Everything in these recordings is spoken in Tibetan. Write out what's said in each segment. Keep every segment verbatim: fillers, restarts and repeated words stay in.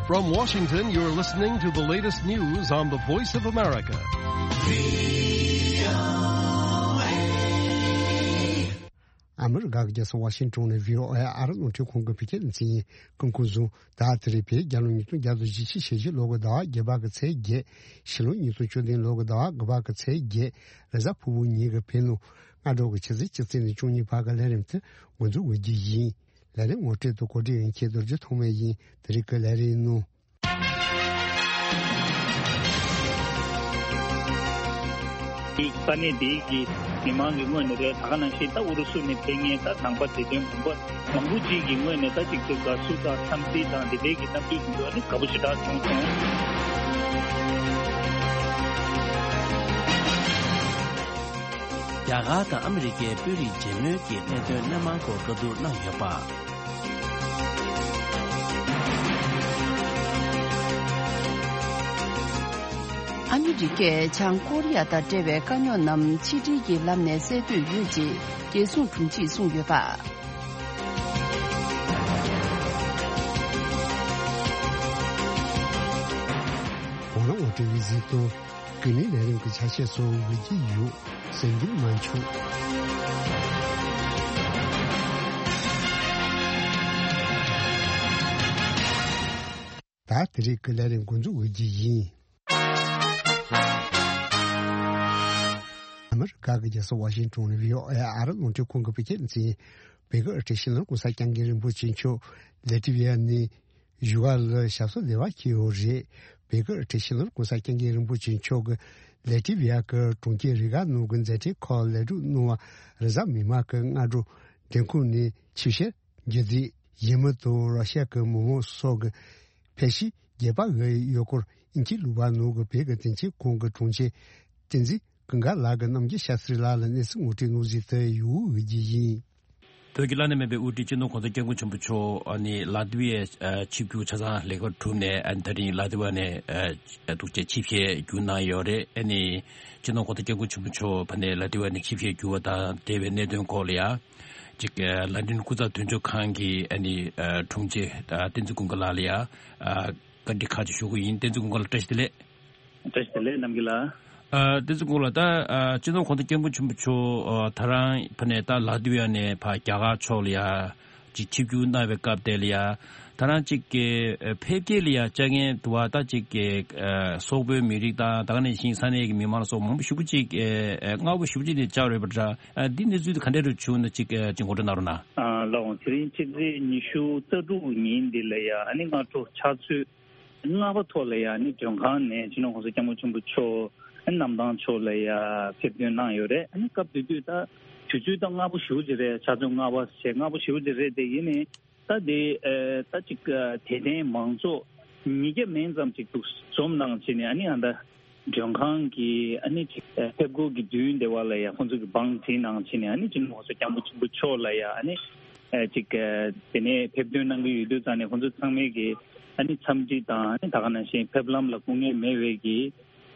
From Washington, you're listening to the latest news on the Voice of America. ཨ་མི་རི་ཀ་གི་རྒྱལ་ས་ཝ་ཤིང་ཊོན་ནས་བྷི་ཨོ་ཨེ་ཨ་རི་རླུང་འཕྲིན་ཁང་གི་བོད་སྐད་སྡེ་ཚན་ཡིན། སྐུ་ཁམས་བཟང་། ད་དེ་རིང་བོད་རྒྱལ་ལོ་ཉིས་སྟོང་བརྒྱ་དང་བཞི་བཅུ་ཞེ་བཞི་ལོ་གི་ཟླ་བ་བརྒྱད་པ་གི་ཚེས་བརྒྱད། ཕྱི་ལོ་ཉིས་སྟོང་བཅུ་བདུན་ལོ་གི་ཟླ་བ་དགུ་པ་གི་ཚེས་བརྒྱད། རེས་གཟའ་ཕུར་བུ་ཉིན་གྱི་བོད་ནང་སྔ་དྲོ་གི་ཆུ་ཚོད་བཅུ་གཅིག་ནས་བཅུ་གཉིས་བར་གྱི་ལས་རིམ་དེ་འགོ་འཛུགས་འོས་རྒྱུ་ཡིན། ལས་རིམ་ངོ་སྤྲོད་དང་གོ་སྒྲིག་ཡོད་མཁན་རྡོ་རྗེ་ཐོགས་མེད་ཡིན། དེ་རིང་གི་ལས་རིམ་ནང་། ས་གནས་དེའི་གི་མི་མང་གི་ངོས་ནས་རེད། ད་ག་ནང་བཞིན་ད་ཨུ་རུ་སུ་ནས་ཕེབས་མཁན་ད་ནང་པ་བདེ་དོན་དགོན་པ་མང་པོ་ཅིག་གི་ངོས་ནས་ད་ཅིག་དེ་དགའ་བསུ་དང་འཚམས་གཟིགས་དང་དེ་འདྲའི་གི་གནམ་གྲུ་འདུག་ཨ་ནི་དགའ་པོ་ཞེ་དྲག་བྱུང་སོང་། རྒྱ་གར་དང་ཨ་མི་རི་ཀའི་དཔོན་རིགས་མཇལ་མོལ་གྱི་གནད་དོན་སྣེ་མང་སྐོར་བཀའ་བསྡུར་གནང་ཡོད་པ། ཨ་མི་རི་ཀས་བྱང་ཀོ་རི་ཡ་དང་འབྲེལ་བའི་དཀའ་རྙོག་རྣམས་ཕྱི་འབྲེལ་གྱི་ལམ་ནས་སེལ་འདོད་ཡོད་ཅེས་རྒྱལ་སྲུང་དྲུང་ཆེས་གསུངས་ཡོད་པ། གོང་ལ་ངོ་སྤྲོད་ཡིག་གཟིགས་དང་། ཀུན་གླེང་ལས་རིམ་གྱི་ཆ་ཤས་སོགས་འོས་ཀྱི་ཡོད། གསན་རྒྱུ་མ་འཁྱོངས། ད་དེ་རིང་གི་ལས་རིམ་འགོ་འཛུགས་འོས་ཀྱི་ཡིན། ཨ་མི་རི་ཀ་གི་རྒྱལ་ས་ཝ་ཤིང་ཊོན་ནས་བྷི་ཨོ་ཨེ་ཨ་རི་རླུང་འཕྲིན་ཁང་གི་བོད་སྐད་སྡེ་ཚན། བོད་ཀྱི་ཨ་ཁྲིད་ཤིང་ལོར་གོང་ས་སྐྱབས་མགོན་རིན་པོ་ཆེ་མཆོག་ལེ་ཏི་བི་ཡ་ནས་བཞུགས་སྒར་ལ་ཞབས་སོར་བདེ་བར་འཁྱེར་ཡོད་རེད། བོད་ཀྱི་ཨ་ཁྲིད་ཤིང་ལོར་གོང་ས་སྐྱབས་མགོན་རིན་པོ་ཆེ་མཆོག་གིས་ལེ་ཏི་བི་ཡ་གི་གྲོང་ཁྱེར་རི་ག་ནང་གི་མཛད་འཕྲིན་ཁག་ལེགས་གྲུབ་གནང་བར་རེས་གཟའ་མིག་དམར་གྱི་སྔ་དྲོ་མགྲོན་ཁང་ནས་ཆིབས་ཞལ་འཇལ་རྩིས། ཡུལ་མི་དང་ར་ཤ་གི་མི་མང་སོགས་ཀྱིས་ཕེབས་བྱས་རྒྱས་པ་དབུ་བའི་ཡུལ་སྐོར་ཨིན་ཇིའི་ལུང་པ་ནང་གི་བོད་ཀྱི་དོན་ཚན་ཁང་གི་དྲུང་ཆེ་བསྟན་འཛིན་ཀུན་དགའ་ལགས་ཀྱིས་རྣམ་རྒྱལ་ཤཱསྟྲི་ལགས་ལ་གནས་ཚུལ་ངོ་སྤྲོད་གནང་གཟིགས་དེ་ཡོད་འོས་ཀྱི་ཡིན། བོད་ཀྱི་བླ་ན་མེད་པའི་དབུ་ཁྲིད་སྤྱི་ནོར་གོང་ས་སྐྱབས་མགོན་ཆེན་པོ་མཆོག་ཨ་ནི་ལ་ཏི་བི་ཡའི་ཨ་ཆིབས་བསྒྱུར་ཆ་ཚང་ལེགས་པར་གྲུབ་ནས། ཨ་ནི་ད་རིང་ལ་ཏི་བ་ནས་ཨ་འདུག་སེ་ཆིབས་ཞལ་བསྒྱུར་གནང་ཡོད་རེད། ཨ་ནི་སྤྱི་ནོར་གོང་ས་སྐྱབས་མགོན་ཆེན་པོ་མཆོག་ཕ་ནས་ལ་ཏི་བ་ནས་ཆིབས་ཞལ་བསྒྱུར་བ་དང་འབྲེལ་བའི་གནད་དོན་སྐོར་ལ་ཡ། ཅིག་ཨ་ལན་ཀྲན་སྐུ་ཚབ་དོན་གཅོད་ཁང་གི་ཨ་ནི་ཨ་དྲུང་ཆེ་ཨ་བསྟན་འཛིན་ཀུན་དགའ་ལགས་ལ་ཡ་ཨ་བཀའ་འདྲི་ཁག་ཅིག་ཞུ་གི་ཡིན། བསྟན་འཛིན་ཀུན་དགའ་ལགས་བཀྲ་ཤིས་བདེ་ལེགས། བཀྲ་ཤིས་བདེ་ལེགས་རྣམ་རྒྱལ་ལགས། ཨ་བསྟན་འཛིན་ཀུན་དགའ་ལགས། ད་ཨ་སྤྱི་ནོར་གོང་ས་སྐྱབས་མགོན་ཆེན་པོ་མཆོག་ཨ་ད་རང་ཕ་ནས་ད་ལ་ཏི་བ་ནས་ཕ་རྒྱ་གར་ཕྱོགས་ལ་ཡ་ཅིག་ཆིབས་བསྒྱུར་གནང་བའི་སྐབས་དེ་ལ་ཡ། ད་རང་ཅིག་གི་ཨ་ཕེབས་སྐྱེལ་ལ་ཡ་བཅར་མཁན་དུ་བ་ད་ཅིག་གི་ཨ་སོག་པོའི་མི་རིགས་དང་ད་ག་ནང་བཞིན་ས་གནས་ཀྱི་མི་མང་སོགས་མང་པོ་ཞེ་པོ་ཅིག་ཨ་ཨ་སྔ་པོ་ཞེ་པོ་ཅིག་ནས་བཅར་ཡོད་པ་འདྲ། ཨ་འདི་གནས་ཚུལ་དེ་ག་འདྲ་རུ་བྱུང་ན་ཅིག་ཨ་ཅིག་ངོ་སྤྲོད་གནང་རོགས་གནང་། ཨ་ལགས་འོང་། དེ་རིང་ཕྱི་ཚེས་ཉི་ཤུ་རྩ་དྲུག་ཉིན་འདི་ལ་ཡ་ཨ་ནི་སྔ་དྲོ་ཕྱག་ཚོད་ལྔ་པ་ཐོག་ལ་ཡ་ཨ་ནི་མགྲོན་ཁང་ནས་སྤྱི་ནོར་གོང་ས་སྐྱབས་མགོན་ཆེན་པོ་མཆོག་ཨ་ནི་གནམ་ཐང་ཕྱོགས་ལ་ཡ་ཕེབས་ཐོན་གནང་ཡོད་རེད། ཨ་ནི་སྐབས་དེ་དུས་ད་དུས་ཚོད་ད་སྔ་པོ་ཞེ་པོ་ཅིག་རེད། ཕྱག་ཚོད་ལྔ་པ་བྱས་སྔ་པོ་ཞེ་པོ་ཅིག་རེད། དེ་ཡིན་ནའི་ད་དེ་ཨ་ད་ཅིག་ཨ་དད་ལྡན་མང་ཚོགས་ཉིས་བརྒྱ་མན་ཙམ་ཅིག་འདུག་འཛོམས་གནང་བྱས་ནས་ཨ་ནི་ཨ་ད་མགྲོན་ཁང་གི་ཨ་ནི་ཅིག་ཨ་ཕེབས་སྒོ་གི་མདུན་དེ་བ་ལ་ཡ་ཁོང་ཚོ་གི་བང་བསྒྲིགས་གནང་བྱས་ནས་ཨ་ནི་སྤྱི་ནོར་གོང་ས་སྐྱབས་མགོན་ཆེན་པོ་མཆོག་ལ་ཡ་ཨ་ནི་ཨ་ཅིག་ཨ་དེ་ནས་ཕེབས་ཐོན་གནང་གི་ཡོད་དུས་ཙང་ནས་ཁོང་ཚོ་ཚང་མས་ཀྱི་ཨ་ནི་འཚམས་འདྲི་དང་ཨ་ནི་ད་ག་ནང་བཞིན་ཕེབས་ལམ་ལ་སྐུ་ངལ་མེད་པའི་གི་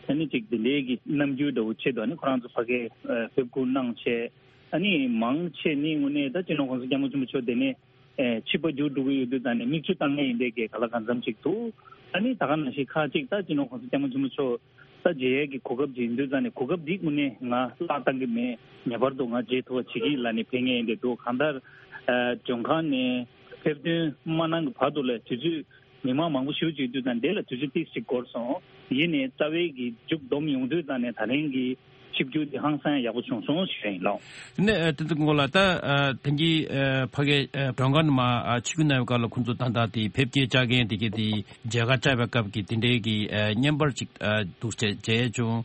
ཨ་ནི་ཅིག་དེ་འདྲའི་གི་རྣམ་འགྱུར་འདྲ་བོ་ཆེད་དུ་ཨ་ནི་ཁོ་རང་ཚོ་ཕ་གིར་ཨ་ཕེབས་སྒོ་གནང་བྱས། ཨ་ནི་མང་ཆེ་ནི་དངོས་གནས་ད་སྤྱི་ནོར་གོང་ས་སྐྱབས་མགོན་ཆེན་པོ་མཆོག་དེ་ནས་ཨེ་ཆིབས་པ་བསྒྱུར་འགྲོ་གི་ཡོད་དུས་ཙང་ནས་མིག་ཆུ་བཏང་མཁན་ཡིན་པའི་གི་ག་ལ་གང་འཚམ་ཅིག་འདུག་ཨ་ནི་ད་ག་ནང་བཞིན་ཁག་ཅིག་ད་སྤྱི་ནོར་གོང་ས་སྐྱབས་མགོན་ཆེན་པོ་མཆོག་ད་མཇལ་ཡས་ཀྱི་གོ་སྐབས་ཅིག་ཡིན་དུས་ཙང་ནས་གོ་སྐབས་འདི་དངོས་གནས་ང་བརླག་བཏང་གི་མེད། ངེས་པར་དུ་ང་མཇལ་ཐུབ་པ་བྱེད་ཀྱི་ཡིན་ལབ་ནས་ཕེབས་མཁན་ཡིན་དེ་འདུག་གང་ལྟར་ཨ་མགྲོན་ཁང་ནས་ཕེབས་ཐོན་མ་གནང་གི་བར་དུ་ལ་དུས་ཚོད་མི་མང་མང་པོ་ཞེ་པོ་ཅིག་ཡོད་དུས་ཙང་འདི་ལ་དུས་ཚོད་ཏོག་ཙམ་འགོར་སོང་། ཡིན་ནའི་རྩ་བའི་གི་མཇུག་བསྡོམས་ཡོང་དུས་ཙང་ནས་ད་རིང་གི་ཆིབས་བསྒྱུར་འདི་ཧང་སང་ཡག་པོ་བྱུང་སོང་ཞུ་ཡ་ཡིན་ལགས། དེ་ནས་ཨ་བསྟན་འཛིན་ཀུན་དགའ་ལགས། ད་ཨ་ཐེངས་ཀྱི་ཨ་ཕ་གིའི་ཨ་མགྲོན་ཁང་ནང་མར་ཨ་ཆིབས་བསྒྱུར་གནང་བའི་སྐབས་ལ་ཁོང་ཚོ་ད་ལྟ་དེ་ཕེབས་སྐྱེལ་བཅར་མཁན་དེ་གའི་དེ་མཇལ་ཁ་བཅར་བའི་སྐབས་ཀྱི་དེ་འདྲའི་གི་ཨ་བརྙན་པར་ཅིག་ཨ་འདུག་སེ་མཇལ་བྱུང་།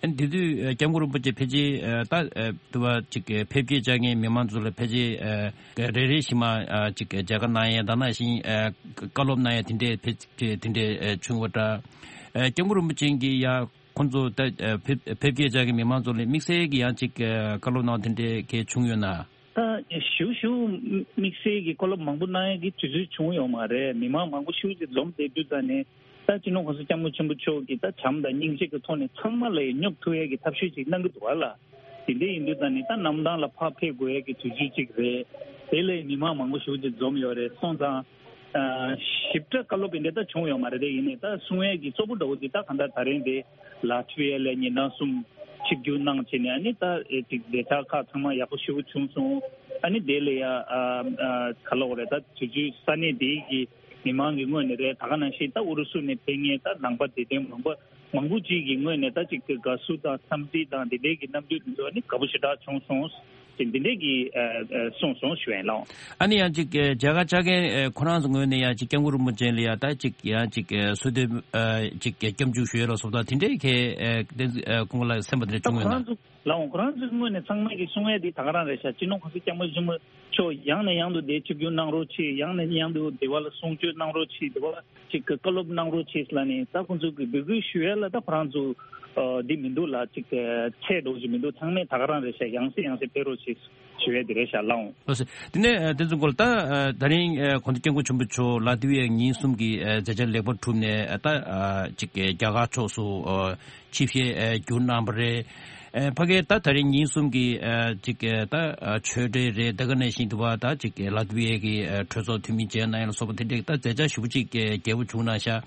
ཨ་ནི་དེ་དུས་ཨ་སྐྱབས་མགོན་རིན་པོ་ཆེ་ཕལ་ཆེར་ཨ་ད་ཨ་དུ་བ་ཅིག་ཨ་ཕེབས་སྐྱེལ་བཅར་མཁན་མི་མང་ཚོ་ལ་ཕལ་ཆེར་ཨ་རེ་རེ་བཞིན་མར་ཨ་ཅིག་ཨ་མཇལ་ཁ་གནང་ཡས་དང་ནང་བཞིན་ཨ་བཀའ་སློབ་གནང་ཡས་དེ་འདྲའི་ཕལ་ཆེར་དེ་འདྲའི་ཨ་བྱུང་བ་འདྲ། ཨ་སྐྱབས་མགོན་རིན་པོ་ཆེ་གིས་ཡ་ཁོང་ཚོ་ད་ཨ་ཕེབས་ཕེབས་སྐྱེལ་བཅར་མཁན་མི་མང་ཚོ་ལ་དམིགས་བསལ་གྱི་ཡང་ཅིག་ཨ་བཀའ་སློབ་གནང་དེ་འདྲའི་གལ་བྱུང་ཡོད་ན། ད་ཞུ་ཞུ་དམིགས་བསལ་གྱི་བཀའ་སློབ་མང་པོ་གནང་ཡས་ཀྱི་དུས་ཚོད་བྱུང་ཡོད་མ་རེད། མི་མང་མང་པོ་ཞེ་པོ་ཅིག་འཛོམས་བསྡད་དུས་ཙང་ནས་ད་སྤྱི་ནོར་གོང་ས་སྐྱབས་མགོན་ཆེན་པོ་མཆོག་གིས་ད་བྱམས་དང་སྙིང་རྗེ་གི་ཐོག་ནས་ཚང་མ་ལ་ཡ་སྙོབ་ཐུབ་ཡས་ཀྱི་ཐབས་ཤེས་ཅིག་གནང་གི་འདུག་ག་ལ། དེ་འདྲ་ཡིན་དུས་ཙང་ནས་ད་གནམ་ཐང་ལ་ཕར་ཕེབས་དགོས་ཡས་ཀྱི་དུས་ཚོད་ཅིག་རེད། དེ་ལ་ཡ་མི་མང་མང་པོ་ཞེ་པོ་ཅིག་འཛོམས་ཡོད་རེད། སོང་ཙང་ ཞིབ་ཕྲ་བཀའ་སློབ་དེ་འདྲ་ད་བྱུང་ཡོད་མ་རེད། དེ་ཡིན་ནའི་ད་གསུང་ཡས་ཀྱི་གཙོ་བོ་འདྲ་བོ་དེ་ད་གང་ལྟར་ད་རིང་དེ་ལ་ཐུ་ཡ་ལ་ཉིན་གྲངས་གསུམ་ཆིབས་བསྒྱུར་གནང་བྱས་ནས་ཨ་ནི་ད་ཅིག་བདེ་འཇགས་ཁག་ཚང་མ་ཡག་པོ་ཞེ་པོ་བྱུང་སོང་། ཨ་ནི་དེ་ལ་ཡ་ག་ལབ་དགོས་རེད། ད་དུས་ཚོད་ས་གནས་དེའི་གི་མི་མང་གི་ངོས་ནས་རེད། ད་ག་ནང་བཞིན་ད་ཨུ་རུ་སུ་ནས་ཕེབས་མཁན་ད་ནང་པ་དད་ལྡན་མང་པོ་མང་པོ་ཅིག་གི་ངོས་ནས་ད་ཅིག་དགའ་བསུ་དང་འཚམས་འདྲི་དང་དེ་འདྲའི་གི་རྣམ་འགྱུར་དེ་ཚོ་ནི་དགའ་པོ་ཞེ་དྲག་བྱུང་སོང་ཞེས་འདི་འདྲའི་གི་གསུངས་སོང་ཞུ་ཡིན་ལགས། ཨ་ནི་ཡང་ཅིག་མཇལ་ཁ་བཅར་མཁན་ཁོ་རང་ཚོ་ངོས་ནས་ཡང་ཅིག་སྐྱབས་མགོན་རིན་པོ་ཆེ་ལ་ཡང་ད་ཅིག་ཡང་ཅིག་གསོལ་འདེབས་ཅིག་སྐྱབས་འཇུག་ཞུ་ཡས་ལ་སོགས་དང་དེ་འདྲའི་གི་ཁོང་ལ་སེམས་པ་དེ་འདྲ་བྱུང་ཡོད་ན། ལགས་འོང་། ཁོ་རང་ཚོའི་ངོས་ནས་ཚང་མས་ཀྱི་གསུང་ཡས་དེ་ད་ག་རང་རེད་ཤག་སྤྱི་ནོར་གོང་ས་སྐྱབས་མགོན་ཆེན་པོ་མཆོག་ཡང་ནས་ཡང་དུ་དེ་ཆིབས་བསྒྱུར་གནང་རོགས་གྱིས། ཡང་ནས་ཡང་དུ་དེ་བ་ལ་གསུང་ཆོས་གནང་རོགས་གྱིས། དེ་བ་ཅིག་གི་བཀའ་སློབ་གནང་རོགས་གྱིས་ལ་ནི་ད་ཁོང་ཚོ་གི་འབོད་སྐུལ་ཞུ་ཡས་ལ་ད་ཁོ་རང་ཚོ་འདི་མི་འདུག་ལ་ཅིག་ཚད་འགྲོ་གི་མི་འདུག་ཚང་མས་ད་ག་རང་རེད་ཤག་ཡང་སེ་ཡང་སེ་ཕེབས་རོགས་གྱིས་ཞུ་ཡས་དེ་རེད་ཤག་ལགས་འོང་། ལགས་སོ། དེ་ནས་དེ་ཚོ་སྐོར་ད་ད་རིང་གོང་ས་སྐྱབས་མགོན་ཆེན་པོ་མཆོག་ལ་ཏི་ཝི་ཡ་ཉིན་གསུམ་གྱི་མཛད་འཆར་ལེགས་པར་གྲུབ་ནས་ད་ཅིག་རྒྱ་གར་ཕྱོགས་སུ་ཆིབས་ཞལ་བསྒྱུར་གནང་བ་རེད། ཨ་ཕ་གིར་ད་ད་རིང་ཉིན་གསུམ་གྱི་ཨ་ཅིག་ཨ་ད་ཨ་ཆོས་འབྲེལ་རེད། ད་ག་ནང་བཞིན་དུ་བ་ད་ཅིག་ལ་ཏི་བི་ཡའི་གི་ཨ་གྲོས་ཚོགས་འཐུས་མི་མཇལ་གནང་ཡ་ལ་སོགས་པ་དེ་འདྲའི་ད་མཛད་འཆར་ཞེ་པོ་ཅིག་རྒྱས་པོ་བྱུང་གནང་ཤག་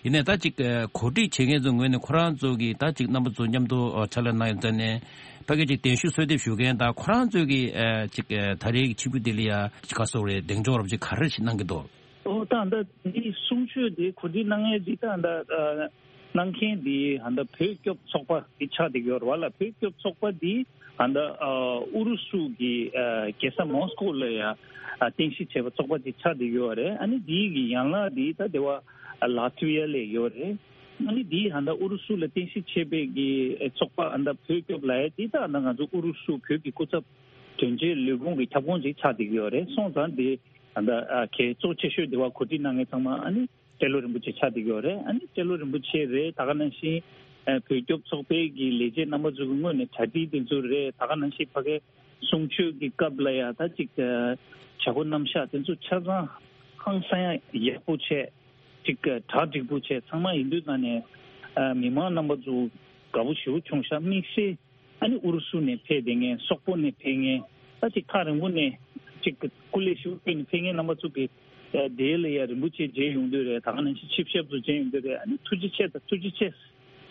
ཡིན་ནའི་ད་ཅིག་ཨ་གོ་སྒྲིག་བྱེད་མཁན་ཚོའི་ངོས་ནས་ཁོ་རང་ཚོ་གི་ད་ཅིག་རྣམ་པ་ཚོ་མཉམ་དུ་ཨ་ཕྱག་ལས་གནང་ཡ་མཛད་ནས་ཕ་གི་ཅིག་གདན་ཞུ་གསོལ་འདེབས་ཞུ་མཁན་དང་ཁོ་རང་ཚོའི་གི་ཨ་ཅིག་ཨ་ད་རེས་ཀྱི་ཆིབས་བསྒྱུར་དེ་ལ་ཡ་ཅིག་ག་སོགས་རེད། གདེང་འཇོག་རབ་ཅིག་ག་རེ་ཞིག་གནང་གི་འདུག་ཨོ་ད་ད་འདི་གསུང་ཆོས་འདི་གོ་སྒྲིག་གནང་མཁན་འདི་ད་ད་ཨ་གནང་མཁན་འདི་ཧ་ད་བོད་སྐྱོབ་ཚོགས་པ་འདི་ཆགས་བསྡད་ཡོད་རེད་བ་ལ། བོད་སྐྱོབ་ཚོགས་པ་འདི་ཧ་ད་ཨ་ཨུ་རུ་སུ་གི་ཨ་རྒྱལ་ས་མོ་སི་ཀོ་ལ་ཡ་ཨ་རྟེན་གཞི་བྱས་པ་ཚོགས་པ་འདི་ཆགས་བསྡད་ཡོད་རེད། ཨ་ནི་འདི་གི་ཡན་ལག་འདི་ད་དེ་བ་ཨ་ལ་ཐི་ཝི་ཡ་ལ་ཡོད་རེད། ཨ་ནི་འདི་ཧ་ད་ཨུ་རུ་སུ་ལ་རྟེན་གཞི་བྱས་པའི་གི་ཚོགས་པ་ཧ་ད་བོད་སྐྱོབ་ལབ་ཡ་འདི་ད་ཧ་ད་ང་ཚོ་ཨུ་རུ་སུ་བོད་ཀྱི་སྐུ་ཚབ་དོན་གཅོད་ལས་ཁུངས་ཀྱི་ཁྱབ་ཁོངས་ཅིག་ཆགས་བསྡད་ཡོད་རེད། སོང་ཙང་འདི་ད་ལྟ་ཨ་གལ་གཙོ་ཆེ་ཤོས་དེ་བ་གོ་སྒྲིག་གནང་མཁན་ཚང་མ་ཨ་ནི་སྤྲེལ་ལོ་རིན་པོ་ཆེ་ཆགས་བསྡད་ཡོད་རེད། ཨ་ནི་སྤྲེལ་ལོ་རིན་པོ་ཆེ་རེད། ད་ག་ནང་བཞིན་ཨ་བོད་སྐྱོབ་ཚོགས་པའི་གི་ལས་བྱེད་རྣམ་པ་ཚོ་གི་ངོས་ནས་གྲ་སྒྲིག་དེ་ཚོ་རེད། ད་ག་ནང་བཞིན་ཕ་གའི་གསུང་ཆོས་ཀྱི་སྐབས་ལ་ཡ་ད་ཅིག་ཨ་བྱ་སྒོ་རྣམ་གཞག་དེ་ཚོ་ཆ་ཚང་ཧང་སང་ཡ་ཡག་པོ་བྱས་ཅིག་ཨ་གྲ་འགྲིག་པོ་བྱས་ཚང་མ་ཡིན་དུས་ད་ནས་ཨ་མི་མང་རྣམ་པ་ཚོ་དགའ་པོ་ཞེ་པོ་བྱུང་ཤག་དམིགས་བསལ་ཨ་ནི་ཨུ་རུ་སུ་ནས་ཕེབས་བསྡད་མཁན་སོག་པོ་ནས་ཕེབས་མཁན་ད་ཅིག་ཐག་རིང་པོ་ནས་ཅིག་སྐུ་ལས་ཞུ་ཕེབས་ནས་ཕེབས་མཁན་རྣམ་པ་ཚོ་གི་དེ་ལ་ཡ་རིན་པོ་ཆེ་མཇལ་ཡོང་དུས་རེད། ད་ག་ནང་བཞིན་ཆིབས་ཞབས་ཚོ་མཇལ་ཡོང་དུས་རེད། ཨ་ནི་ཐུགས་རྗེ་ཆེ་དང་ཐུགས་རྗེ་ཆེ་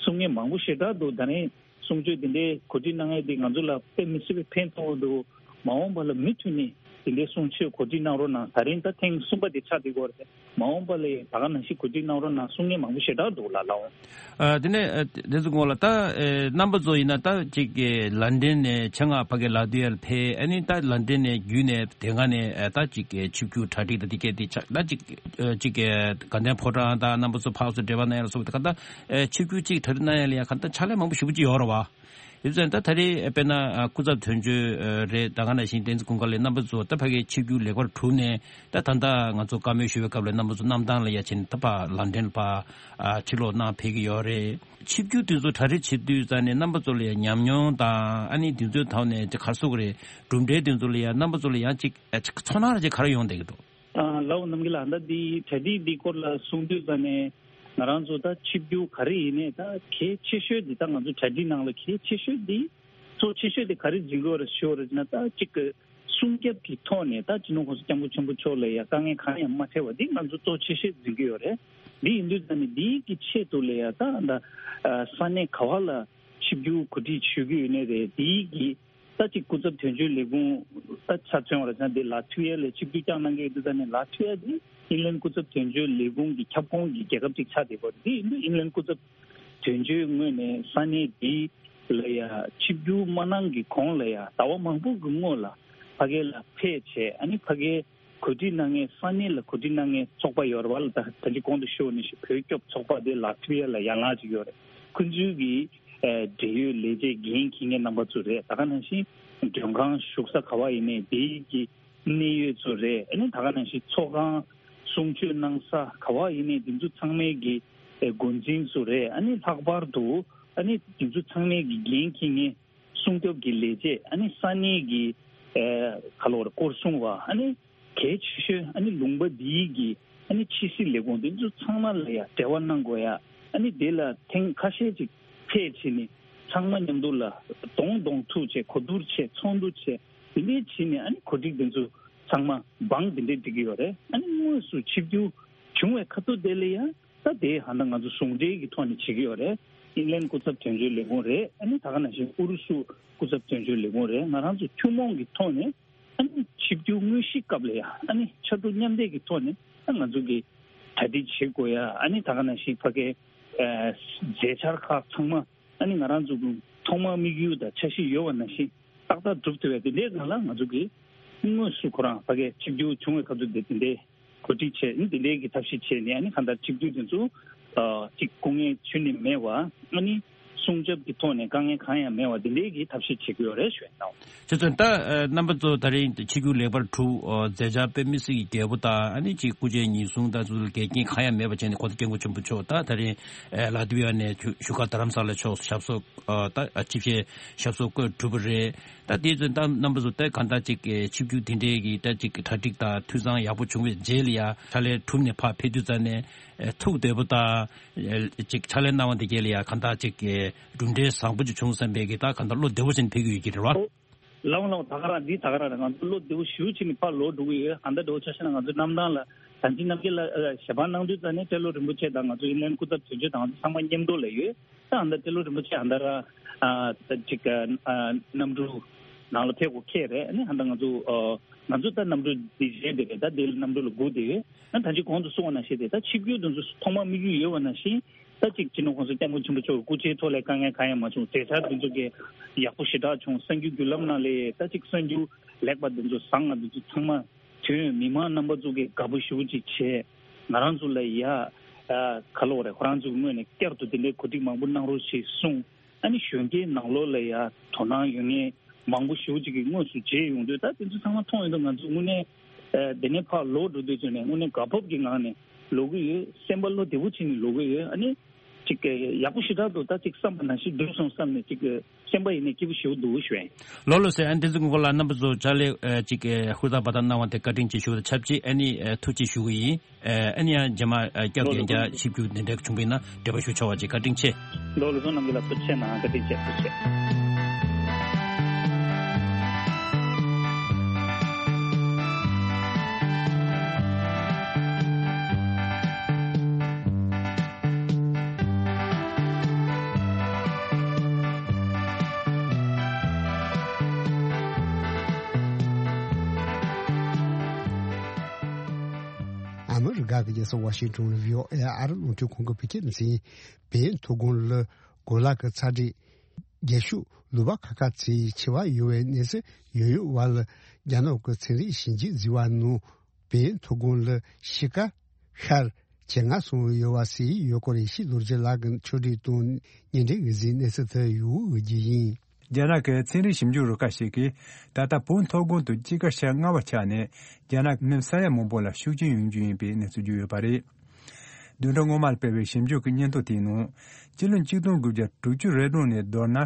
གསུང་མཁན་མང་པོ་ཞེ་དྲག་འདུག་ད་ནི་གསུང་ཆོས་འདི་འདྲའི་གོ་སྒྲིག་གནང་མཁན་འདི་ང་ཚོ་ལ་དཔེ་མི་སྲིད་པའི་ཕན་ཐོགས་འདུག་མ་འོངས་པ་ལ་མུ་མཐུད་ནས་དེ་འདྲའི་གསུང་ཆོས་གོ་སྒྲིག་གནང་རོགས་གནང་། ད་རིང་ད་ཐེངས་གསུམ་པ་དེ་ཆགས་བསྡད་ཡོད་རེད། མ་འོངས་པ་ལ་ཡང་ད་ག་ནང་བཞིན་གོ་སྒྲིག་གནང་རོགས་གནང་གསུང་མཁན་མང་པོ་ཞེ་དྲག་འདུག་ལགས་ལགས་འོང་། ཨ་དེ་ནས་ཨ་དེ་ཚོ་གོང་ལ་ད་ཨེ་རྣམ་པ་ཚོ་ཡིན་ན་ད་ཅིག་གི་ལན་ཌན་ནས་ཆེད་མངགས་ཕ་གི་ལ་ཏི་ཝི་ཡ་ལ་ཕེབས། ཨ་ནི་ད་ལན་ཌན་ནས་བརྒྱུད་ནས་དེ་སྒང་ནས་ཨ་ད་ཅིག་གི་ཆིབས་བསྒྱུར་གྲ་སྒྲིག་ད་དེ་གས་དེ་ཆགས་ད་ཅིག་ཨ་ཅིག་གི་དགའ་ལྡན་ཕོ་བྲང་དང་རྣམ་པ་ཚོ་ཕར་ཚུར་འབྲེལ་བ་གནང་ཡ་ལ་སོགས་པ་དེ་ག་ད་ཨེ་ཆིབས་བསྒྱུར་ཅིག་གྲ་སྒྲིག་གནང་ཡ་ལ་ཡ་ག་ད་ཕྱག་ལས་མང་པོ་ཞེ་པོ་ཅིག་ཡོད་རེད་བ། ཡིན་ཙང་ད་ད་རེས་དཔེར་ན་ཨ་སྐུ་ཚབ་དོན་གཅོད་རེད། ད་ག་ནང་བཞིན་བསྟན་འཛིན་ཀུན་དགའ་ལགས་རྣམ་པ་ཚོ་ད་ཕ་གིའི་ཆིབས་བསྒྱུར་ལེགས་པར་གྲུབ་ནས་ད་ད་ལྟ་ང་ཚོ་བཀའ་མོལ་ཞུ་བའི་སྐབས་ལ་རྣམ་པ་ཚོ་གནམ་ཐང་ལ་ཡ་ཕྱིན་ད་ཕར་ལན་ཌན་ལ་ཕར་ཨ་ཕྱིར་ལོག་གནང་ཕེབས་ཀྱི་ཡོད་རེད། ཆིབས་བསྒྱུར་དེ་ཚོ་གྲ་སྒྲིག་བྱེད་དུས་ཙང་ནས་རྣམ་པ་ཚོ་ལ་ཡ་ཉམས་མྱོང་དང་ཨ་ནི་དེ་ཚོའི་ཐོག་ནས་ཅིག་ག་རེ་ཟེར་དགོས་རེད། གྲུབ་འབྲས་དེ་ཚོ་ལ་ཡ་རྣམ་པ་ཚོ་ལ་ཡང་ཅིག་ཨ་ཅིག་ཚོར་སྣང་ར་ཅིག་ག་རེ་ཡོང་བསྡད་ཀྱི་འདུག་ཨ་ལགས་འོང་རྣམ་རྒྱལ་ལགས། ད་འདི་གྲ་སྒྲིག་འདི་སྐོར་ལ་གསུང་དུས་ཙང་ནས་ང་རང་ཚོ་ད་ཆིབས་བསྒྱུར་ག་རེ་ཡིན་ནའི་ད་གལ་ཆེ་ཤོས་འདི་ད་ང་ཚོ་གྲ་སྒྲིག་ནང་ལ་གལ་ཆེ་ཤོས་འདི་གཙོ་ཆེ་ཤོས་འདི་ག་རེ་འཛིན་དགོས་རེད་ཞུ་རེད་ན་ད་གཅིག་གི་སྲུང་སྐྱོབ་ཀྱི་ཐོག་ནས་ད་སྤྱི་ནོར་གོང་ས་སྐྱབས་མགོན་ཆེན་པོ་མཆོག་ལ་ཡ་དཀའ་ངལ་གང་ཡང་མ་འཕྲད་པ་འདི་ང་ཚོ་གཙོ་ཆེ་ཤོས་འཛིན་གྱི་ཡོད་རེད། འདི་ཡིན་དུས་ཙང་ནས་འདིའི་གི་ཆེད་དུ་ལ་ཡ་ད་ད་ས་གནས་ག་བ་ལ་ཆིབས་བསྒྱུར་གོ་སྒྲིག་ཞུ་གི་ཡོད་ནའི་རེད། འདིའི་གི་ད་ཅིག་སྐུ་ཚབ་དོན་གཅོད་ལས་ཁུངས་ད་ཆ་མཚོན་པ་རེད་ན་འདི་ལ་ཐུ་ཡ་ལ་ཆིབས་བསྒྱུར་བསྐྱངས་གནང་གི་ཡོད་དུས་ཙང་ནས་ལ་ཐུ་ཡ་འདི་ཨིན་ལན་སྐུ་ཚབ་དོན་གཅོད་ལས་ཁུངས་ཀྱི་ཁྱབ་ཁོངས་ཀྱི་རྒྱལ་ཁབ་ཅིག་ཆགས་བསྡད་པ་རེད། འདི་ཡིན་དུས་ཨིན་ལན་སྐུ་ཚབ་དོན་གཅོད་ངོས་ནས་ས་གནས་འདི་ལ་ཡ་ཆིབས་བསྒྱུར་མ་གནང་གི་གོང་ལ་ཡ་ཟླ་བ་མང་པོ་གི་སྔོན་ལ་ཕ་གི་ལ་ཕེབས་བྱས་ཨ་ནི་ཕ་གི་གོ་སྒྲིག་གནང་མཁན་ས་གནས་ལ་གོ་སྒྲིག་གནང་མཁན་ཚོགས་པ་ཡོད་རེད་བ་ལ། ད་ད་ཅི་གོང་དུ་ཞུས་ནང་བཞིན་བོད་སྐྱོབ་ཚོགས་པ་དེ་ལ་ཐུ་ཡ་ལ་ཡན་ལག་ཅིག་ཡོད་རེད། ཁོང་ཚོའི་གི་ཨ་འབྲེལ་ཡོད་ལས་བྱེད་འགན་འཁྱེར་མཁན་རྣམ་པ་ཚོ་རེད། ད་ག་ནང་བཞིན་མགྲོན་ཁང་བཞུགས་ས་ག་བ་ཡིན་ནའི་དེའི་གི་གནད་ཡོད་ཚོ་རེད། ཨ་ནི་ད་ག་ནང་བཞིན་ཚོགས་ཁང་གསུང་ཆོས་གནང་ས་ག་བ་ཡིན་ནའི་དེ་ཚོ་ཚང་མའི་གི་ཨ་འགོ་འཛིན་ཚོ་རེད། ཨ་ནི་ལྷག་པར་དུ་ཨ་ནི་དེ་ཚོ་ཚང་མའི་གི་འགན་འཁྱེར་མཁན་སྲུང་སྐྱོབ་ཀྱི་ལས་བྱེད་ཨ་ནི་ས་གནས་ཀྱི་ཨེ་ག་ལབ་དགོས་རེད། སྐོར་སྲུང་བ་ཨ་ནི་གལ་ཆེ་ཤོས་ཨ་ནི་ལུང་པ་འདིའི་གི་ཨ་ནི་ཕྱི་སྲིད་ལས་ཁུངས་འདི་ཚོ་ཚང་མ་ལ་ཡ་འབྲེལ་བ་གནང་དགོས་ཡ། ཨ་ནི་དེ་ལ་ཐེངས་ཁ་ཤས་ཅིག་ཕེབས་བྱས་ནས་ཚང་མ་མཉམ་དུ་ལ་གདོང་གདོང་ཐུག་བྱས་གོ་བསྡུར་བྱས་ཚོགས་འདུ་བྱས་དེ་འདྲའི་བྱས་ནས་ཨ་ནི་གོ་སྒྲིག་འདི་ཚོ་ ཚང་མ་བང་དེ་འདྲས་སྒྲིག་གི་ཡོད་རེད། ཨ་ནི་དངོས་སུ་ཆིབས་བསྒྱུར་བྱུང་བའི་ཁ་ཐུག་དེ་ལ་ཡང་ད་དེ་ཧ་ད་ང་ཚོ་ཟུང་འབྲེལ་གྱི་ཐོག་ནས་བྱེད་ཀྱི་ཡོད་རེད། ཨིན་ལན་སྐུ་ཚབ་དོན་གཅོད་ལས་ཁུངས་རེད། ཨ་ནི་ད་ག་ནང་བཞིན་ཨུ་རུ་སུ་སྐུ་ཚབ་དོན་གཅོད་ལས་ཁུངས་རེད། ང་རང་ཚོ་ཐུན་མོང་གི་ཐོག་ནས་ཨ་ནི་ཆིབས་བསྒྱུར་དངོས་གཞི་སྐབས་ལ་ཡང་ཨ་ནི་ཕྱར་གྲུ་མཉམ་འདེགས་ཀྱི་ཐོག་ནས་ཨ་ང་ཚོ་གི་གྲ་སྒྲིག་བྱེད་དགོས་ཡ། ཨ་ནི་ད་ག་ནང་བཞིན་ཕ་གའི་ཨ་མཛད་འཆར་ཁག་ཚང་མ་ཨ་ནི་ང་རང་ཚོ་གི་ཐོག་མར་དམིགས་ཡུལ་དང་འཆར་གཞི་ཡོད་པ་ནང་བཞིན་ཏག་ཏག་སྒྲུབ་ཐུབ་པའི་དེ་འདྲའི་སྒང་ལ་ང་ཚོ་གི་དངོས་སུ་ཁོ་རང་ཕ་གའི་ཆིབས་བསྒྱུར་བྱུང་བའི་སྐབས་སུ་དེ་དེ་འདྲའི་གོ་སྒྲིག་བྱས། ཨ་ནི་དེ་འདྲའི་གི་ཐབས་ཤེས་བྱས་ནས་ཨ་ནི་གང་ལྟར་ཆིབས་བསྒྱུར་དེ་ཚོ་ཨ་ཅིག་སྐུ་ངལ་ཁྱོན་ནས་མེད་པ། ཨ་ནི་སྲུང་སྐྱོབ་ཀྱི་ཐོག་ནས་དཀའ་ངལ་གང་ཡང་མེད་པ་དེ་འདྲའི་གི་ཐབས་ཤེས་བྱེད་ཀྱི་ཡོད་རེད་ཞུ་ཡ་ཡིན། ཁྱེད་ཚོས་ད་ཨ་རྣམ་པ་ཚོ་ད་རིང་ཆིབས་བསྒྱུར་ལེགས་པར་གྲུབ། ཨ་མཛད་འཆར་དཔེ་མི་སྲིད་ཀྱི་རྒྱས་པོ་དང་། ཨ་ནི་ཅིག་སྐུ་མཆེད་ཉེན་སྲུང་དང་ཚོ་འགལ་རྐྱེན་གང་ཡང་མེད་པ་བྱས་ནས་ཁོང་ཚོ་སྐྱབས་མགོན་ཆེན་པོ་མཆོག་ད་ད་རིང་ཨ་ལ་ཏི་ཝི་ཡ་ནས་བཞུགས་སྒར་རྡ་རམ་ས་ལ་ཕྱོགས་སུ་ཞབས་སོར་ཨ་ད་ཨ་ཆིབས་ཞལ་ཞབས་སོར་བཀོད་གྲུབ་པ་རེད། ད་དེ་ཚོ་ད་རྣམ་པ་ཚོ་ད་གང་ལྟར་ཅིག་ཨ་ཆིབས་བསྒྱུར་དེ་འདྲའི་གི་ད་ཅིག་གྲ་སྒྲིག་དང་འཐུས་ཚང་ཡག་པོ་བྱུང་བའི་རྗེས་ལ་ཡ་ཕྱག་ལས་གྲུབ་ནས་ཕར་ཕེབས་དུས་ཙ་ནས་ཨ་ཐུགས་བདེ་པོ་དང་ཨ་ཅིག་ཕྱག་ལས་གནང་བ་དེ་གས་ལ་ཡ་གང་ལྟར་ཅིག་ཨ་གྲུབ་འབྲས་བཟང་པོ་ཅིག་བྱུང་བསམ་པའི་གི་ད་གང་ལྟར་བློ་བདེ་པོ་བྱས་ནས་ཕེབས་ཀྱི་ཡོད་ཀྱི་རེད་བ། ལའོ་ལའོ། ད་ག་རང་འདི་ད་ག་རང་རེད། ང་ཚོ་བློ་བདེ་པོ་ཞེ་པོ་ཅིག་ནས་ཕར་ལོག་འགྲོ་གི་ཡོད། ཨ་ད་འདྲ་བོ་ཆ་བཞག་ན་ང་ཚོ་གནམ་ཐང་ལ་ད་ཅི་ནམ་རྒྱུན་ལ་ཨ་ཞལ་པར་གནང་དུས་ཙ་ནས་ཏེ་ལོ་རིན་པོ་ཆེ་དང་ང་ཚོ་ཨིན་ལན་སྐུ་ཚབ་དོན་གཅོད་དང་ང་ཚོ་ཚང་མ་མཉམ་དུ་ལ་ཡོད། ད་ཨ་ད་ཏེ་ལོ་རིན་པོ་ཆེ་ཨ་ད་ར་ཨ་ད་ཅིག་ཨ་གནམ་གྲུ་ནང་ལ་ཕེབས་དགོས་ཁེལ་རེད། ཨ་ནི་ཨ་ད་ང་ཚོ་ཨ་ང་ཚོ་ད་གནམ་གྲུ་འདི་བཞེས་བསྡད་རེད། ད་འདི་ལ་གནམ་གྲུ་ལ་སྒུག་བསྡད་ཡོད། ཨ་ད་ཅི་གོང་དུ་གསུངས་པ་ནང་བཞིན་དེ་ད་ཆིབས་བསྒྱུར་དེ་ཚོ་ཐོག་མར་དམིགས་ཡུལ་ཡོད་པ་ནང་བཞིན། ད་ཅིག་སྤྱི་ནོར་༸གོང་ས་༸སྐྱབས་མགོན་ཆེན་པོ་མཆོག་སྐུ་ཕྱྭའི་ཐོག་ལ་དཀའ་ངལ་གང་ཡང་མ་བྱུང་། མཛད་འཆར་དེ་ཚོ་གི་ཡག་པོ་ཞེ་དྲག་བྱུང་། གསར་འགྱུར་བརྒྱུད་ལམ་ནང་ལ་ད་ཅིག་གསར་འགྱུར་ལེགས་པ་དེ་ཚོ་བཟང་ང་དེ་ཚོ་ཚང་མ་ཐོན། མི་མང་རྣམ་པ་ཚོ་གི་དགའ་པོ་ཞེ་པོ་ཅིག་བྱས། ང་རང་ཚོ་ལ་ཡ་ཨ་ག་ལབ་དགོས་རེད། ཁོ་རང་ཚོ་གི་ངོས་ནས་བསྐྱར་དུ་དེ་འདྲའི་གོ་སྒྲིག་མང་པོ་གནང་རོགས་ཞེས་གསུངས། ཨ་ནི་གཞོན་སྐྱེས་ནང་ལོགས་ལ་ཡ་དོ་སྣང་ཡོད་མཁན་མང་པོ་ཞེ་པོ་ཅིག་གིས་དངོས་སུ་མཇལ་ཡོང་དུས། ད་དེ་ཚོ་ཚང་མ་མཐོང་ཡོང་དུས་ང་ཚོ་དངོས་གནས་ཨ་དེ་ནས་ཕར་ལོག་འགྲོ་དུས་ཚོད་ནས་དངོས་གནས་དགའ་སྤོབས་ཀྱི་ངང་ནས་ལོག་གི་ཡོད། སེམས་པ་བློ་བདེ་པོ་བྱས་ནས་ལོག་གི་ཡོད། ཨ་ནི་ཅིག་ཡག་པོ་ཞེ་དྲག་འདུག་ད་ཅིག་བསམ་པ་ནང་བཞིན་འགྲུབ་སོང་བསམ་ནས་ཅིག་སེམས་པ་ཡིན་ནས་སྐྱིད་པོ་ཞེ་པོ་འདུག་ཞུ་ཡ་ཡིན། ལགས་ལགས་སེ། ཨ་ནི་དེ་ཚོ་སྐོར་ལ་རྣམ་པ་ཚོ་ཕྱག་ལས་ཨ་ཅིག་ཨ་ཧུར་ཐག་འབད་ཐག་གནང་བ་དེ་བཀའ་དྲིན་ཆེ་ཞུ་བ་དང་ཆབས་ཅིག་ཨ་ནི་ཨ་ཐུགས་རྗེ་ཆེ་ཞུ་གི་ཡིན། ཨ་ནི་ཡང་རྗེས་མ་ཨ་སྐྱབས་ལགས་ལགས། ལྷན་རྒྱས་ཆིབས་བསྒྱུར་དེ་འདྲ་བྱུང་བ་ཡིན་ན་འབྲེལ་བ་ཞུ་ཆོག་པ་བྱེད། བཀའ་དྲིན་ཆེ། ལགས་ལགས། རྣམ་རྒྱལ་ལགས་ཐུགས་རྗེ་ཆེ་གནང་། བཀའ་དྲིན་ཆེ། ཐུགས་རྗེ་ཆེ། ཨ་མི་རི་ཀ་གི་རྒྱལ་ས་ཝ་ཤིང་ཊོན་ལ་བྷི་ཨོ་ཨེ་ཨར་རླུང་འཕྲིན་ཁང་གི་བོད་སྐད་སྡེ་ཚན། བལ་ཡུལ་མཐོ་སྒང་ལ་གོ་ལ་གི་ཚ་དྲོད་རྒྱས་ཤུགས་ལུག་པ་ཁ་ཁ་ཚོས་ཆེ་བ་ཡོད་པའི་གནས་ཚུལ་ཡོད་ཡོད་པ་ལ། རྒྱ་ནག་གི་ཚན་རིག་ཞིབ་འཇུག་ཟེར་བ་ནང་། བལ་ཡུལ་མཐོ་སྒང་ལ་གཤིས་ཀ་ཤར་ཇེ་སྔ་སོང་ཡོད་པ་ཟེར་ཡོད་སྐོར་ཡེ་ཤེས་རྡོ་རྗེ་ལགས་ཀྱིས་ཕྱོགས་སྒྲིག་དང་སྙན་སྒྲོན་གྱི་གཟིགས་གནས་ཚུལ་དེ་ཡོད་འོས་ཀྱི་ཡིན། རྒྱ་ནག་གི་ཚན་རིག་ཞིབ་འཇུག་རུ་ཁག་ཞིག་གིས་ད་ལྟ་བོད་མཐོ་སྒང་དུ་དཔྱིད་ཀ་ཤར་སྔ་བ་ཆགས་ནས། རྒྱ་ནག་མི་ས་ཡ་མང་པོ་ལ་ཤུགས་རྐྱེན་ཡོང་རྒྱུ་ཡིན་པའི་གནས་ཚུལ་བརྗོད་ཡོད་པ་རེད། བདུན་ཕྲག་སྔོན་མར་སྤེལ་བའི་ཞིབ་འཇུག་གི་སྙན་ཐོ་དེའི་ནང་། སྤྱི་ལོ་ཆིག་སྟོང་དགུ་བརྒྱ་དྲུག་ཅུ་རེ་གྲངས་ནས་མདོར་ན།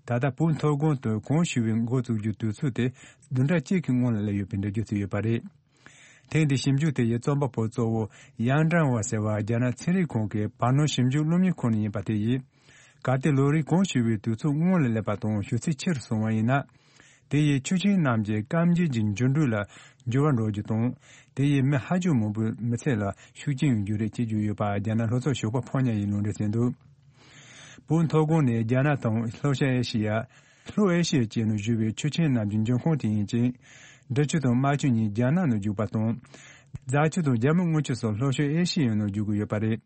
ད་ལྟ་བོད་མཐོ་སྒང་དུ་གངས་ཞུ་བའི་འགོ་བཙུགས་རྒྱུའི་དུས་ཚོད་དེ་བདུན་ཕྲག་གཅིག་གི་སྔོན་ལ་སླེབས་ཡོད་པའི་འགྲེལ་བརྗོད་བྱས་ཡོད་པ་རེད། ཐེངས་འདིའི་ཞིབ་འཇུག་དེ་ཡི་རྩོམ་པ་པོ་གཙོ་བོ་ཡང་ཀྲང་ཝ་ཟེར་བ་རྒྱ་ནག་ཚན་རིག་ཁང་གི་བར་སྣང་ཞིབ་འཇུག་སློབ་གཉེར་ཁང་ནས་ཡིན་པ་དེ་ཡིས། གལ་ཏེ་ལོ་རེའི་གངས་ཞུ་བའི་དུས་ཚོད་སྔོན་ལ་སླེབས་པ་དང་ཞུ་ཚད་ཆེ་རུ་སོང་བ་ཡིན་ན། དེ་ཡིས་ཆུ་ཆེན་རྣམས་ཀྱི་སྐམ་རྒྱུད་ཀྱི་འགྱུར་འགྲོས་ལ་འགྱུར་བ་འགྲོ་རྒྱུ་དང་། དེ་ཡིས་མི་ཧ་ཅང་མང་པོའི་མི་ཚེ་ལ་ཤུགས་རྐྱེན་ཡོང་རྒྱུ་རེད་ཅེས་བརྗོད་ཡོད་པ་རྒྱ་ནག་ལྷོ་ཕྱོགས་ཞོགས་པ་ཕོ་ཉ་ཡིས་ལུང་འདྲེན་བྱས་འདུག་བོད་མཐོ་སྒང་ནི་རྒྱ་ནག་དང་ལྷོ་ཤར་ཨེ་ཤི་ཡ། ལྷོ་ཨེ་ཤི་ཡ་བཅས་ནས་བཞུར་བའི་ཆུ་ཆེན་རྣམས་ཀྱི་འབྱུང་ཁུངས་དེ་ཡིན་ཅིང་། འབྲི་ཆུ་དང་རྨ་ཆུ་གཉིས་རྒྱ་ནག་ནས་རྒྱུག་པ་དང་། རྫ་ཆུ་དང་རྒྱ་མི་རྔུལ་ཆུ་སོགས་ལྷོ་ཤར་ཨེ་ཤི་ཡའི་ནང་རྒྱུག་གི་ཡོད་པ་རེད།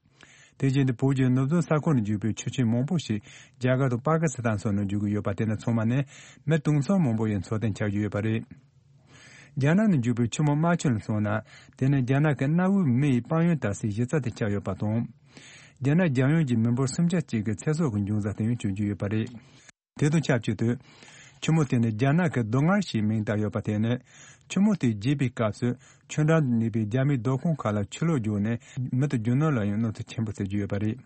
དེ་བཞིན་དུ་བོད་ཀྱི་ནུབ་བྱང་ས་ཁུལ་ནས་རྒྱུག་པའི་ཆུ་ཆེན་མང་པོ་ཞིག་རྒྱ་གར་དང་པ་ཀི་སི་ཐན་སོགས་ནས་རྒྱུག་གི་ཡོད་པ་དེ་ནི་ཚང་མ་ནི་མི་དུང་ཕྱུར་མང་པོ་ཡི་འཚོ་རྟེན་ཆགས་ཀྱི་ཡོད་པ་རེད། རྒྱ་ནག་ནས་རྒྱུག་པའི་ཆུ་མོ་རྨ་ཆུ་ལ་སོང་ན། དེ་ནི་རྒྱ་ནག་གི་གནའ་བོའི་མི་ཡི་དཔལ་ཡོན་དར་སའི་གཞི་རྩ་དེ་ཆགས་ཡོད་པ་དང་། རྒྱ་ནག་རྒྱལ་ཡོངས་ཀྱི་མི་འབོར་སུམ་ཆ་གཅིག་གི་ཚེ་སྲོག་གི་འབྱུང་རྩ་དེ་ཡང་གྱུར་གྱི་ཡོད་པ་རེད། དེ་དང་ཆབས་ཅིག་ཏུ། ཆུ་མོ་དེ་ནི་རྒྱ་ནག་གི་སྡུག་བསྔལ་ཞེས་མིང་བཏགས་ཡོད་པ་དེ་ནི། ཆུ་མོ་དེ་རྒྱས་པའི་སྐབས་སུ་ཆུ་འགྲམ་དུ་གནས་པའི་རྒྱ་མིའི་སྡོད་ཁང་ཁག་ལ་ཆུ་ལོག་རྒྱུགས་ནས་མི་དང་རྒྱུ་ནོར་ལ་ཡང་གནོད་འཚེ་ཆེན་པོ་བྱེད་ཀྱི་ཡོད་པ་རེད།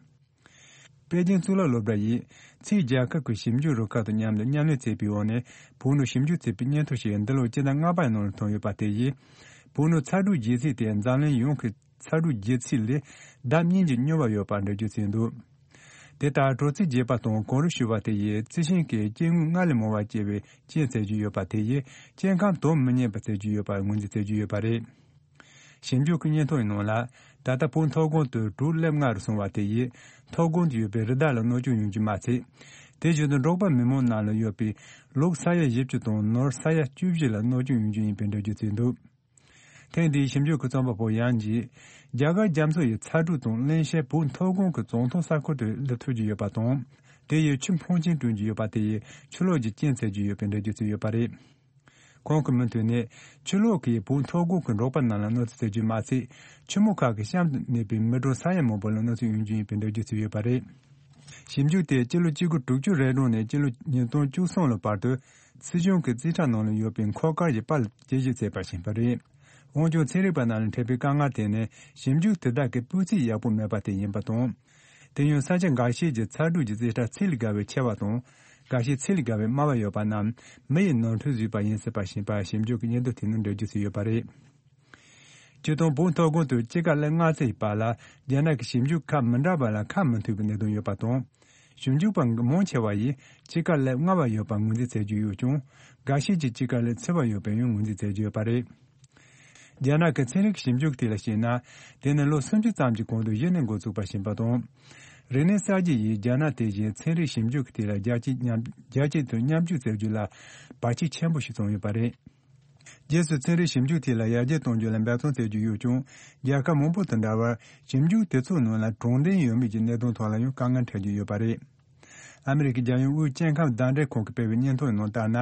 པེ་ཅིང་གཙུག་ལག་སློབ་གྲྭ་ཡིས་ཕྱིའི་རྒྱལ་ཁབ་ཀྱི་ཞིབ་འཇུག་རུ་ཁག་དང་མཉམ་དུ་མཉམ་ལས་བྱས་པའི་འོག་ནས་བོད་ནང་ཞིབ་འཇུག་བྱས་པའི་སྙན་ཐོ་ཞིག་འདི་ལོའི་སྤྱི་ཟླ་ལྔ་པའི་ནང་ལ་ཐོན་ཡོད་པ་དེ་ཡིས། བོད་ནང་ཚ་དྲོད་རྒྱས་ཚད་དེ་འཛམ་གླིང་ཡོངས་ཀྱི་ཚ་དྲོད་རྒྱས་ཚད་ལས་ལྡབ་གཉིས་ཀྱིས་སྙོམས་པ་ཡོད་པ་འགྲེལ་བརྗོད་བྱས་འདུག་དེ་ལྟར་དྲོ་ཚིགས་རྒྱས་པ་དང་གངས་རི་ཞུ་བ་དེ་ཡིས་རྩི་ཤིང་གི་སྐྱེ་དངོས་སྔར་ལས་མང་བ་སྐྱེ་བའི་རྐྱེན་བྱེད་ཀྱི་ཡོད་པ་དེ་ཡིས་སྐྱེ་ཁམས་དོ་མི་མཉམ་པ་བྱེད་ཀྱི་ཡོད་པར་ངོས་འཛིན་བྱེད་ཀྱི་ཡོད་པ་རེད། ཞིབ་འཇུག་གི་སྙན་ཐོ་ཡི་ནང་ལ། ད་ལྟ་བོད་མཐོ་སྒང་དུ་དྲོད་སླེབས་སྔ་རུ་སོང་བ་དེ་ཡིས་མཐོ་སྒང་དུ་ཡོད་པའི་རི་དྭགས་ལ་གནོད་སྐྱོན་ཡོང་རྒྱུ་མ་ཚད། དེ་བཞིན་དུ་འབྲོག་པ་མི་མང་རྣམས་ལ་ཡོད་པའི་ལུག་ས་ཡ་བཞི་བཅུ་དང་ནོར་ས་ཡ་བཅུ་བཞི་ལ་གནོད་སྐྱོན་ཡོང་རྒྱུ་ཡིན་པའི་འགྲེལ་བརྗོད་བྱས་འདུག་ཐེངས་འདིའི་ཞིབ་འཇུག་གི་རྩོམ་པ་པོ་ཡང་ཅིས། རྒྱ་གར་རྒྱ་མཚོ་ཡི་ཚ་དྲོད་དང་བརླན་གཤེར་བོད་མཐོ་སྒང་གི་བྱང་ཐང་ས་ཁུལ་དུ་སླེབས་ཐུབ་ཀྱི་ཡོད་པ་དང་། དེ་ཡིས་ཆུ་འཕོ་ཆེན་བསྐྲུན་གྱི་ཡོད་པ་དེ་ཡིས་ཆུ་ལོག་གི་རྐྱེན་བྱེད་ཀྱི་ཡོད་པའི་འགྲེལ་བརྗོད་བྱས་ཡོད་པ་རེད། ཁོང་གི་མུ་མཐུད་ནས་ཆུ་ལོག་གིས་བོད་མཐོ་སྒང་གི་འབྲོག་པ་རྣམས་ལ་གནོད་འཚེ་བྱེད་རྒྱུ་མ་ཚད། ཆུ་མོ་ཁག་གི་གཤམ་དུ་གནས་པའི་མི་གྲངས་ས་ཡ་མང་པོ་ལ་གནོད་འཚེ་ཡོང་རྒྱུ་ཡིན་པའི་འགྲེལ་བརྗོད་བྱས་ཡོད་པ་རེད། ཞིབ་འཇུག་དེས་སྤྱི་ལོ་གཅིག་དགུ་དྲུག་ཅུ་རེ་གྲངས་ནས་སྤྱི་ལོ་ཉིས་སྟོང་བཅུ་གསུམ་ལོ་བར་དུ་སྲིད་གཞུང་གི་རྩིས་ཁྲ་ནང་ལ་ཡོད་པའི་འཁོར་སྐར་གྱི་པར་ལ་དཔྱད་ཞིབ་བྱས་པར་ཕྱིན་པ་རེད། འོན་ཀྱང་ཚན་རིག་པ་རྣམས་ལ་འཕྲད་པའི་དཀའ་ངལ་དེ་ནི་ཞིབ་འཇུག་དེ་དག་གི་སྤུས་ཚད་ཡག་པོ་མེད་པ་དེ་ཡིན་པ་དང་། དེ་ཡང་ས་ཆ་འགའ་ཤས་ཀྱི་ཚ་དྲོད་ཀྱི་རྩིས་ཁྲ་ཚད་ལས་བརྒལ་བའི་ཆེ་བ་དང་། འགའ་ཤས་ཚད་ལས་བརྒལ་བའི་དམའ་བ་ཡོད་པ་རྣམས་མི་ཡི་ནོར་འཁྲུལ་བཟོས་པ་ཡིན་སྲིད་པ་ཞིག་ཞིབ་འཇུག་གི་སྙན་ཐོ་དེ་ནང་འགྲེལ་བརྗོད་བྱས་ཡོད་པ་རེད། སྤྱིར་བཏང་བོད་མཐོ་སྒང་དུ་དཔྱིད་ཀ་སླེབས་སྔ་ཚར་ཡི་བར་ལ་རྒྱ་ནག་གི་ཞིབ་འཇུག་ཁག་མི་འདྲ་བ་ལ་ཁ་མི་མཐུན་པའི་གནད་དོན་ཡོད་པ་དང་། ཞིབ་འཇུག་པ་མང་ཆེ་བ་ཡིས་དཔྱིད་ཀ་སླེབས་སྔ་བ་ཡོད་པར་ངོས་འཛིན་བྱེད་ཀྱི་ཡོད་ཀྱང་། འགའ་ཤས་ཀྱིས་དཔྱིད་ཀ་སླེབས་ཚར་བ་ཡོད་པའི་ཡང་ངོས་འཛིན་བྱེད་ཀྱི་ཡོད་པ་རེད། རྒྱ་ནག་གི་ཚན་རིག་ཞིབ་འཇུག་དེ་ལ་བྱས་ན། དེ་ནི་ལོ་སུམ་ཅུ་ཙམ་གྱི་གོང་དུ་གཞི་ནས་འགོ་བཙུགས་པ་ཞིག་ཡིན་པ་དང་། རིག་གནས་གསར་བརྗེ་ཡིས་རྒྱ་ནག་དེ་བཞིན་ཚན་རིག་ཞིབ་འཇུག་དེ་ལ་རྒྱལ་སྤྱིའི་མཉམ་རྒྱལ་སྤྱི་དུ་མཉམ་སྤྱོད་བྱེད་རྒྱུ་ལ་བར་ཆད་ཆེན་པོ་ཞིག་བྱུང་ཡོད་པ་རེད། རྗེས་སུ་ཚན་རིག་ཞིབ་འཇུག་དེ་ལ་ཡར་རྒྱས་གཏོང་རྒྱུ་ལ་འབད་བརྩོན་བྱེད་ཀྱི་ཡོད་ཀྱང་། རྒྱལ་ཁབ་མང་པོ་དང་འདྲ་བར་ཞིབ་འཇུག་དེ་ཚོའི་ནང་ལ་དྲང་བདེན་ཡོད་མེད་ཀྱི་གནད་དོན་ཐོག་ལ་ཡང་དཀའ་ངལ་འཕྲད་ཀྱི་ཡོད་པ་རེད། ཨ་མི་རི་ཀའི་རྒྱལ་ཡོངས་དབུས་སྐྱེ་ཁམས་ཟླ་འབྲེལ་ཁང་གིས་སྤེལ་བའི་སྙན་ཐོའི་ནང་ལྟར་ན།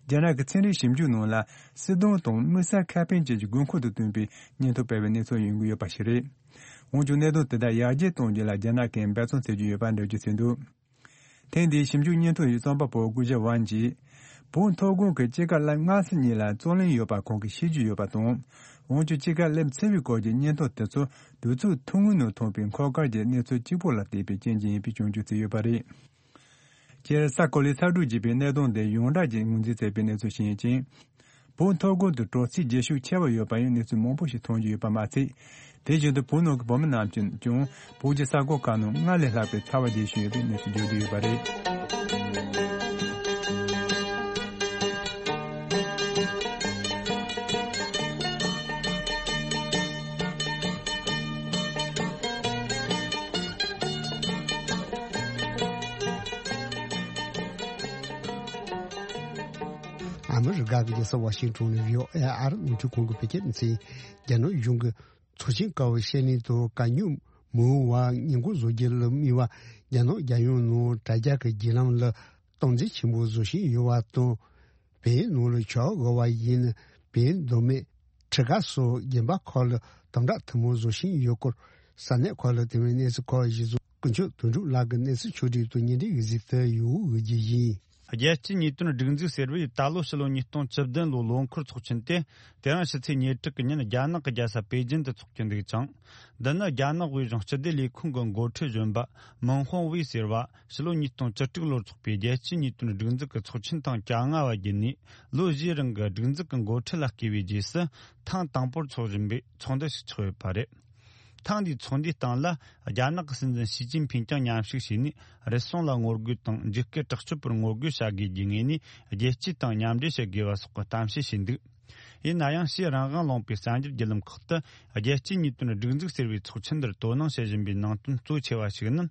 རྒྱ་ནག་གི་ཚན་རིག་ཞིབ་འཇུག་ནང་ལ་སྲིད་དོན་དང་དམིགས་བསལ་ཁེ་ཕན་བཅས་ཀྱི་དགོས་མཁོ་དང་བསྟུན་པའི་སྙན་ཐོ་སྤེལ་བའི་གནས་ཚུལ་ཡོང་གི་ཡོད་པ་ཞིག་རེད། འོན་ཀྱང་གནད་དོན་དེ་དག་ཡར་རྒྱས་གཏོང་རྒྱུ་ལ་རྒྱ་ནག་གིས་འབད་བརྩོན་བྱེད་ཀྱི་ཡོད་པ་འགྲེལ་བརྗོད་བྱས་འདུག་ཐེངས་འདིའི་ཞིབ་འཇུག་སྙན་ཐོ་ཡི་རྩོམ་པ་པོ་སྐུ་ཞབས་ཝན་གྱིས། བོད་མཐོ་སྒང་གི་དཔྱིད་ཀ་སླེབས་སྔ་ཚར་གཉིས་ལ་རྩོད་གླེང་ཡོད་པ་ཁོང་གིས་ཤེས་ཀྱི་ཡོད་པ་དང་། འོན་ཀྱང་དཔྱིད་ཀ་སླེབས་ཚར་བའི་སྐོར་གྱི་སྙན་ཐོ་དེ་ཚོ་དུས་ཚོད་ཐུང་ངུའི་ནང་ཐོན་པའི་འཁོར་སྐར་གྱི་གནས་ཚུལ་གཅིག་པོ་ལ་བལྟས་པའི་རྐྱེན་གྱིས་ཡིན་པའི་སྐྱོན་བརྗོད་བྱས་ཡོད་པ་རེད། སྤྱིར་ས་གོ་ལའི་ཚ་དྲོད་རྒྱས་པའི་གནད་དོན་དེ་ཡོངས་གྲགས་ཀྱི་ངོས་འཛིན་བྱས་པའི་གནས་ཚུལ་ཞིག་ཡིན་ཅིང་། བོད་མཐོ་སྒང་དུ་དྲོ་ཚིགས་རྒྱས་ཤུགས་ཆེ་བ་ཡོད་པ་ཡང་གནས་ཚུལ་མང་པོ་ཞིག་ཐོན་གྱི་ཡོད་པ་མ་ཚད། དེ་བཞིན་དུ་བོད་ནང་གི་བོད་མི་རྣམས་ཀྱིས་ཀྱང་བོད་ཀྱི་ས་ཁུལ་ཁག་ནང་སྔར་ལས་ལྷག་པའི་ཚ་བ་རྒྱས་བཞིན་ཡོད་པའི་གནས་ཚུལ་བརྗོད་ཀྱི་ཡོད་པ་རེད། ཨ་མི་རི་ཀ་གི་རྒྱལ་ས་ཝ་ཤིང་ཊོན་ནས་བྷི་ཨོ་ཨེ་ཨ་རིའི་རླུང་འཕྲིན་ཁང་གིས་བོད་སྐད་སྡེ་ཚན། རྒྱ་ནག་གཞུང་གིས་ཚོགས་ཆེན་ཀ་བའི་བཤད་གླེང་དུ་གད་སྙིགས་མི་ཡོང་བར་ཉེན་འགོག་བཟོ་རྒྱུ་ལ་དམིགས་པ་རྒྱ་ནག་རྒྱལ་ཡོངས་ནང་དྲ་རྒྱ་གི་བརྒྱུད་ལམ་ལ་སྟངས་འཛིན་ཆེན་པོ་བཟོ་བཞིན་ཡོད་པ་དང་། བལ་ཡུལ་ནང་ལ་ཆར་པ་བབས་པ་ཡིན་ན་བལ་ཡུལ་མདོ་སྨད། ཁྲི་ཀ་སོགས་རྒྱན་པ་ཁག་ལ་དམ་དྲག་ཐུན་མོང་བཟོ་བཞིན་ཡོད་སྐོར། ས་གནས་ཁག་ལ་དེ་བས་གནས་ཚུལ་ཁག་གཞིར་བཟུང་སྐུ་ཞབས་དོན་གྲུབ་ལགས་ཀྱིས་གནས་ཚུལ་ཕྱོགས་སྒྲིག་དང་སྙན་སྒྲོན་ཡིག་གཟིགས་དུ་ཡོད་འོས་ཀྱི་ཡིན། རྒྱལ་སྤྱིའི་ཉེས་དོན་སྒྲིག་འཛུགས་ཟེར་བས་ད་ལོ་ཕྱི་ལོ་ཉིས་སྟོང་བཅུ་བདུན་ལོའི་ལོ་འཁོར་ཚོགས་ཆེན་དེ་དེ་རིང་ཕྱི་ཚེས་ཉེར་དྲུག་གི་ཉིན་རྒྱ་ནག་གི་རྒྱལ་ས་པེ་ཅིན་དུ་འཚོགས་ཀྱི་འདུག་ཅིང་། འདི་ནི་རྒྱ་ནག་དབུས་གཞུང་སྤྱི་བདེ་ལས་ཁུངས་ཀྱི་འགོ་ཁྲིད་གཞོན་པ་མིན་ཧོང་ཝེ་ཟེར་བ་ཕྱི་ལོ་ཉིས་སྟོང་བཅུ་དྲུག་ལོར་འཚོགས་པའི་རྒྱལ་སྤྱིའི་ཉེས་དོན་སྒྲིག་འཛུགས་ཀྱི་ཚོགས་ཆེན་དང་བཅོ་ལྔ་བ་བརྒྱུད་ནས། ལོ་བཞིའི་རིང་གི་སྒྲིག་འཛུགས་ཀྱི་འགོ་ཁྲིད་ལ་བསྐོས་པའི་རྗེས་སུ་ཐེངས་དང་པོར་འཚོགས་བཞིན་པའི་ཚོགས་འདུ་ཞིག་ཆགས་ཡོད་པ་རེད། ཐེངས་འདིའི་ཚོགས་འདུའི་སྟེང་ལ་རྒྱ་ནག་གི་སྲིད་འཛིན་ཞི་ཅིན་ཕིང་ཀྱང་མཉམ་ཞུགས་བྱས་ནས། རུལ་སུངས་ལ་ངོ་རྒོལ་དང་འཇིགས་སྐུལ་དྲག་སྤྱོད་པར་ངོ་རྒོལ་བྱ་དགོས་ཀྱི་ངོས་ནས་རྒྱལ་སྤྱི་དང་མཉམ་འབྲེལ་བྱེད་དགོས་པ་སོགས་ཀྱི་གཏམ་བཤད་བྱས་འདུག་ཡིན་ན་ཡང་ཕྱིའི་རང་དབང་ལུང་པའི་གསར་འགྱུར་བརྒྱུད་ལམ་ཁག་ཏུ་རྒྱལ་སྤྱིའི་ཉེས་དོན་སྒྲིག་འཛུགས་ཟེར་བའི་ཚོགས་ཆེན་འདིར་དོ་སྣང་བྱེད་བཞིན་པའི་ནང་དོན་གཙོ་ཆེ་བ་ཞིག་ནི།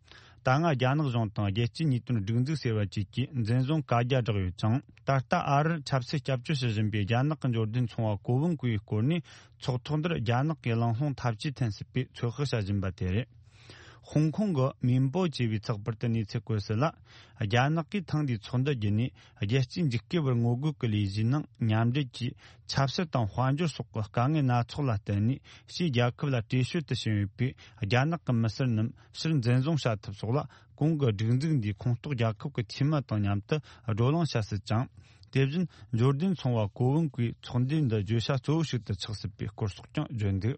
ད་སྔ་རྒྱ་ནག་གཞུང་དང་རྒྱལ་སྤྱིའི་ཉེས་དོན་སྒྲིག་འཛུགས་ཟེར་བ་བཅས་ཀྱིས་འཛིན་བཟུང་བཀའ་རྒྱ་བསྒྲགས་ཡོད་ཅིང་། ད་ལྟ་ཨ་རིར་ཆབ་སྲིད་སྐྱབས་བཅོལ་བྱེད་བཞིན་པའི་རྒྱ་ནག་གི་འབྱོར་ལྡན་ཚོང་བ་ཀོ་ཝུན་ཀུའི་སྐོར་ནས་ཚོགས་ཐོག་འདིར་རྒྱ་ནག་གིས་གླེང་སློང་འཐབ་ཇུས་འཐེན་སྲིད་པའི་ཚོད་དཔག་བྱ་བཞིན་པ་དེ་རེད། ཧོང་ཀོང་གི་མིན་པོ་ཅེས་པའི་ཚགས་པར་དུ་གནས་ཚུལ་བཀོད་གསལ་ལ། རྒྱ་ནག་གིས་ཐེངས་འདིའི་ཚོགས་འདུ་བརྒྱུད་ནས་རྒྱལ་སྤྱིའི་འཇིགས་སྐུལ་བར་ངོ་རྒོལ་གྱི་ལས་གཞིའི་ནང་མཉམ་འབྲེལ་གྱིས་ཆབ་སྲིད་དང་དཔལ་འབྱོར་སོགས་ཀྱི་དཀའ་ངལ་སྣ་ཚོགས་ལ་བརྟེན་ནས་ཕྱིའི་རྒྱལ་ཁབ་ལ་བྲོས་བྱོལ་དུ་ཕྱིན་ཡོད་པའི་རྒྱ་ནག་གི་མི་སེར་རྣམས་ཕྱིར་འཛིན་བཟུང་བྱ་ཐབས་སོགས་ལ་གོང་གི་སྒྲིག་འཛུགས་འདིའི་ཁོངས་གཏོགས་རྒྱལ་ཁབ་ཀྱི་འཐུས་མི་དང་མཉམ་དུ་བགྲོ་གླེང་བྱ་སྲིད་ཅིང་། དེ་བཞིན་འབྱོར་ལྡན་ཚོང་བ་ཀོ་ཝུན་ཀུའི་ཚོགས་འདུའི་འདི་བརྗོད་བྱ་གཙོ་བོ་ཞིག་ཏུ་ཆགས་སྲིད་པའི་སྐོར་སོགས་ཀྱང་བརྗོད་འདུག་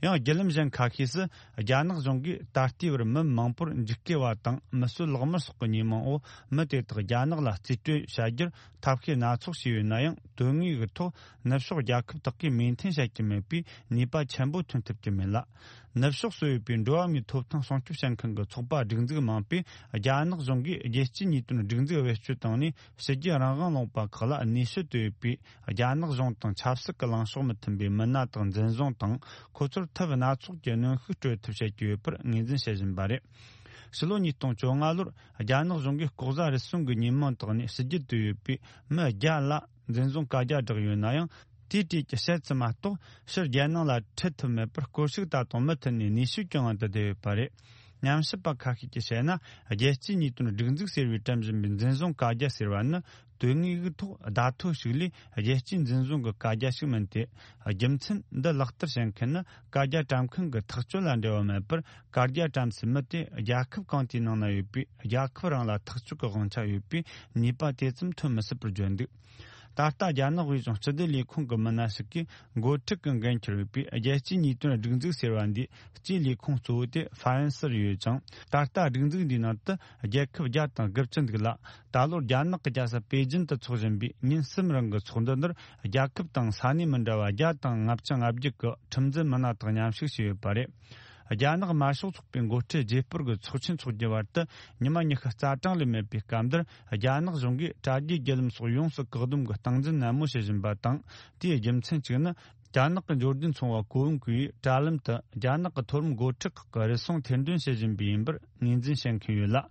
ཡང་བརྒྱུད་ལམ་གཞན་ཁ་ཤས་སུ། རྒྱ་ནག་གཞུང་གིས་ད་ལྟའི་བར་མི་མང་པོར་འཇིགས་སྐུལ་བ་དང་མི་གསོད་ལག་དམར་སོགས་ཀྱི་ཉེས་མིང་འོག་མི་དེ་དག་རྒྱ་ནག་ལ་རྩིས་སྤྲོད་བྱ་རྒྱུར་ཐབས་ཤེས་སྣ་ཚོགས་བྱས་ཡོད་ན་ཡང་། དོན་དངོས་ཀྱི་ཐོག་ནུབ་ཕྱོགས་རྒྱལ་ཁབ་དག་གིས་མོས་མཐུན་བྱེད་ཀྱི་མེད་པས་ནུས་པ་ཆེན་པོ་ཐོན་ཐུབ་ཀྱི་མེད་ལ། ནུབ་ཕྱོགས་སུ་ཡོད་པའི་འགྲོ་བ་མིའི་ཐོབ་ཐང་སྲུང་སྐྱོབ་བྱེད་མཁན་གྱི་ཚོགས་པ་སྒྲིག་འཛུགས་མང་པོས། རྒྱ་ནག་གཞུང་གིས་རྒྱལ་སྤྱིའི་ཉེས་དོན་སྒྲིག་འཛུགས་བེད་སྤྱོད་བཏང་ནས། ཕྱི་རྒྱལ་རང་དབང་ལུང་པ་ཁག་ལ་གནས་སྤོ་དུ་ཡོད་པའི་རྒྱ་ནག་གཞུང་དང་ཆབ་སྲིད་ཀྱི་ལངས་ཕྱོགས་མི་མཐུན་པའི་མི་སྣ་དག་འཛིན་བཟུང་དང་། ཁོ་ཚོར་ཐབས་སྣ་ཚོགས་ཀྱི་གནོན་ཤུགས་སྤྲོད་ཐབས་བྱེད་ཀྱི་ཡོད་པར་ངོས་འཛིན་བྱེད་བཞིན་པ་རེད། ཕྱི་ལོ་ཉིས་སྟོང་བཅོ་ལྔ་ལོར་རྒྱ་ནག་གཞུང་གིས་ལྐོག་ཟ་རུལ་སུངས་ཀྱི་ཉེས་མིང་བཏགས་ནས་ཕྱི་རྒྱལ་དུ་ཡོད་པའི་མི་བརྒྱ་ལ་འཛིན་བཟུང་བཀའ་རྒྱ་བསྒྲགས་ཡོད་ན་ཡང་། དེའི་གྲས་ཀྱི་ཕྱེད་ཙམ་མ་གཏོགས་ཕྱིར་རྒྱལ་ནང་ལ་ཁྲིད་ཐུབ་མེད་པར་སྐོར་ཞིག་ད་དུང་མུ་མཐུད་ནས་གནས་སྤོས་ཀྱི་དབང་དུ་བསྡུས་ཡོད་པ་རེད། ཉམས་ཞིབ་པ་ཁ་ཤས་ཀྱིས་བཤད་ན། རྒྱལ་སྤྱིའི་ཉེས་དོན་སྒྲིག་འཛུགས་ཟེར་བས་སྤྲད་བཞིན་པའི་འཛིན་བཟུང་བཀའ་རྒྱ་ཟེར་བ་ནི། དོན་དངོས་ཀྱི་ཐོག་བརྡ་ཐོ་ཞིག་ལས་རྒྱལ་སྤྱིའི་འཛིན་བཟུང་གི་བཀའ་རྒྱ་ཞིག་མིན་ཏེ། རྒྱུ་མཚན་འདི་ལག་བསྟར་བྱེད་མཁན་ནི། བཀའ་རྒྱ་བཀྲམ་མཁན་གྱི་ཐག་གཅོད་ལ་འབྲེལ་བ་མེད་པར། བཀའ་རྒྱ་བཀྲམ་སའི་མི་དེ་རྒྱལ་ཁབ་གང་དེའི་ནང་ན་ཡོད་པའི་རྒྱལ་ཁབ་རང་ལ་ཐག་གཅོད་ཀྱི་དབང་ཆ་ཡོད་པས། ནུས་པ་དེ་ཙམ་ཐོན་མི་སྲིད་པར་བརྗོད་འདུག་ད་ལྟ་རྒྱ་ནག་དབུས་གཞུང་སྤྱི་བདེ་ལས་ཁུངས་ཀྱི་མི་སྣ་ཞིག་གིས་འགོ་ཁྲིད་ཀྱི་འགན་འཁྱེར་ཡོད་པའི་རྒྱལ་སྤྱིའི་ཉེས་དོན་སྒྲིག་འཛུགས་ཟེར་བ་འདིའི་སྤྱིའི་ལས་ཁུངས་གཙོ་བོ་དེ་ཧྥ་རན་སིར་ཡོད་ཅིང་། ད་ལྟ་སྒྲིག་འཛུགས་འདིའི་ནང་དུ་རྒྱལ་ཁབ་བརྒྱ་དང་དགུ་བཅུ་འདུག་ལ། ད་ལོར་རྒྱ་ནག་གི་རྒྱལ་ས་པེ་ཅིན་དུ་འཚོགས་བཞིན་པའི་ཉིན་གསུམ་རིང་གི་ཚོགས་འདུ་འདིར། རྒྱལ་ཁབ་དང་ས་གནས་མི་འདྲ་བ་བརྒྱ་དང་ལྔ་བཅུ་ང་བརྒྱད་ཀྱི་ཁྲིམས་འཛིན་མི་སྣ་དག་མཉམ་ཞུགས་བྱས་ཡོད་པ་རེད། རྒྱ་ནག་དམར་ཤོག་ཚོགས་པའི་འགོ་ཁྲིད་རྗེས་སྤོར་གྱི་ཚོགས་ཆེན་འཚོགས་རྒྱུ་བར་དུ་ཉི་མ་ཉི་ཤུ་རྩ་གྲངས་ལས་མེད་པའི་སྐབས་འདིར། རྒྱ་ནག་གཞུང་གིས་དྲ་རྒྱའི་བརྒྱུད་ལམ་སོགས་ཡོངས་སུ་བཀག་སྡོམ་གྱི་སྟངས་འཛིན་ནན་མོ་བྱེད་བཞིན་པ་དང་། དེའི་རྒྱུ་མཚན་གཅིག་ནི། རྒྱ་ནག་གི་འབྱོར་ལྡན་ཚོང་པ་ཀོ་ཝུན་ཀུའི་དྲ་ལམ་དུ་རྒྱ་ནག་གི་མཐོ་རིམ་འགོ་ཁྲིད་ཁག་གི་རུལ་སུངས་ཐེར་འདོན་བྱེད་བཞིན་པའི་ཡིན་པར་ངོས་འཛིན་བྱེད་མཁན་ཡོད་ལ།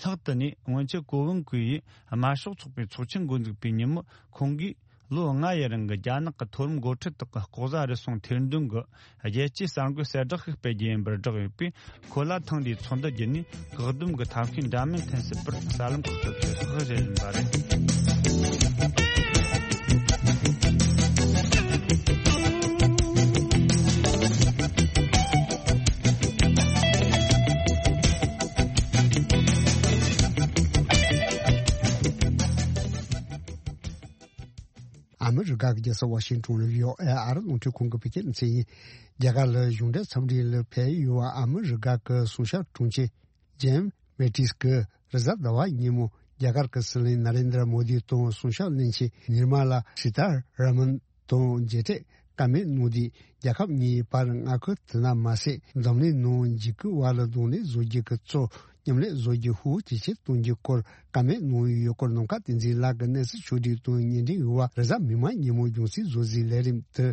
ལྷག་ཏུ་ནས་སྔོན་ཆད་ཀོ་ཝུན་ཀུའི་དམར་ཤོག་ཚོགས་པའི་ཚོགས་ཆེན་འགོ་འཛུགས་པའི་ཉིན་མོ་ཁོང་གིས། ལོ་ལྔ་ཡི་རིང་གི་རྒྱ་ནག་གི་མཐོ་རིམ་འགོ་ཁྲིད་དག་གི་ལྐོག་ཟ་རུལ་སུངས་ཐེར་འདོན་གྱི་རྒྱལ་སྤྱིའི་གསར་འགོད་གསལ་བསྒྲགས་ཤིག་སྤེལ་རྒྱུ་ཡིན་པར་བསྒྲགས་ཡོད་པས། ཁོ་ལ་ཐེངས་འདིའི་ཚོགས་འདུ་བརྒྱུད་ནས་བཀག་སྡོམ་གྱི་ཐབས་ཤེས་འདྲ་མིན་ཐོན་སྲིད་པར་གསར་ལམ་ཁག་ཏུ་ཚོད་དཔག་བྱེད་བཞིན་པ་རེད། ཨ་མི་རི་ཀ་གི་རྒྱལ་ས་ཝ་ཤིང་ཏོན་ལ་བྷི་ཨོ་ཨེ་ཨ་རི་རླུང་འཕྲིན་ཁང་གི་བོད་སྐད་སྡེ་ཚན་ཡིན། རྒྱ་གར་ལ་གཞུང་འབྲེལ་འཚམས་འདྲི་ལ་ཕེབས་ཡོད་པ་ཨ་མི་རི་ཀ་གི་སྲུང་སྐྱོབ་དྲུང་ཆེ་ཇེམ་སི་མེ་ཏིས་ཀྱིས་རེས་གཟའ་ཟླ་བ་ཉིན་མོ་རྒྱ་གར་གྱི་སྲིད་བློན་ན་རེན་དྲ་མོ་དི་དང་སྲུང་སྐྱོབ་བློན་ཆེན་ནིར་མ་ལ་སི་ཏཱ་ར་མན་དང་མཇལ་འཕྲད་བཀའ་མོལ་གནང་དུས། རྒྱལ་ཁབ་གཉིས་བར་མངའ་ཁུལ་དེ་ན་མ་ཟད། འཛམ་གླིང་ནང་འཇིགས་སྐུལ་བ་ལ་གདོང་ལེན་བཟོ་རྒྱུ་གི་གཙོ་མཉམ་ལས་བཟོ་རྒྱུ་ཧུར་ཇེ་ཆེར་གཏོང་རྒྱུའི་སྐོར་བཀའ་མོལ་གནང་ཡོད་སྐོར། ནམ་མཁའ་བསྟན་འཛིན་ལགས་ཀྱིས་གནས་ཚུལ་ཕྱོགས་བསྒྲིགས་དང་སྙན་སྒྲོན་ཡོད་པ། རེས་གཟའ་མིག་དམར་ཉིན་མོ་རྒྱང་སྲིང་བཟོ་རྩིས་ལས་རིམ་དུ་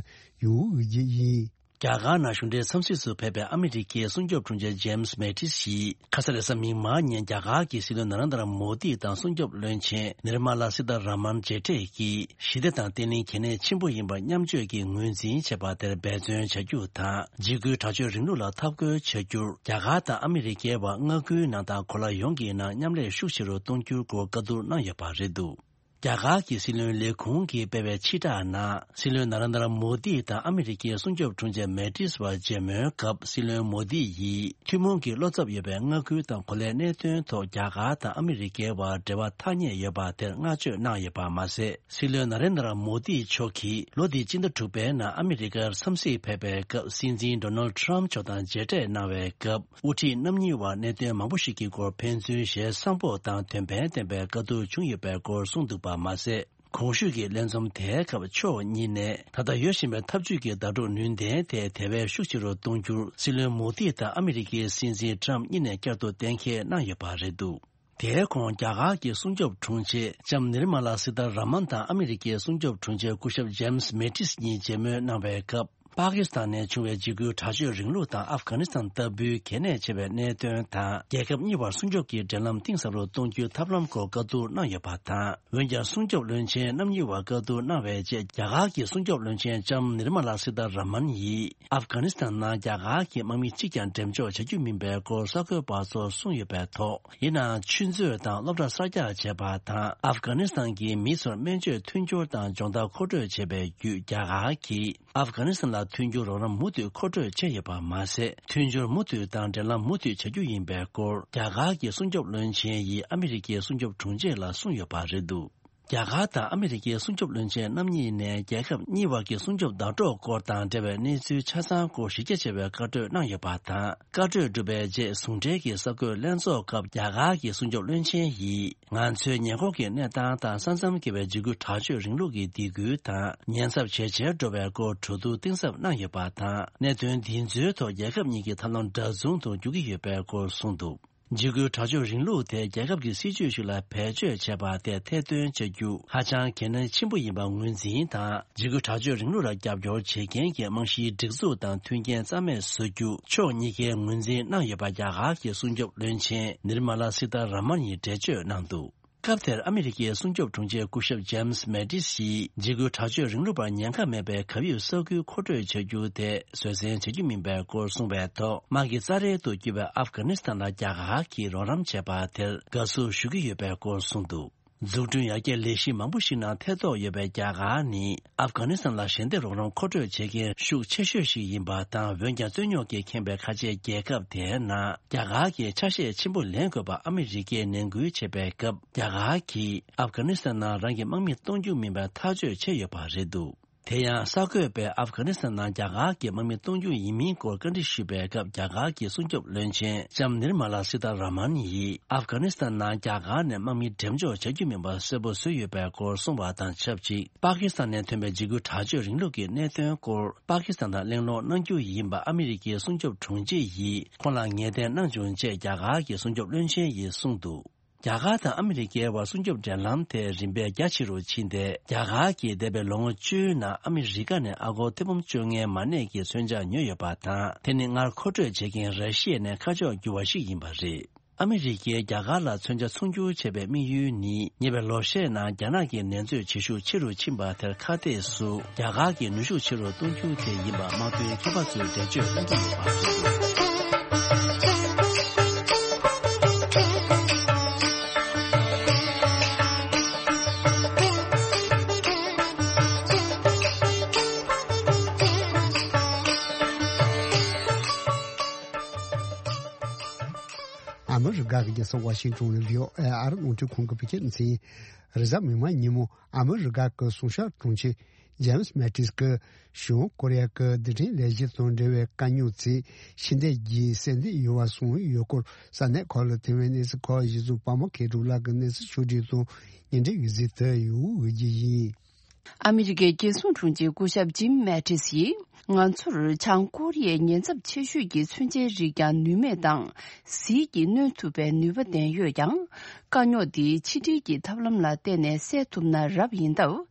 ཡོད་རྒྱུ་ཡིན། རྒྱ་གར་ནང་གཞུང་འབྲེལ་འཚམས་གཟིགས་སུ་ཕེབས་པའི་ཨ་མི་རི་ཀའི་སྲུང་སྐྱོབ་དྲུང་ཆེ་ཇེམ་སི་མེ་ཏིས་ཡིས། ཁ་ས་རེས་གཟའ་མིག་དམར་ཉིན་རྒྱ་གར་གྱི་སྲིད་བློན་ན་རེན་དྲ་མོ་དི་དང་སྲུང་སྐྱོབ་བློན་ཆེན་ནིར་མ་ལ་སི་ཏཱ་ར་མན་མཇལ་འཕྲད་ཀྱིས། ཞི་བདེ་དང་བརྟན་ལྷིང་གལ་གནད་ཆེན་པོ་ཡིན་པ་མཉམ་སྤྱོད་ཀྱིས་ངོས་འཛིན་བྱས་པ་དེར་འབད་བརྩོན་བྱ་རྒྱུ་དང་། འཇིགས་སྐུལ་དྲག་སྤྱོད་རིང་ལུགས་ལ་འཐབ་རྒོལ་བྱ་རྒྱུར། རྒྱ་གར་དང་ཨ་མི་རི་ཀའི་བར་མངའ་ཁུལ་ནང་དང་གོ་ལ་ཡོངས་ཀྱི་ནང་མཉམ་ལས་ཤུགས་ཆེ་རུ་གཏོང་རྒྱུའི་སྐོར་བཀའ་བསྡུར་གནང་ཡོད་པ་རེད་འདུག་རྒྱ་གར་གྱི་སྲིད་བློན་ལས་ཁུངས་ཀྱིས་སྤེལ་བའི་ཕྱིར་བསྒྲགས་ནང་། སྲིད་བློན་ན་རེན་དྲ་མོ་དི་དང་ཨ་མི་རི་ཀའི་སྲུང་སྐྱོབ་དྲུང་ཆེ་མེ་ཏིས་བར་མཇལ་མོལ་སྐབས། སྲིད་བློན་མོ་དི་ཡིས། ཐུན་མོང་གི་བློ་འཚབ་ཡོད་པའི་མངའ་ཁུལ་དང་གོ་ལའི་གནད་དོན་ཐོག་རྒྱ་གར་དང་ཨ་མི་རི་ཀའི་བར་འབྲེལ་བ་ཐག་ཉེ་ཡོད་པ་དེར་བསྔགས་བརྗོད་གནང་ཡོད་པ་མ་ཟད། སྲིད་བློན་ན་རེན་དྲ་མོ་དི་མཆོག་གིས། ལོ་འདིའི་སྤྱི་ཟླ་དྲུག་པའི་ནང་ཨ་མི་རི་ཀར་འཚམས་གཟིགས་ཕེབས་པའི་སྐབས། སྲིད་འཛིན་ཌོ་ནལ་ཊམ་མཆོག་དང་མཇལ་འཕྲད་གནང་བའི་སྐབས། དབུ་ཁྲིད་རྣམ་གཉིས་བར་གནད་དོན་མང་པོ་ཞིག་གི་སྐོར་ཕན་ཚུན་ཞལ་བཟང་པོ་དང་དོན་ཕན་ལྡན་པའི་བཀའ་བསྡུར་བྱུང་ཡོད་པའི་སྐོར་གསུངས་འདུག་པ་མ་ཟད། གོང་ཞུས་ཀྱི་ལས་འཛོམས་དེའི་སྐབས་ཕྱོགས་གཉིས་ནས་ད་ལྟ་ཡོད་བཞིན་པའི་འཐབ་ཇུས་ཀྱི་ཟླ་གྲོགས་ནུས་ལྡན་དེ་དེ་བས་ཤུགས་ཆེ་རུ་གཏོང་རྒྱུར། སྲིད་བློན་མོ་དི་དང་ཨ་མི་རི་ཀའི་སྲིད་འཛིན་ཊམ་གཉིས་ནས་བསྐྱར་དུ་གཏན་འཁེལ་གནང་ཡོད་པ་རེད་འདུག་དེའི་གོང་རྒྱ་གར་གྱི་སྲུང་སྐྱོབ་དྲུང་ཆེ་ལྕམ་ནིར་མ་ལ་སི་ཏཱ་ར་མན་དང་ཨ་མི་རི་ཀའི་སྲུང་སྐྱོབ་དྲུང་ཆེ་སྐུ་ཞབས་ཇེམ་སི་མེ་ཏིས་གཉིས་མཇལ་མོལ་གནང་བའི་སྐབས། པ་ཀི་སི་ཐན་ནས་བྱུང་བའི་འཇིགས་སྐུལ་དྲག་སྤྱོད་རིང་ལུགས་དང་ཨབ་གྷ་ནི་སི་ཐན་ལྟ་བུའི་གལ་གནད་ཆེ་བའི་གནད་དོན་དང་། རྒྱལ་ཁབ་གཉིས་བར་སྲུང་སྐྱོབ་ཀྱི་འབྲེལ་ལམ་གཏིང་ཟབ་རུ་གཏོང་རྒྱུའི་ཐབས་ལམ་སྐོར་བཀའ་བསྡུར་གནང་ཡོད་པ་དང་། འོན་ཀྱང་། སྲུང་སྐྱོབ་བློན་ཆེན་རྣམ་གཉིས་བར་བཀའ་བསྡུར་གནང་བའི་རྗེས། རྒྱ་གར་གྱི་སྲུང་སྐྱོབ་བློན་ཆེན་ལྕམ་ནིར་མ་ལ་སི་ཏཱ་ར་མན་ཡིས། ཨབ་གྷ་ནི་སི་ཐན་ནང་རྒྱ་གར་གྱི་དམག་མི་གཅིག་ཀྱང་འགྲེམས་འཇོག་བྱ་རྒྱུ་མིན་པའི་སྐོར་གསར་འགོད་པ་ཚོར་གསུངས་ཡོད་པའི་ཐོག་ཡིན་ནའང་། ཆུ་མཛོད་དང་སློབ་གྲྭ་གསར་རྒྱག་བྱས་པ་དང་། ཨབ་གྷ་ནི་སི་ཐན་གྱི་མི་ཚོར་སྨན་བཅོས་མཐུན་འགྱུར་དང་སྦྱོང་བརྡར་མཁོ་སྤྲོད་བྱས་པའི་བརྒྱུད། རྒྱ་གར་གྱིས་ཨབ་གྷ་ནི་སི་ཐན་ལ་མཐུན་འགྱུར་རོགས་རམ་མུ་མཐུད་མཁོ་སྤྲོད་བྱས་ཡོད་པ་མ་ཟད། མཐུན་སྦྱོར་མུ་མཐུད་དང་འབྲེལ་ལམ་མུ་མཐུད་བྱ་རྒྱུ་ཡིན་པའི་སྐོར། རྒྱ་གར་གྱི་སྲུང་སྐྱོབ་བློན་ཆེན་ཡིས་ཨ་མི་རི་ཀའི་སྲུང་སྐྱོབ་དྲུང་ཆེ་ལ་གསུངས་ཡོད་པ་རེད་འདུག་རྒྱ་གར་དང་ཨ་མི་རི་ཀའི་སྲུང་སྐྱོབ་བློན་ཆེན་རྣམ་གཉིས་ནས་རྒྱལ་ཁབ་གཉིས་བར་གྱི་སྲུང་སྐྱོབ་ཟླ་གྲོགས་སྐོར་དང་འབྲེལ་བའི་གནས་ཚུལ་ཆ་ཚང་སྐོར་གཞི་རྒྱ་ཆེ་བའི་བཀའ་གྲོས་གནང་ཡོད་པ་དང་། བཀའ་གྲོས་གྲུབ་པའི་རྗེས་ཟུང་འབྲེལ་གྱི་གསར་འགོད་ལྷན་ཚོགས་སྐབས་རྒྱ་གར་གྱི་སྲུང་སྐྱོབ་བློན་ཆེན་ཡིས། ང་ཚོའི་ཉེ་འཁོར་གྱི་གནས་སྟངས་དང་ས་མཚམས་བརྒལ་བའི་འཇིགས་སྐུལ་དྲག་སྤྱོད་རིང་ལུགས་ཀྱི་སྡིགས་སྐུལ་དང་ཉེན་ཚབས་ཇེ་ཆེར་འགྲོ་བའི་སྐོར་གྲོས་བསྡུར་གཏིང་ཟབ་གནང་ཡོད་པ་དང་། གནད་དོན་འདི་ཚོའི་ཐོག་རྒྱལ་ཁབ་གཉིས་ཀྱི་ཐབས་ལམ་འདྲ་མཚུངས་སུ་འགྱུར་གྱི་ཡོད་པའི་སྐོར་གསུངས་འདུག་འཇིགས་སྐུལ་དྲག་སྤྱོད་རིང་ལུགས་དེ་རྒྱལ་ཁབ་ཀྱི་སྲིད་ཇུས་ཤིག་ལ་བེད་སྤྱོད་བྱས་པ་དེ་ཐེར་འདོན་བྱ་རྒྱུ་ཧ་ཅང་གལ་གནད་ཆེན་པོ་ཡིན་པ་ངོས་འཛིན་དང་། འཇིགས་སྐུལ་དྲག་སྤྱོད་རིང་ལུགས་ལ་རྒྱབ་སྐྱོར་བྱེད་མཁན་གྱི་རྨང་གཞིའི་སྒྲིག་འཛུགས་དང་མཐུན་རྐྱེན་རྩ་མེད་བཟོ་རྒྱུ་ཕྱོགས་གཉིས་ཀས་ངོས་འཛིན་གནང་ཡོད་པ་རྒྱ་གར་གྱི་སྲུང་སྐྱོབ་བློན་ཆེན་ནིར་མ་ལ་སི་ཐ་ར་མན་ཡིས་འགྲེལ་བརྗོད་གནང་འདུག་སྐབས་དེར་ཨ་མི་རི་ཀའི་སྲུང་སྐྱོབ་དྲུང་ཆེ་སྐུ་ཞབས་ཇེམ་སི་མེ་ཏིས་ཡིས་འཇིགས་སྐུལ་དྲག་སྤྱོད་རིང་ལུགས་པར་ཉེན་ཁ་མེད་པའི་གབ་ཡིབ་ས་ཁུལ་མཁོ་སྤྲོད་བྱ་རྒྱུ་དེ་བཟོད་བསྲན་བྱ་རྒྱུ་མིན་པའི་སྐོར་གསུངས་པའི་ཐོག་དམག་གི་རྩ་རལ་དུ་གྱུར་པའི་ཨབ་གྷ་ནི་སི་ཐན་ལ་རྒྱ་གར་གྱིས་རོགས་རམ་བྱས་པ་དེར་དགའ་བསུ་ཞུ་གི་ཡོད་པའི་སྐོར་གསུངས་འདུག་འཛུགས་སྐྲུན་ཡར་རྒྱས་ལས་གཞི་མང་པོ་ཞིག་ནང་ཐེ་གཏོགས་ཡོད་པའི་རྒྱ་གར་ནི་ཨབ་གྷ་ནི་སི་ཐན་ལ་ཞལ་འདེབས་རོགས་རམ་མཁོ་སྤྲོད་བྱེད་མཁན་ཤུགས་ཆེ་ཤོས་ཤིག་ཡིན་པ་དང་། འོན་ཀྱང་རྩོད་རྙོག་གིས་ཁེངས་པའི་ཁ་ཆེའི་རྒྱལ་ཁབ་དེའི་ནང་རྒྱ་གར་གྱི་ཆ་ཤས་ཆེན་པོ་ལེན་དགོས་པ་ཨ་མི་རི་ཀས་ནན་སྐུལ་བྱས་པའི་སྐབས། རྒྱ་གར་གྱིས་ཨབ་གྷ་ནི་སི་ཐན་ནང་རང་གི་དམག་མི་གཏོང་རྒྱུ་མིན་པར་ཐག་གཅོད་བྱས་ཡོད་པ་རེད་འདུག་དེ་ཡང་གསར་འགོད་པས་ཨབ་གྷ་ནི་སི་ཐན་ནང་རྒྱ་གར་གྱི་དམག་མི་གཏོང་རྒྱུ་ཡིན་མིན་སྐོར་བཀའ་འདྲི་ཞུས་པའི་སྐབས། རྒྱ་གར་གྱི་སྲུང་སྐྱོབ་བློན་ཆེན་ལྕམ་ནིར་མ་ལ་སི་ཐ་ར་མན་ཡིས་ཨབ་གྷ་ནི་སི་ཐན་ནང་རྒྱ་གར་ནས་དམག་མི་འགྲེམས་འཇོག་བྱ་རྒྱུ་མིན་པ་གསལ་པོ་བཟོས་ཡོད་པའི་སྐོར་གསུངས་པ་དང་ཆབས་ཅིག་པ་ཀི་སི་ཐན་ནས་ཐོན་པའི་འཇིགས་སྐུལ་དྲག་སྤྱོད་རིང་ལུགས་ཀྱི་གནད་དོན་སྐོར་པ་ཀི་སི་ཐན་དང་གླེང་སློང་གནང་རྒྱུ་ཡིན་པ་ཨ་མི་རི་ཀའི་སྲུང་སྐྱོབ་དྲུང་ཆེ་ཡིས་ཁོང་ལ་ངེས་གཏན་གནང་བྱུང་ཅེས་རྒྱ་གར་གྱི་སྲུང་སྐྱོབ་བློན་ཆེན་ཡིས་གསུངས་འདུག་རྒྱ་གར་དང་ཨ་མི་རི་ཀའི་བར་སྲུང་སྐྱོབ་འབྲེལ་ལམ་དེ་རིམ་པས་རྒྱ་ཆེ་རུ་ཕྱིན་ཏེ། རྒྱ་གར་གྱིས་འདས་པའི་ལོ་ངོ་བཅུའི་ནང་ཨ་མི་རི་ཀ་ནས་ཨ་སྒོར་ཐེར་འབུམ་བཅོ་ལྔའི་མ་གནས་ཀྱི་མཚོན་ཆ་ཉོས་ཡོད་པ་དང་། དེ་ནི་སྔར་མཁོ་སྤྲོད་བྱེད་མཁན་ར་ཤི་ཡ་ནས་ཁ་ཕྱོགས་བསྒྱུར་བ་ཞིག་ཡིན་པ་རེད། ཨ་མི་རི་ཀས་རྒྱ་གར་ལ་མཚོན་ཆ་ཚོང་སྒྱུར་བྱས་པའི་དམིགས་ཡུལ་ནི། ཉེ་བའི་ལོ་ཤས་ནང་རྒྱ་ནག་གི་ནད་མཛོད་བྱེད་ཤུགས་ཆེ་རུ་ཕྱིན་པ་དེར་ཁ་གཏད་སུ་རྒྱ་གར་གྱི་ནུས་ཤུགས་ཆེ་རུ་གཏོང་རྒྱུ་དེ་ཡིན་པ་དམག་དོན་མཁས་པ་ཚོས་འགྲེལ་བརྗོད་གནང་གི་ཡོད་པ་རེད། ཨ་མི་རི་ཀ་གི་རྒྱལ་ས་ཝ་ཤིང་ཏོན་ནས་བྷི་ཨོ་ཨེ་ཨར་རླུང་འཕྲིན་ཁང་གི་བོད་སྐད་སྡེ་ཚན་ཡིན། རེས་གཟའ་མིག་དམར་ཉིན་མོ་ཨ་མི་རི་ཀ་གི་སྲུང་སྐྱོབ་དྲུང་ཆེ་ཇེམ་སི་མེ་ཏིས་ཀྱིས་བྱང་ཀོ་རི་ཡ་གི་རྡུལ་ཕྲན་ལས་གཞི་དང་འབྲེལ་བའི་དཀའ་རྙོག་ཚོས་ཕྱི་འཐེན་གྱི་སེམས་གཏད་ཡོད་པ་གསུངས་ཡོད་སྐོར། ས་གནས་ཁག་ལ་ཐོན་པའི་གནས་ཚུལ་ཁག་གཞི་བཟུང་པད་མ་མཁས་གྲུབ་ལགས་ཀྱིས་གནས་ཚུལ་ཕྱོགས་བསྒྲིགས་དང་སྙན་སྒྲོན་ཡོད་ཚུལ་དུ་ཡོད་འོས་ཀྱི་ཡིན། ཨ་མི་རི་ཀའི་རྒྱལ་སྲུང་དྲུང་ཆེ་སྐུ་ཞབས་ཇིམ་མེ་ཏིས་ཡིས། ང་ཚོར་བྱང་ཀོ་རི་ཡའི་ཉེན་ཚབས་ཆེ་ཤོས་ཀྱི་མཚོན་ཆའི་རིགས་ཀྱང་ནུས་མེད་དང་། ཟིལ་གྱིས་གནོན་ཐུབ་པའི་ནུས་པ་ལྡན་ཡོད་ཀྱང་། དཀའ་རྙོག་འདི་ཕྱི་འབྲེལ་གྱི་ཐབས་ལམ་ལ་བརྟེན་ནས་སེལ་ཐུབ་ན་རབ་ཡིན་སྟབས།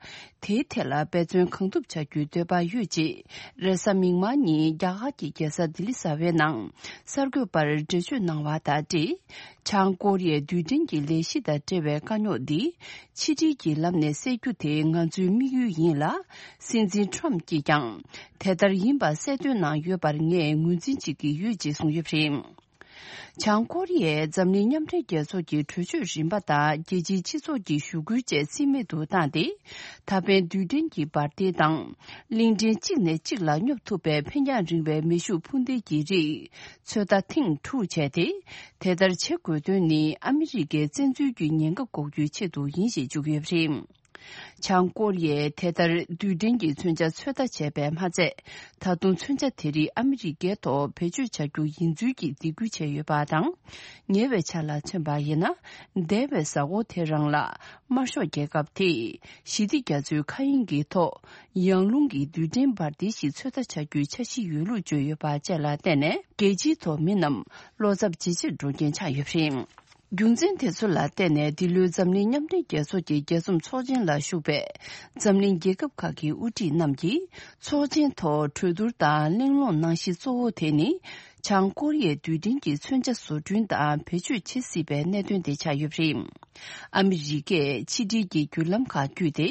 དེའི་ཐད་ལ་འབད་བརྩོན་གང་ཐུབ་བྱ་རྒྱུའི་འདོད་པ་ཡོད་ཅེས། རེས་གཟའ་མིག་དམར་ཉིན་རྒྱ་གར་གྱི་རྒྱལ་ས་ལྡི་ལི་གསར་པའི་ནང་གསར་འགོད་པར་འགྲེལ་བརྗོད་གནང་བ་དང་འབྲེལ། བྱང་ཀོ་རི་ཡའི་རྡུལ་ཕྲན་གྱི་ལས་གཞི་དང་འབྲེལ་བའི་དཀའ་རྙོག་འདི། ཕྱི་འབྲེལ་གྱི་ལམ་ནས་སེལ་རྒྱུ་དེ་ང་ཚོའི་དམིགས་ཡུལ་ཡིན་ལ། སྲིད་འཛིན་ཁྲོམ་གྱིས་ཀྱང་དེ་ལྟར་ཡིན་པ་གསལ་སྟོན་གནང་ཡོད་པར་ངས་ངོས་འཛིན་བྱེད་ཀྱི་ཡོད་ཅེས་གསུངས་ཡོད་པ་རེད། བྱང་ཀོ་རི་ཡས་འཛམ་གླིང་མཉམ་འབྲེལ་རྒྱལ་ཚོགས་ཀྱི་གྲོས་ཆོད་རིམ་པ་དང་རྒྱལ་སྤྱིའི་སྤྱི་ཚོགས་ཀྱི་ཞུ་སྐུལ་བཅས་རྩིས་མེད་དུ་བཏང་སྟེ། ད་ཕན་རྡུལ་ཕྲན་གྱི་འབར་མདེལ་དང་། གླིང་ཕྲན་གཅིག་ནས་གཅིག་ལ་སྙོབ་ཐུབ་པའི་འཕེན་རྒྱང་རིང་བའི་མེ་ཤུགས་འཕུར་མདེལ་གྱི་རིགས། ཚོད་ལྟ་ཐེངས་དྲུག་བྱས་ཏེ། དེ་ལྟར་བྱེད་དགོས་དོན་ནི་ཨ་མི་རི་ཀའི་བཙན་འཛུལ་གྱི་ཉེན་ཁ་འགོག་རྒྱུའི་ཆེད་དུ་ཡིན་ཞེས་བརྗོད་ཀྱི་ཡོད་པ་རེད། བྱང་ཀོ་རི་ཡས་དེ་ལྟར་རྡུལ་ཕྲན་གྱི་མཚོན་ཆ་ཚོད་ལྟ་བྱས་པས་མ་ཚད། ད་དུང་མཚོན་ཆ་དེ་རིགས་ཨ་མི་རི་ཀའི་ཐོག་བེད་སྤྱོད་བྱ་རྒྱུ་ཡིན་ཚུལ་གྱི་སྡིགས་སྐུལ་བྱས་ཡོད་པ་དང་། ཉེ་བའི་ཆར་ལ་མཚོན་པ་ཡིན་ན། འདས་པའི་གཟའ་འཁོར་དེ་རང་ལ། དམར་ཤོག་རྒྱལ་ཁབ་དེས་ཞི་བདེ་རྒྱ་མཚོའི་མཁའ་དབྱིངས་ཀྱི་ཐོག་ཡང་རླུང་གི་རྡུལ་ཕྲན་འབར་མདེལ་ཞིག་ཚོད་ལྟ་བྱ་རྒྱུའི་འཆར་གཞི་ཡོད་ལུགས་བརྗོད་ཡོད་པ་བཅས་ལ་བརྟེན་ནས། རྒྱལ་སྤྱིའི་ཐོག་མི་རྣམས་བློ་འཚབ་ཇེ་ཆེར་འགྲོ་རྐྱེན་ཆགས་ཡོད་པ་རེད། རྒྱུ་མཚན་དེ་ཚོ་ལ་བརྟེན་ནས། འདི་ལོའི་འཛམ་གླིང་མཉམ་འབྲེལ་རྒྱལ་ཚོགས་ཀྱི་རྒྱས་འཛོམས་ཚོགས་ཆེན་ལ་ཞུགས་པའི་འཛམ་གླིང་རྒྱལ་ཁབ་ཁག་གི་དབུ་ཁྲིད་རྣམས་ཀྱིས། ཚོགས་ཆེན་ཐོག་གྲོས་བསྡུར་དང་གླེང་སློང་གནང་གཞི་གཙོ་བོ་དེ་ནི། བྱང་ཀོ་རི་ཡའི་རྡུལ་ཕྲན་གྱི་མཚོན་ཆ་བཟོ་སྐྲུན་དང་བེད་སྤྱོད་བྱེད་སྲིད་པའི་གནད་དོན་དེ་ཆགས་ཡོད་པ་རེད། ཨ་མི་རི་ཀས་ཕྱི་འབྲེལ་གྱི་བརྒྱུད་ལམ་ཁག་བརྒྱུད་དེ།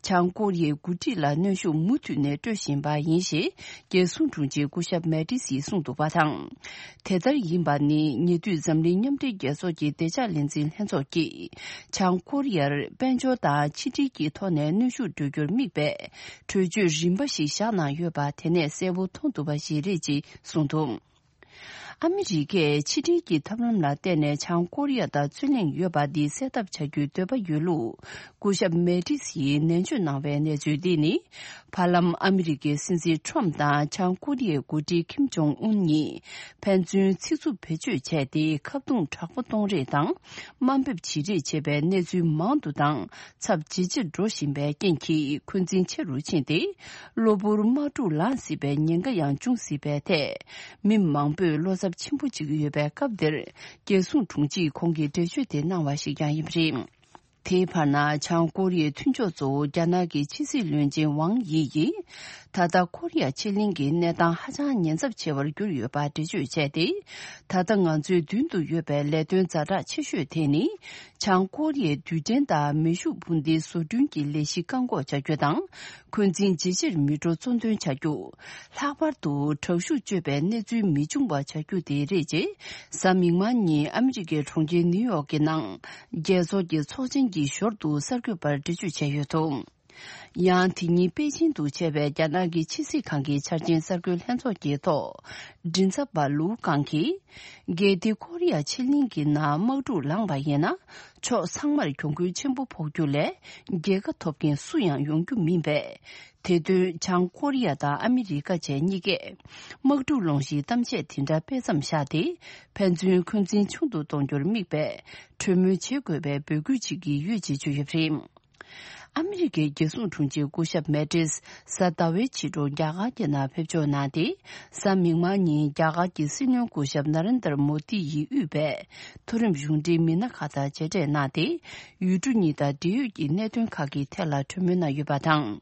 བྱང་ཀོ་རི་ཡའི་འགོ་ཁྲིད་ལ་གནོན་ཤུགས་མུ་མཐུད་ནས་སྤྲོད་བཞིན་པ་ཡིན་ཞེས། རྒྱལ་སྲུང་དྲུང་ཆེ་སྐུ་ཞབས་མེ་ཏི་སིས་གསུངས་འདུག་པ་དང་། དེ་ལྟར་ཡིན་པ་ནི། ཉེ་དུས་འཛམ་གླིང་མཉམ་འབྲེལ་རྒྱལ་ཚོགས་ཀྱི་བདེ་འཇགས་ལས་འཛིན་ལྷན་ཚོགས་ཀྱིས། བྱང་ཀོ་རི་ཡར་དཔལ་འབྱོར་དང་ཕྱི་འབྲེལ་གྱི་ཐོག་ནས་གནོན་ཤུགས་སྤྲོད་རྒྱུར་དམིགས་པའི་གྲོས་ཆོད་རིམ་པ་ཞིག་བཞག་གནང་ཡོད་པ། དེ་ནས་གསལ་པོ་མཐོང་ཐུབ་པ་ཞིག་རེད་ཅེས་གསུངས་འདུག་ཨ་མི་རི་ཀས་ཕྱི་འབྲེལ་གྱི་ཐབས་ལམ་ལ་བརྟེན་ནས་བྱང་ཀོ་རི་ཡ་དང་རྩོད་གླེང་ཡོད་པ་འདི་སེལ་ཐབས་བྱ་རྒྱུའི་འདོད་པ་ཡོད་ལུགས། སྐུ་ཞབས་མེ་ཏིས་ཡིས་ནན་བརྗོད་གནང་བའི་གནས་ཚུལ་འདི་ནི། བར་ལམ་ཨ་མི་རི་ཀའི་སྲིད་འཛིན་ཁྲོམ་དང་བྱང་ཀོ་རི་ཡའི་འགོ་ཁྲིད་ཁིམ་ཇོང་ཨུན་གཉིས་ཕན་ཚུན་ཚིག་རྩུབ་བེད་སྤྱོད་བྱས་ཏེ། ཁ་རྡུང་དྲག་པོ་གཏོང་རེས་དང་དམའ་འབེབས་བྱེད་རེས་བྱས་པའི་གནས་ཚུལ་མང་དུ་དང་ཚབས་ཇེ་ཆེར་འགྲོ་བཞིན་པའི་རྐྱེན་གྱིས། འཁོན་འཛིན་ཆེ་རུ་ཕྱིན་ཏེ། གློ་བུར་དམག་འཁྲུག་ལངས་སྲིད་པའི་ཉེན་ཁ་ཡང་འབྱུང་སྲིད་པའི་ཐད། མི་མང་པོས་བློ་འཚབ་ཆེན་པོ་བྱེད་ཀྱི་ཡོད་པའི་སྐབས་འདིར། རྒྱལ་སྲུང་དྲུང་ཆེས་ཁོང་གིས་འགྲེལ་བརྗོད་དེ་གནང་བ་ཞིག་ཀྱང་ཡིན་པ་རེད། དེའི་བར་ན། བྱང་ཀོ་རི་ཡའི་མཐུན་ཕྱོགས་གཙོ་བོ་རྒྱ་ནག་གི་ཕྱི་སྲིད་བློན་ཆེན་ཝང་དབྱི་ཡིས། ད་ལྟ་ཀོ་རི་ཡ་ཕྱེད་གླིང་གི་གནས་སྟངས་ཧ་ཅང་ཉེན་ཚབས་ཆེ་བར་གྱུར་ཡོད་པ་འགྲེལ་བརྗོད་བྱས་ཏེ། ད་ལྟ་ང་ཚོའི་མདུན་དུ་ཡོད་པའི་ལས་དོན་ཛ་དྲག་ཆེ་ཤོས་དེ་ནི། བྱང་ཀོ་རི་ཡའི་རྡུལ་ཕྲན་དང་མེ་ཤུགས་འཕུར་མདེལ་བཟོ་སྐྲུན་གྱི་ལས་གཞི་བཀག་འགོག་བྱ་རྒྱུ་དང་། འཁོན་འཛིན་ཇེ་ཆེར་མི་འགྲོ་གཙོ་འདོན་བྱ་རྒྱུ། ལྷག་པར་དུ་དྲག་ཤུགས་སྤྱོད་པའི་གནས་ཚུལ་མི་འབྱུང་བ་བྱ་རྒྱུ་དེ་རེད། ཅེས་གཟའ་མིག་དམར་ཉིན་ཨ་མི་རི་ཀའི་གྲོང་ཁྱེར་ནིའུ་ཡོག་གི་ནང་རྒྱལ་ཚོགས་ཀྱི་ཚོགས་ཆེན་གྱི་ཞོར་དུ་གསར་འགོད་པར་འགྲེལ་བརྗོད་བྱས་ཡོད་འདུག། ཡང་དེ་ཉིན་པེ་ཅིང་དུ་བྱས་པའི་རྒྱ་ནག་གི་ཕྱི་སྲིད་ཁང་གི་འཆར་ཅན་གསར་འགོད་ལྷན་ཚོགས་ཀྱི་ཐོག་མགྲིན་ཚབ་པ་ལུའུ་ཀང་གིས། གལ་ཏེ་ཀོ་རི་ཡ་ཕྱེད་གླིང་གི་ནང་དམག་འཁྲུག་ལངས་པ་ཡིན་ན། ཕྱོགས་ཚང་མར་གྱོང་གུན་ཆེན་པོ་ཕོག་རྒྱུ་ལས། རྒྱལ་ཁ་ཐོབ་མཁན་སུ་ཡང་ཡོང་རྒྱུ་མིན་པས། དེ་དོན་བྱང་ཀོ་རི་ཡ་དང་ཨ་མི་རི་ཀ་བཅས་གཉིས་ཀས། དམག་འཁྲུག་སློང་གཞིའི་གཏམ་བཤད་དེ་འདྲ་སྤེལ་མཚམས་བཞག་སྟེ། ཕན་ཚུན་འཁོན་འཛིན་ཆུང་དུ་གཏོང་རྒྱུར་དམིགས་པའི། གྲོས་མོལ་བྱེད་དགོས་པའི་འབོད་སྐུལ་བྱེད་ཀྱི་ཡོད་ཅེས་བརྗོད་ཡོད་པ་རེད། ཨ་མི་རི་ཀའི་རྒྱལ་སྲུང་དྲུང་ཆེ་སྐུ་ཞབས་མེ་ཏིས་གཟའ་ཟླ་བའི་ཕྱི་དྲོ་རྒྱ་གར་གྱི་ནང་ཕེབས་འབྱོར་གནང་སྟེ། གཟའ་མིག་དམར་ཉིན་རྒྱ་གར་གྱི་སྲིད་བློན་སྐུ་ཞབས་ན་རེན་དར་མོ་དི་ཡིས་དབུས་པའི་མཐོ་རིམ་གཞུང་འབྲེལ་མི་སྣ་ཁག་དང་མཇལ་འཕྲད་གནང་སྟེ། ཡུལ་གྲུ་གཉིས་དང་འབྲེལ་ཡོད་ཀྱི་གནད་དོན་ཁག་གི་ཐད་ལ་གྲོས་མོལ་གནང་ཡོད་པ་དང་།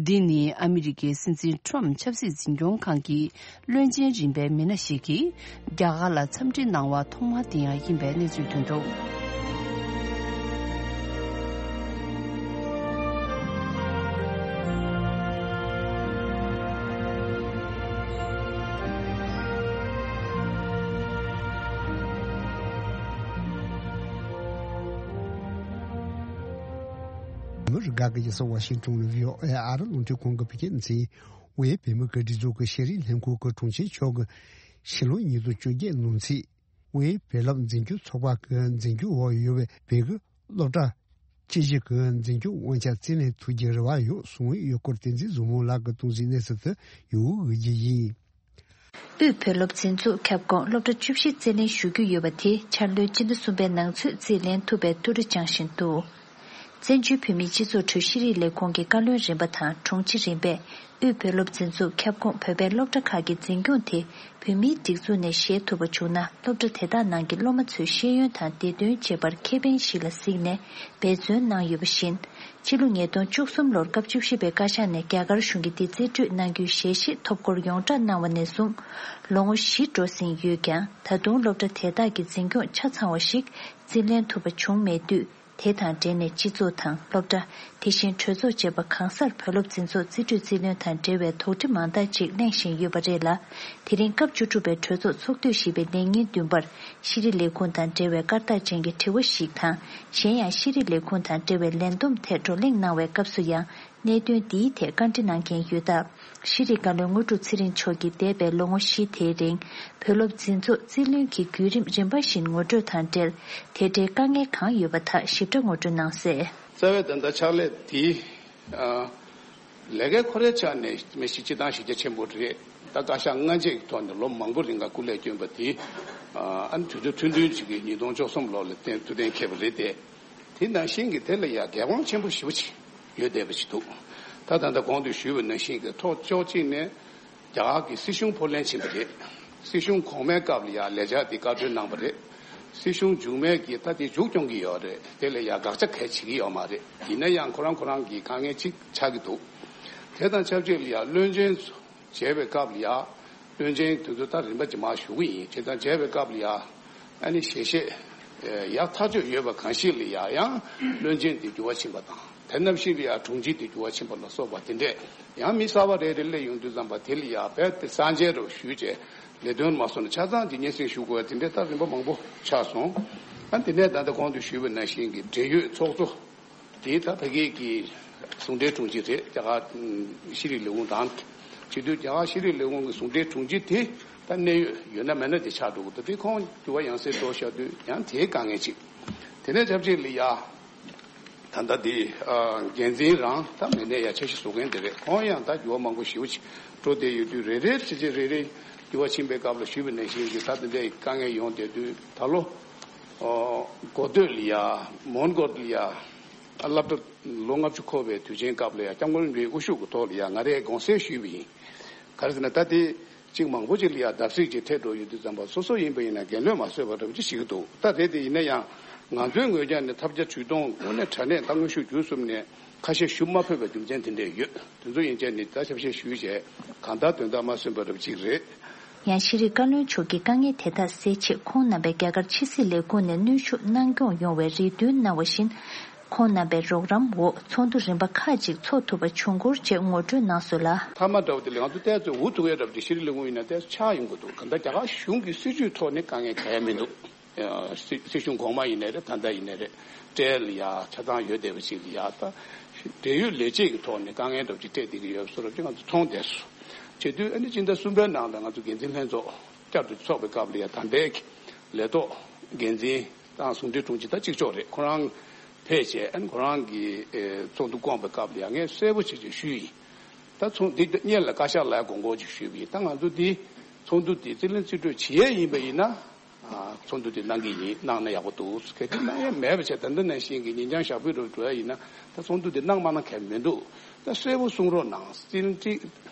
འདི་ནི་ཨ་མི་རི་ཀའི་སྲིད་འཛིན་ཁྲོམ་ཆབ་སྲིད་འཛིན་སྐྱོང་ཁང་གི་བློན་ཆེན་རིམ་པའི་མི་སྣ་ཞིག་གིས་རྒྱ་གར་ལ་འཚམས་འདྲི་གནང་བ་ཐོག་མ་དེ་ཡང་ཡིན་པའི་གནས་ཚུལ་ཐོན་འདུག། མི་རིགས་ཁག་གི་རྒྱལ་ས་ཝ་ཤིང་ཏོན་ནས་བྷི་ཨོ་ཨེ་ཨ་རི་རླུང་འཕྲིན་ཁང་གི་བོད་སྐད་སྡེ་ཚན། དབུས་བོད་མིའི་སྒེར་སྡེ་ཚོགས་ཀྱི་ཤེས་རིག་ལྷན་ཁང་གི་དྲུང་ཆེ་མཆོག་གིས་ཕྱི་ལོ་ཉིས་སྟོང་བཅོ་བརྒྱད་ནང་ཚེས། དབུས་བོད་སློབ་འཛིན་སྐྱོང་ཚོགས་པ་གི་འཛིན་སྐྱོང་འོག་ཡོད་པའི་བོད་ཀྱི་སློབ་གྲྭ་ཁག་ཅིག་གི་འཛིན་སྐྱོང་དབང་ཆ་རྩིས་ལེན་ཐུབ་རྒྱུའི་རེ་བ་ཡོད་གསུངས་ཡོད་སྐོར། བསྟན་འཛིན་བཟང་མོ་ལགས་ཀྱིས་གཏོང་གཟིགས་གནས་ཚུལ་དུ་ཡོང་འོས་ཀྱི་ཡིན། དབུས་བོད་སློབ་འཛིན་ཚོགས་ཁྱབ་ཁོངས་སློབ་གྲྭ་བཅུ་བཞི་རྩིས་ལེན་ཞུ་རྒྱུ་ཡོད་པ་དེ་འཆར་ལོའི་སྤྱི་ཟླ་གསུམ་པའི་ནང་ཚུད་རྩིས་ལེན་ཐུབ་པའི་ཐུགས་རེ་བཅངས་བཞིན་འདུག། བཙན་བྱོལ་བོད་མིའི་སྤྱི་ཚོགས་ཁྲོད་ཤེས་རིག་ལས་ཁུངས་ཀྱི་བཀའ་བློན་རིམ་པ་དང་དྲུང་ཆེ་རིམ་པས་དབུས་བོད་སློབ་འཛིན་ཚོགས་ཁྱབ་ཁོངས་བོད་པའི་སློབ་གྲྭ་ཁག་གི་འཛིན་སྐྱོང་དེ་བོད་མིའི་སྒྲིག་འཛུགས་ནས་བཞེས་ཐུབ་པ་བྱུང་ན། སློབ་གྲྭ་དེ་དག་ནང་གི་སློབ་མ་ཚོའི་ཤེས་ཡོན་དང་བདེ་དོན་བཅས་པར་ཁེ་ཕན་ཞིག་ལ་གཟིགས་ནས་འབད་བརྩོན་གནང་ཡོད་པ་བཞིན། ཕྱི་ལོ་ཉིས་སྟོང་བཅུ་གསུམ་ལོར་སྐབས་བཅུ་བཞི་པའི་བཀའ་ཤག་ནས་རྒྱ་གར་གཞུང་གིས་འདི་རྩིས་སྤྲོད་གནང་རྒྱུའི་ཞལ་བཞེས་ཐོབ་སྐོར་ཡོངས་བསྒྲགས་གནང་བ་ནས་བཟུང་ལོ་ངོ་བཞི་འགྲོ་ཟིན་ཡོད་ཀྱང་། ད་དུང་སློབ་གྲྭ་དེ་དག་གི་འཛིན་སྐྱོང་ཆ་ཚང་བ་ཞིག་རྩིས་ལེན་ཐུབ་པ་བྱུང་མེད་དུས། དེ་དང་འབྲེལ་ནས་སྤྱི་ཚོགས་དང་སློབ་གྲྭ། དེ་བཞིན་གྲོས་ཚོགས་བཅས་པ་གང་སར་བོད་སློབ་འཛིན་ཚོགས་རྩིས་སྤྲོད་རྩིས་ལེན་དང་འབྲེལ་བའི་དོགས་འདྲི་མང་དག་ཅིག་གླེང་བཞིན་ཡོད་པ་རེད་ལ། དེ་རིང་སྐབས་བཅུ་དྲུག་པའི་གྲོས་ཚོགས་ཚོགས་དུས་བཞི་པའི་ལས་ཉིན་བདུན་པར་ཤེས་རིག་ལས་ཁུངས་དང་འབྲེལ་བའི་སྐར་རྟགས་ཅན་གྱི་དྲི་བ་ཞིག་དང་། གཞན་ཡང་ཤེས་རིག་ལས་ཁུངས་དང་འབྲེལ་བའི་ལས་བསྡོམས་ཐད་བགྲོ་གླེང་གནང་བའི་སྐབས་སུ་ཡང་། གནད་དོན་འདིའི་ཐད་བཀའ་འདྲི་གནང་མཁན་ཡོད་སྟབས། ཤེས་རིག་བཀའ་བློན་དངོས་གྲུབ་ཚེ་རིང་མཆོག་གིས་འདས་པའི་ལོ་ངོ་བཞི་དེའི་རིང་བོད་སློབ་འཛིན་ཚོགས་རྩིས་ལེན་གྱི་བརྒྱུད་རིམ་རིམ་པ་བཞིན་ངོ་སྤྲོད་དང་འབྲེལ། དེ་འབྲེལ་དཀའ་ངལ་གང་ཡོད་པ་དག་ཞིབ་ཕྲ་ངོ་སྤྲོད་གནང་གསལ། རྩ་བའི་ད་ལྟ་ཕྱག་ལས་འདི། ཨ། ལས་ཀའི་ཁོ་རའི་ཆ་ནས་མི་ཞིག་སྤྱི་བཏང་གཞི་རྒྱ་ཆེན་པོ་རེད། ད་བཀའ་ཤག་སྔ་རྗེས་ཀྱི་ཐོག་ནས་ལོ་མང་པོ་རིང་ལ་སྐུ་ལས་བསྐྱོན་པ་དེ། ཨ་ནི་དུས་ཚོད་ཐུང་ཐུང་ཅིག་གི་ཉིས་སྟོང་བཅུ་གསུམ་ལོ་ལ་བརྟེན་ཐུགས་གཏན་འཁེལ་བ་རེད་དེ། དེ་ནང་བཞིན་གྱི་དེ་ལ་ཡང་འགན་དབང་ཆེན་པོ་ཞེ་པོ་ཅིག་ཡོད་བསྡད་པ་ཞིག་འདུག། ད་ད་ལྟ་གོང་དུ་ཞུས་པ་ནང་བཞིན་གྱི་ཐོག་ཕྱོགས་གཅིག་ནས་རྒྱ་གར་གྱི་སྲིད་གཞུང་ཕོ་ལྷན་ཕྱིན་པ་རེད། སྲིད་གཞུང་གོང་མའི་སྐབས་ལ་ཡང་ལས་འཆར་དེ་བཀའ་འཁྲོལ་གནང་བ་རེད། སྲིད་གཞུང་མཇུག་མའི་གིས་ད་དེ་མཇུག་སྐྱོང་གི་ཡོད་རེད། དེ་ལ་ཡང་དགག་བྱ་གང་ཡང་བྱེད་ཀྱི་ཡོད་མ་རེད། ཡིན་ན་ཡང་ཁོ་རང་ཁོ་རང་གི་དཀའ་ངལ་ཅིག་ཆགས་ཀྱི་འདུག། དེ་དང་ཆབས་ཅིག་ལ་ཡང་བློན་ཆེན་མཇལ་བའི་སྐབས་ལ་ཡང་། བློན་ཆེན་དེ་ཚོ་ད་རིམ་པ་ཇི་མ་ཞུ་གི་ཡིན། བྱས་ཙང་མཇལ་བའི་སྐབས་ལ་ཡང་ཨ་ནི་ཞལ་བཞེས་ཡག་ཐག་ཆོད་ཡོད་པ་གང་ཞིག་ལ་ཡང་ཡང་བློན་ཆེན་དེ་འགྱུར་བ་ཕྱིན་པ་དང་། དེ་ནམ་ཞིག་ལ་ཡང་དྲུང་ཆེ་དེ་འགྱུར་བ་ཕྱིན་པ་ལ་སོགས་པ་དེ་འདྲས་ཡང་མི་གསར་པ་རེ་རེ་སླེབས་ཡོང་དུས་ཙམ་པ་དེ་ལ་ཡང་རྦད་དེ་གསར་མཇལ་རོགས་ཞུས་བྱས་ལས་དོན་མ་སོང་ན་ཆ་ཚང་དེ་སྙན་སེང་ཞུ་དགོས་པ་དེ་འདྲས་ད་རིམ་པ་མང་པོ་ཆགས་སོང་། ཨ་དེ་ནས་ད་ལྟ་གོང་དུ་ཞུས་པ་ནང་བཞིན་གྱི་འབྲེལ་ཡོད་ཚོགས་གཙོ། དེ་ད་ཕ་གི་གི་ཟུང་འབྲེལ་དྲུང་ཆེ་རེད། རྒྱ་གར་ཤེས་རིག་ལས་ཁུངས་དང་ བྱེད་དུས་རྒྱ་གར་ཤེས་རིག་ལས་ཁུངས་ཀྱི་ཟུང་འབྲེལ་དྲུང་ཆེ་དེ་ད་གནད་ཡོད་ཡོད་ན་མེད་ན་དེ་ཆགས་འགྲོ་གི་འདུག་དེ་ཁོང་འགྱུར་བ་ཡང་སེ་འགྲོ་བཞག་དུས་ཡང་དེའི་དཀའ་ངལ་ཅིག་དེ་ནས་ཆབས་ཅིག་ལ་ཡ། ད་ལྟ་འདི་འགན་འཛིན་རང་ད་མི་སྣའི་ཡ་འཆར་གཞི་བཟོ་མཁན་དེ་རེད། ཁོང་ཡང་ད་འགྱུར་བ་མང་པོ་ཞེ་པོ་ཅིག་འགྲོ་བསྡད་ཡོད་དུས་རེ་རེ་བྱས་བྱས་རེ་རེ་འགྱུར་བ་ཕྱིན་པའི་སྐབས་ལ་ཞུས་པ་ནང་བཞིན་གྱི་ད་དེ་འདྲའི་དཀའ་ངལ་ཡོང་བསྡད་དུས་ད་ལོ་འགོ་སྟོད་ལ་ཡ་མོན་གྷོ་ལ་ཡ་སློབ་གྲྭ་ལོ་ལྔ་བཅུ་འཁོར་བའི་དུས་ཆེན་སྐབས་ལ་ཡ་སྐྱབས་མགོན་རིན་པོ་ཆེའི་དབུ་བཞུགས་ཀྱི་ཐོག་ལ་ཡ་ང་རས་དགོངས་སེལ་ཞུས་པ་ཡིན། ག་རེ་ཟེར་ན་ད་དེ། གཅིག་མང་པོ་ཅིག་ལ་ཡང་བརྡབ་གསིག་ཅིག་འཕྲད་འགྲོ་ཡོད་དུས་ཙམ་པ་སོ་སོ་ཡིན་པ་ཡིན་ན་འགན་ལོན་མ་བཟོད་པ་འདྲ་པོ་ཅིག་བྱེད་ཀྱི་འདུག་ད་རེད་དེ་ཡིན་ན་ཡང་ང་ཚོའི་ངོས་ཀྱང་ནི་ཐབས་བརྒྱ་ཇུས་སྟོང་དངོས་གནས་དྲང་གནས་ད་དངོས་ཤུགས་བརྒྱུད་གསུམ་ནས་ཁ་ཤས་ཞུ་མ་ཕོད་པའི་རྒྱུ་མཚན་དེ་འདྲས་ཡོད། དེ་ཚོ་ཡིན་ཙང་ནི་ད་ཞབས་ཕྱི་ཞུས་བྱས་གང་ལྟར་དོན་དག་མ་སོན་པ་འདྲ་པོ་ཅིག་རེད། ཡང་ཤེས་རིག་བཀའ་བློན་མཆོག་གིས་དཀའ་ངལ་དེ་དག་སེལ་ཆེད་ཁོང་རྣམ་པས་རྒྱ་གར་ཕྱི་སྲིད་ལས་ཁུངས་ནས་གནོན་ཤུགས་གནང་སྐྱོང་ཡོང་བའི་རེ་འདུན་གནང་བ་བཞིན། ཁོང་རྣམ་པའི་རོགས་རམ་འོག་ཚོགས་འདུ་རིམ་པ་ཁག་ཅིག་འཚོགས་ཐུབ་པ་བྱུང་སྐོར་བཅས་ངོ་སྤྲོད་གནང་སོང་ལ། མཐའ་མ་འདྲ་བོ་དེ་ལ་ང་ཚོ་ཏོག་ཙམ་འུ་ཐུག་ཡ་འདྲ་བོ་དེ་ཤེས་རིག་ལས་ཁུངས་ཡིན་ན་ཏོག་ཙམ་ཆག་ཡོང་གི་འདུག་གང་ལྟར་རྒྱ་གར་གཞུང་གི་སྲིད་ཇུས་ཐོག་ནས་དཀའ་ངལ་གང་ཡང་མི་འདུག་སྲིད་སྲིད་གཞུང་གོང་མ་ཡིན་ནའི་རེད། ད་ལྟ་ཡིན་ནའི་རེད། སྤྲེལ་ལ་ཡ་ཆ་ཚང་ཡོད་བསྡད་པ་ཅིག་ལ་ཡ་ད་འབྲེལ་ཡོད་ལས་བྱེད་ཀྱི་ཐོག་ནས་དཀའ་ངལ་འདྲ་བོ་ཅིག་འཕྲད་བསྡད་ཀྱི་ཡོད་བཟོ་འདྲ་བོ་ཅིག་ང་ཚོ་མཐོང་བསྡད་སོང་། བྱེད་དུས་ཨ་ནི་སྤྱི་ཟླ་གསུམ་པའི་ནང་ལ་ང་ཚོ་འགན་འཛིན་ལྷན་ཚོགས་བསྐྱར་དུ་འཚོགས་པའི་སྐབས་ལ་ཡ་ད་ལྟའི་ལས་ཐོག་འགན་འཛིན་དང་ཟུང་འབྲེལ་དྲུང་ཆེ་ད་གཅིག་ལྕོགས་རེད། ཁོ་རང་ཕེབས་བྱས་ཨ་ནི་ཁོ་རང་གི་ཚོགས་འདུ་བསྐོངས་པའི་སྐབས་ལ་ཡ་ངས་གསལ་པོ་བྱས་བྱས་ཞུས་ཡིན། ད་ཚོགས་འདི་སྔོན་ལ་བཀའ་ཤག་ལ་དགོངས་སྐོར་ཅིག་ཞུས་པ་ཡིན། ད་ང་ཚོ་འདི་ཚོགས་འདུ་འདི་རྩིས་ལེན་རྩིས་སྤྲོད་བྱེད་ཡས་ཡིན་པ་ཡིན་ན། ཚོགས་འདུ་དེ་གནང་གི་ཡིན། གནང་ན་ཡག་པོ་འདུག་གལ་ཏེ་གནང་ཡ་མེད་པ་བྱས་ད་ལྟ་ནང་བཞིན་གྱི་ཉིན་རྐྱང་ཞག་པོའི་རུ་འགྲོ་ཡ་ཡིན་ན་ད་ཚོགས་འདུ་དེ་གནང་མ་གནང་གལ་མི་འདུག་ད་གསལ་པོ་གསུང་རོགས་གནང་། རྩིས་སྤྲད་རྩིས་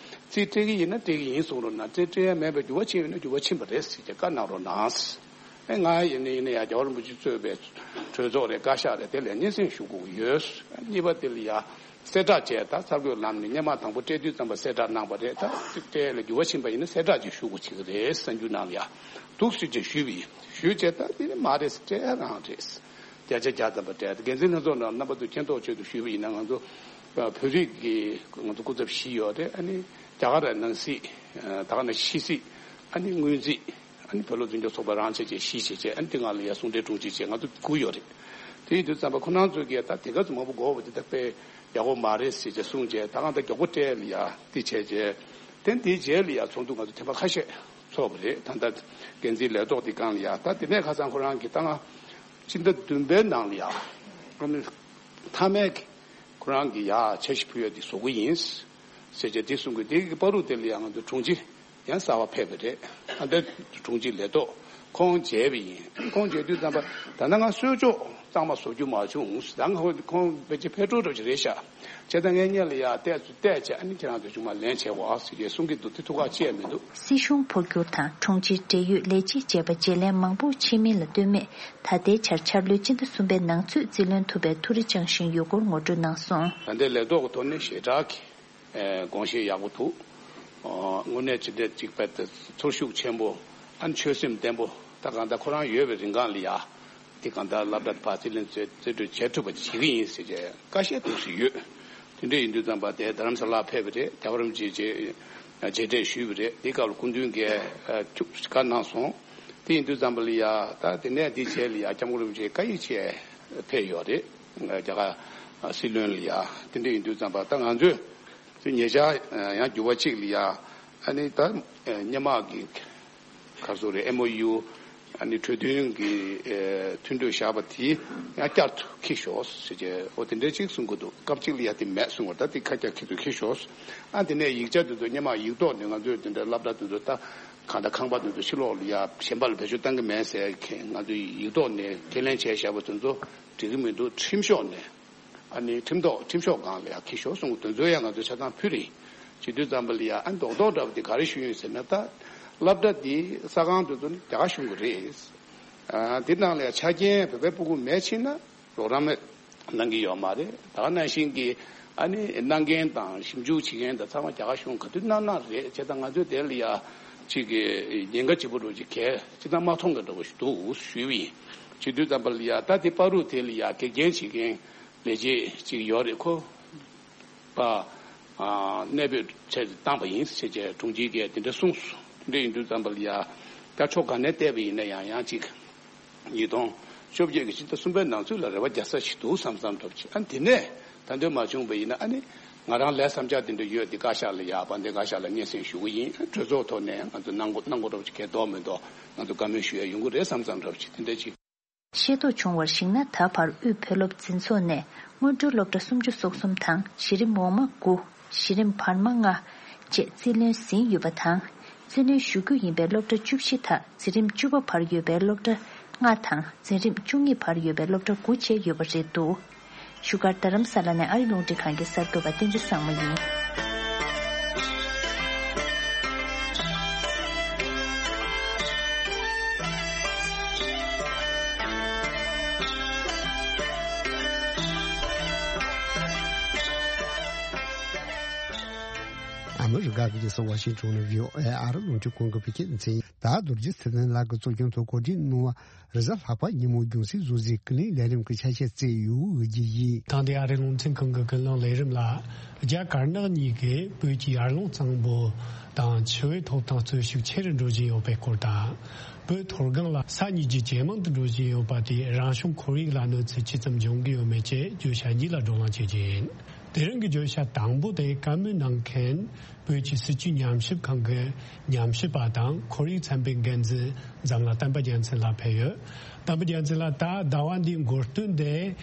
སྤྲད་ཀྱི་ཡིན་ན་སྤྲད་ཀྱི་ཡིན་གསུང་རོགས་གནང་། རྩིས་སྤྲད་ཡ་མེད་པའི་འགྱུར་བ་ཕྱིན་ཡོད་ན་འགྱུར་བ་ཕྱིན་པ་རེད་ཟེར་བྱས་བཀའ་གནང་རོགས་གནང་། ཨེ་ང་ཡིན་ན་ཡིན་ན་ཡ་རྒྱལ་བ་རིན་པོ་ཆེ་གཙོས་པའི་གྲོས་ཚོགས་རེད། བཀའ་ཤག་རེད། དེ་ལ་སྙན་སེང་ཞུ་དགོས་ཀྱི་ཡོད། གཉིས་པ་དེ་ལ་ཡ་གསལ་བསྒྲགས་བྱས། ད་གསར་འགོད་ལམ་ནས་སྔོན་མ་དང་པོ་སྤྲད་དུས་ཙམ་པ་གསལ་བསྒྲགས་གནང་པ་རེད། ད་རྩིས་སྤྲད་ལ་འགྱུར་བ་ཕྱིན་པ་ཡིན་ན་གསལ་བསྒྲགས་ཅིག་ཞུ་དགོས་བྱེད་ཀྱི་རེད། གསར་འགྱུར་ནང་ལ་ཡ་འདུག་སེ་ཅིག་ཞུས་པ་ཡིན། ཞུས་བྱས་ད་དེ་ནི་མ་རེད། སྤྲད་རང་རེད། བརྒྱ་ཆ་བརྒྱ་ཙམ་པ་སྤྲད། འགན་འཛིན་ལྷན་ཚོགས་ནང་རྣམ་པ་ཚོ་མཁྱེན་རྟོགས་ཆེད་དུ་ཞུས་པ་ཡིན་ན་ང་ཚོ་བོད་རིགས་ཀྱི་ང་ཚོ་སྐུ་ཚབ་བཞི་ཡོད་རེད། ཨ་ནི་རྒྱ་གར་ནང་སྲིད། ད་ག་ནང་ཕྱི་སྲིད། ཨ་ནི་སྔོན་རྩིས། ཨ་ནི་བོད་ལུགས་འཛིན་སྐྱོང་ཚོགས་པ་རང་བྱས་བྱས་བཞི་བྱས་བྱས། ཨ་ནི་དེ་སྔ་ལ་ཡ་ཟུང་འབྲེལ་དྲུང་ཆེ་བྱས་ང་ཚོ་དགུ་ཡོད་རེད། དེ་ཡིན་དུས་ཙམ་པ་ཁོ་རང་ཚོ་གིས་ད་དེ་ག་ཚོད་མང་པོ་དགོས་པ་དེ་ད་དཔེ་ཡག་པོ་མ་རེད་ཟེར་བྱས་གསུངས་བྱས། ད་གང་ལྟར་མགྱོགས་པོ་སྤྲད་ལ་ཡ་དེ་བྱས་བྱས། དེ་དེའི་རྗེས་ལ་ཡ་ཚོགས་འདུ་ང་ཚོ་ཐེངས་མ་ཁ་ཤས་ཚོགས་པ་རེད། ད་ལྟ་འགན་འཛིན་ལས་ཐོག་དེ་སྒང་ལ་ཡ། ད་དེ་ནས་ཁ་སང་ཁོ་རང་གིས་ད་ང་སྤྱི་ཟླ་བདུན་པའི་ནང་ལ་ཡ་ཨ་ནི་མཐའ་མའི་གི་ཁོ་རང་གི་ཡ་འཆར་གཞི་ཕུལ་ཡ་དེ་བཟོ་གི་ཡིན་ཟེར་བྱས་དེ་གསུང་གི། དེ་གི་བར་དུ་དེ་ལ་ཡ་ང་ཚོ་དྲུང་ཆེ་ཡང་གསར་པ་ཕེབས་པ་རེད། ཨ་ད་དྲུང་ཆེ་ལས་ཐོག་ཁོང་མཇལ་བ་ཡིན། ཁོང་མཇལ་དུས་ཙམ་པ་ད་ལྟ་ང་གསོལ་ལྕོག་གཙང་མ་བཟོ་རྒྱུ་མ་བྱུང་། ད་ང་ཁོང་ཕལ་ཆེར་ཕེབས་འགྲོ་འགྲོ་ཅིག་རེད་ཤག་བྱས་ཙང་ངས་སྔོན་ལ་ཡ་བལྟས་ཚུལ་བལྟས་བྱས། ཨ་ནི་ཁྱེད་རང་ཚོ་ཆུང་མ་ལན་བྱས་འོ་ཟེར་གྱི་གསུང་གི་འདུག་དེ་ཐུགས་ཁག་ཆེ་མི་འདུག་སྲིད་གཞུང་འཕོ་འགྱུར་དང་དྲུང་ཆེའི་འབྲེལ་ཡོད་ལས་བྱེད་བཅས་པ་བརྗེ་ལེན་མང་པོ་ཕྱིན་མིན་ལ་ལྟོས་མེད། ད་ལྟའི་ཆར་འཆར་ལོའི་སྤྱི་ཟླ་གསུམ་པའི་ནང་ཚུད་རྩིས་ལེན་ཐུབ་པའི་ཐུགས་རེ་བཅངས་བཞིན་ཡོད་སྐོར་ངོ་སྤྲོད་གནང་སོང་། ད་ལྟའི་ལས་ཐོག་གི་ཐོག་ནས་ཞེ་དྲག་གི་དགོངས་བཞེས་ཡག་པོ་འདུག་དངོས་གནས་ཇི་འདྲ་ཅིག་དཔེ་ཚོར་ཤུགས་ཆེན་པོ། ཨ་ནི་ཆོད་སེམས་བརྟན་པོ། ད་གང་ལྟར་ཁོ་རང་ཡོད་པའི་རིང་གང་ལ་ཡ། དེ་གང་ལྟར་སློབ་གྲྭ་ཕར་རྩིས་ལེན་རྩིས་རྩིས་སྤྲོད་བྱེད་ཐུབ་པ་བྱེད་ཀྱི་ཡིན་ཟེར་བྱས་བཀའ་བཤད་འདུག་སེ་ཡོད། དེ་འདྲ་ཡིན་དུས་ཙམ་པ་དེ་རྡ་རམ་ས་ལ་ཕེབས་པ་རེད། རྒྱལ་བ་རིན་པོ་ཆེ་མཇལ་འཕྲད་ཞུས་པ་རེད། དེ་སྐབས་ལ་སྐུ་མདུན་གྱིས་ཐུགས་བཀའ་གནང་སོང་། དེ་ཡིན་དུས་ཙམ་པ་ལ་ཡ་ད་དེ་ནས་དེ་རྗེས་ལ་ཡ་སྐྱབས་མགོན་རིན་པོ་ཆེ་བཀའ་ཡིག་ཅིག་ཕེབས་ཡོད་རེད། རྒྱ་གར་སྲིད་བློན་ལ་ཡ། དེ་འདྲ་ཡིན་དུས་ཙམ་པ་ད་ང་ཚོས་དེ་ཉེ་ཆར་ཡང་འགྱུར་བ་གཅིག་ལ་ཡ་ཨ་ནི་ད་སྔོན་མ་གི་ག་རེ་ཟེར་དགོས་རེད། ཨེམ་ཨོ་ཡུ་ཨ་ནི་གྲོས་མཐུན་གྱི་ཨེ་མཐུན་གྲོས་བཞག་པ་དེ་ཡང་བསྐྱར་དུ་འཁྱེར་ཤོག་ཟེར་བྱས། འོ་དེ་འདྲ་ཅིག་གསུང་གི་འདུག་སྐབས་གཅིག་ལ་ཡ་དེ་མེད་གསུང་བ། ད་དེ་ཁ་བསྐྱར་འཁྱེར་དུ་འཁྱེར་ཤོག་ཨ་དེ་ནས་ཡིག་ཆ་དེ་ཚོ་སྔོན་མ་ཡིག་ཐོག་ནས་ང་ཚོས་དེ་འདྲ་སློབ་གྲྭ་དེ་ཚོ་ད་གང་ལྟར་ཁང་པ་དེ་ཚོ་ཕྱི་ལོགས་ལ་ཡ་གཞན་པ་ལ་བེད་སྤྱོད་གཏང་གི་མེད་ཟེར་མཁན་ང་ཚོས་ཡིག་ཐོག་ནས་ཁས་ལེན་བྱས་བཞག་པ་དེ་ཚོ་འགྲིག་གི་མི་འདུག་ཁྲིམས་ཤོག་ནས། ཨ་ནི་ཁྲིམས་ཐོག་ཁྲིམས་ཤོག་སྒང་ལ་ཡ་འཁྱེར་ཤོག་གསུངས། དེ་ཚོ་ཡང་ང་ཚོས་ཆ་ཚང་ཕུལ་རེད། བྱེད་དུས་ཙམ་པ་ལ་ཡ་ཨ་ནི་རྡོག་རྡོག་འདྲ་བོ་དེ་ག་རེ་ཞུ་ཡིན་ཟེར་ན། ད་སློབ་གྲྭ་དེ་ས་ཁང་དེ་ཚོ་ནི་རྒྱ་གར་གཞུང་གི་རེད། ཨ་དེ་ནང་ལ་ཡ་ཆ་རྐྱེན་བོད་པའི་སྤུ་གུ་མེད་ཕྱིན་ན་རོགས་རམ་གནང་གི་ཡོད་མ་རེད། ད་ག་ནང་བཞིན་གྱི་ཨ་ནི་གནང་མཁན་དང་ཞིབ་འཇུག་བྱེད་མཁན་དང་ཚང་མ་རྒྱ་གར་གཞུང་ག་དུས་གནང་གནང་རེད། བྱས་ཙང་ང་ཚོས་དེ་ལ་ཡ་ཅིག་གི་ཉེན་ཁ་ཆེ་པོ་འདྲ་བོ་ཅིག་གས་ཅི་ལྟར་མ་མཐོང་གི་འདྲ་བོ་ཞིག་འདུག་ཞུས་པ་ཡིན། བྱེད་དུས་ཙམ་པ་ལ་ཡ་ད་དེ་བར་དུ་དེ་ལ་ཡ་གེགས་རྐྱེན་བྱེད་མཁན་ལས་བྱེད་ཅིག་ཡོད་རེད། ཁོ་པ་གནས་སྤོས་ཆེད་དུ་བཏང་པ་ཡིན་ཟེར་བྱས་དྲུང་ཆེ་གིས་དེ་འདྲ་གསུངས་སོང་། དེ་འདྲ་ཡིན་དུས་ཙམ་པ་ལ་ཡ་ད་ཕྱོགས་ག་ནས་བལྟས་པ་ཡིན་ན་ཡང་ཡང་ཅིག་ཉིས་སྟོང་བཅོ་བརྒྱད་ཀྱི་ཕྱི་ཟླ་གསུམ་པའི་ནང་ཚུད་ལ་རེ་བ་རྒྱག་ས་ཞིག་འདུག་བསམ་བསམ་འདྲ་བོ་ཅིག་ཨ་ནི་དེ་ནས་ད་འདོད་མ་བྱུང་བ་ཡིན་ན་ཨ་ནི་ ང་རང་ལས་བསམ་འཆར་དེ་འདྲ་ཡོད། འདི་བཀའ་ཤག་ལ་ཡག་པ་འདི་བཀའ་ཤག་ལ་སྙན་སེང་ཞུ་གི་ཡིན། གྲོས་ཚོགས་ཐོག་ནས་ང་ཚོ་གནང་དགོས་གནང་དགོས་འདྲ་པོ་ཅིག་གལ་འདོགས་མི་འདུག་ང་ཚོ་བཀའ་མོལ་ཞུ་ཡ་ཡོང་གི་རེད་བསམ་བསམ་འདྲ་པོ་ཅིག་དེ་འདྲ་ཅིག་ཤེས་རྟོགས་བྱུང་བར་གཞིགས་ན། ད་བར་དབུས་བོད་སློབ་འཛིན་ཚོགས་ནས་སྔོན་འགྲོའི་སློབ་གྲྭ་སུམ་ཅུ་སོ་གསུམ་དང་། གཞི་རིམ་འོག་མ་དགུ། གཞི་རིམ་བར་མ་ལྔ་བཅས་རྩིས་ལེན་ཟིན་ཡོད་པ་དང་། རྩིས་ལེན་ཞུ་རྒྱུ་ཡིན་པའི་སློབ་གྲྭ་བཅུ་བཞི་དག་འཛིན་རིམ་བཅུ་པ་བར་ཡོད་པའི་སློབ་གྲྭ་ལྔ་དང་། འཛིན་རིམ་བཅུ་གཉིས་བར་ཡོད་པའི་སློབ་གྲྭ་དགུ་བཅས་ཡོད་པ་རེད་འདུག་བཞུགས་སྒར་རྡ་རམ་ས་ལ་ནས་ཨ་རི་རླུང་འཕྲིན་ཁང་གི་གསར་འགོད་པ་བསྟན་འཛིན་བཟང་མོ་ཡིན། ཨ་མི་རི་ཀ་གི་རྒྱལ་ས་ཝ་ཤིང་ཊོན་ནས་བྷི་ཨོ་ཨེ་ཨ་རི་རླུང་འཕྲིན་ཁང་གི་བོད་སྐད་སྡེ་ཚན་ཡིན། ད་རྡོ་རྗེ་ཚེ་བརྟན་ལགས་ཀྱིས་གཙོ་སྐྱོང་ཐོག་གོ་སྒྲིག་གནང་བ། རེས་གཟའ་ལྷག་པ་ཉིན་མོ་རྒྱང་སྲིང་བཟོ་རྩལ་ཀུན་གླེང་ལས་རིམ་གྱི་ཆ་ཤས་བསྩལ་ཡོད་ཀྱི་ཡིན། ད་ལྟའི་ཨ་རིའི་རླུང་འཕྲིན་ཁང་གི་ཀུན་གླེང་ལས་རིམ་ལ། རྒྱ་དཀར་ནག་གཉིས་ཀས་བོད་ཀྱི་ཡར་ཀླུང་གཙང་པོ་དང་ཆུ་བོའི་ཐོབ་ཐང་རྩོད་ཞིབ་ཆེ་རུ་འགྲོ་བཞིན་ཡོད་པའི་སྐོར་དང་། བོད་མཐོ་སྒང་ལ་ས་གཉིས་ཀྱི་ཇེ་མང་དུ་འགྲོ་བཞིན་ཡོད་པ་དེས་རང་བྱུང་ཁོར་ཡུག་ལ་གནོད་འཚེ་ཅི་ཙམ་འབྱུང་གི་ཡོད་མེད་བཅས་བརྗོད་བྱ་གཉིས་ལ་བགྲོ་གླེང་བྱེད་རྒྱུ་ཡིན། དེ་རིང་གི་བརྗོད་བྱ་དང་པོ་དེ་བཀའ་མོལ་གནང་མཁན། བོད་ཀྱི་སྲིད་བྱུས་ཉམས་ཞིབ་ཁང་གི་ཉམས་ཞིབ་པ་དང་ཁོར་ཡུག་ཚན་པའི་འགན་འཛིན་འཛམ་གླིང་བསྟན་པ་རྒྱལ་མཚན་ལགས་ཕེབས་ཡོད། བསྟན་པ་རྒྱལ་མཚན་ལགས། ད་ཟླ་བ་འདིའི་འགོ་སྟོད་དེ།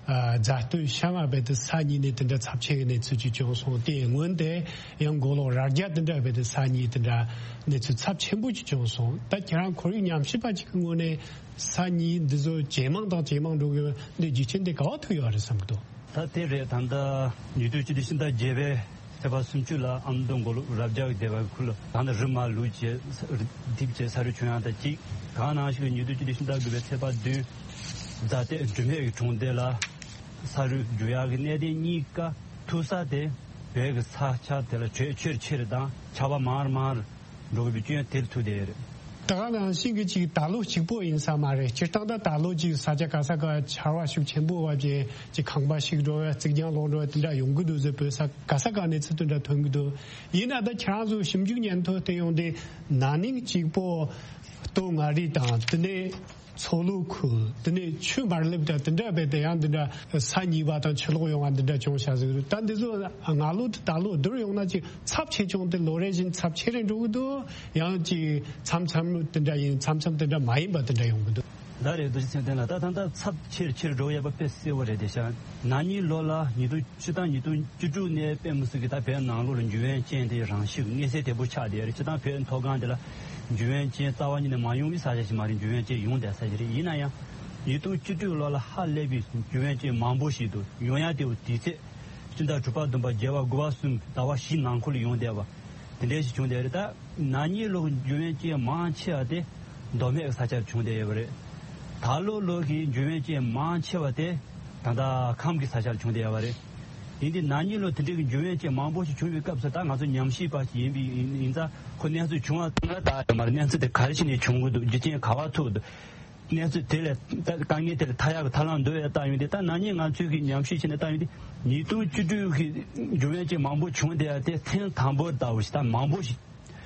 ཨ། རྫ་སྟོད་ཤང་ང་རྦད་དེ་ས་གཉིས་ནས་དེ་འདྲ་ཚབས་ཆེ་གི་གནས་ཚུལ་ཅིག་བྱུང་སོང་། དེའི་སྔོན་དེ་ཡང་མགོ་ལོག་རྭ་རྒྱ་དེ་འདྲ་རྦད་དེ་ས་གཉིས་དེ་འདྲ་གནས་ཚུལ་ཚབས་ཆེན་པོ་ཅིག་བྱུང་སོང་། ད་ཁྱེད་རང་ཁོར་ཡུག་ཉམས་ཞིབ་པ་ཅིག་གི་ངོས་ནས་ས་གཉིས་འདི་ཚོ་ཇེ་མང་དང་ཇེ་མང་འགྲོ་གི་ཡོད། འདི་རྒྱུ་རྐྱེན་དེ་ག་བ་ཐུག་ཡོད་རེད་བསམ་གི་འདུག་ད་དེ་རེད། ད་ལྟ་ཉིས་སྟོང་བཅུ་བདུན་ཕྱི་ཟླ་བརྒྱད་པའི་ཚེས་པ་སུམ་ཅུ་ལ་ཨ་མདོ་མགོ་ལོག་རྭ་རྒྱ་གི་སྡེ་བ་གི་ཁུལ་ལ་ད་ལྟ་རི་མ་ལུག་བཅས་རྡིབ་བཅས་ས་རུད་བྱུང་ཡག་དང་གཅིག། གང་ནང་བཞིན་ཉིས་སྟོང་བཅུ་བདུན་ཕྱི་ཟླ་དགུ་པའི་ཚེས་པ་བདུན། རྫ་སྟོད་འབྲུ་སྨད་ཀྱི་གྲོང་སྡེ་ལ་ས་རུད་རྒྱུག་ཡག་གི་གནད་དོན་གཉིས་ཀ་ཐུག་ས་དེ་བོད་ཀྱི་ས་ཆ་དེ་ལ་དྲོད་ཆེར་ཆེར་དང་ཆར་པ་མང་རུ་མང་རུ་འགྲོ་གི་ཡོད་པའི་རྐྱེན་དེར་ཐུག་བསྡད་ཡོད་རེད། ད་ག་ནང་བཞིན་གྱི་ཅིག་ད་ལོ་གཅིག་པོ་ཡིན་ས་མ་རེད། སྤྱིར་བཏང་ད་ད་ལོ་ཅིག་ས་ཆ་ག་ས་ག་ཆར་པ་ཤུགས་ཆེན་པོ་བབས་བྱས་ཅིག་ཁང་པ་ཞིག་འགྲོ་བ་རྩིག་གྱང་ལོག་འགྲོ་བ་དེ་འདྲ་ཡོང་གི་འདུག་ཟེར་བོད་ས་ག་ས་ག་གནས་ཚུལ་དེ་འདྲ་ཐོན་གྱི་འདུག་ཡིན་ན་ད་ཁྱེད་རང་ཚོ་ཞིབ་འཇུག་སྙན་ཐོ་དེ་ཡོང་དུས་ན་ནིང་གཅིག་པོ་སྟོད་མངའ་རིས་དང་དེ་ནས་མཚོ་ལྷོ་ཁུལ། དེ་ནས་ཆུ་དམར་ལེབ་དང་དེ་འདྲ་རྦད་དེ་ཡང་འདི་འདྲ་ས་གཉིས་པ་དང་ཆུ་ལོག་ཡོང་བ་འདི་འདྲ་བྱུང་བཞག་ཟིག་རེད། ད་འདི་ཚོ་སྔ་ལོ་དང་ད་ལོ་བསྡུར་ཡོང་ན་ཅིག་ཚབས་ཆེ་ཆུང་དེ་ལོ་རེ་བཞིན་ཚབས་ཆེ་རུ་འགྲོ་གི་འདུག་ཡང་ཅིག་མཚམས་མཚམས་དེ་འདྲ་ཡིན། མཚམས་མཚམས་དེ་འདྲ་མ་ཡིན་པ་དེ་འདྲ་ཡོང་གི་འདུག་ད་རེད། རྡོ་རྗེ་ཚེ་བརྟན་ལགས། ད་ད་ལྟ་ཚབས་ཆེར་ཆེར་འགྲོ་ཡོད་པ་དཔེ་གསལ་པོ་རེད་དེ་ཤག་ན་ནིང་ལོ་ལ་ཉིས་སྟོང་སྤྱིར་བཏང་ཉིས་སྟོང་བཅུ་དྲུག་ནས་དཔེ་མི་སྲིད་ཀྱི་ད་བོད་ནང་ལོགས་ལ་འབྱུང་བའི་རྐྱེན་དེ་རང་ཤུགས་མངོན་གསལ་དོད་པོ་ཆགས་བསྡད་ཡོད་རེད། སྤྱིར་བཏང་བོད་མཐོ་སྒང་དེ་ལ་འབྱུང་བའི་རྐྱེན་རྩ་བ་ཉིད་ནས་མ་ཡོང་བའི་ས་ཆ་ཞིག་མ་རེད། འབྱུང་བའི་རྐྱེན་ཡོང་བསྡད་ས་ཞིག་རེད། ཡིན་ན་ཡང་ཉིས་སྟོང་བཅུ་དྲུག་ལོ་ལ་ཧ་ལས་པའི་འབྱུང་བའི་རྐྱེན་མང་པོ་ཞིག་འདུག་ཡོང་ཡ་དེ་དུས་ཚོད་སྤྱི་ཟླ་དྲུག་པ་བདུན་པ་བརྒྱད་པ་དགུ་པ་གསུམ་ཟླ་བ་བཞི་ནང་འཁོད་ལ་ཡོང་བསྡད་པ་དེ་འདྲ་ཞིག་བྱུང་བསྡད་རེད། ད་ན་ནིང་ལོ་འབྱུང་བའི་རྐྱེན་མང་ཆེ་བ་དེ་མདོ་སྨད་ས་ཆར་བྱུང་བསྡད་ཡོད་པ་རེད། ད་ལོ་ལོ་གི་འབྱུང་བའི་རྐྱེན་མང་ཆེ་བ་དེ་ད་ལྟ་ཁམས་ཀྱི་ས་ཆར་བྱུང་བསྡད་ཡོད་པ་རེད། ཡིན་དུས་ན་ནིང་ལོ་དེ་འདྲའི་གི་འབྱུང་བའི་རྐྱེན་མང་པོ་ཞིག་བྱུང་བའི་སྐབས་སུ་ད་ང་ཚོ་ཉམས་ཞིབ་པ་ཞིག་ཡིན་པའི་ཡིན་ཡིན་ཙང་ཁོ་གནས་ཚུལ་བྱུང་བ་ཚང་མ་ལྟ་ཡོད་མ་རེད། གནས་ཚུལ་དེ་ག་རེ་བྱས་ནས་བྱུང་གི་འདུག་རྒྱུ་རྐྱེན་ག་བ་ཐུག་འདུག་གནས་ཚུལ་དེ་ལས་ད་དཀའ་ངལ་དེ་ལས་ཐར་ཡག་གི་ཐབས་ལམ་འདུག་ཡ་ལྟ་ཡོང་དུས། ད་ན་ནིང་ང་ཚོས་གི་ཉམས་ཞིབ་བྱས་ནས་ལྟ་ཡོང་དུས་ཉིས་སྟོང་བཅུ་དྲུག་གི་འབྱུང་བའི་རྐྱེན་མང་པོ་བྱུང་བསྡད་ཡ་དེ་ཐེངས་དང་པོ་ལྟ་བུ་ཞིག་ད་མང་པོ་ཞིག་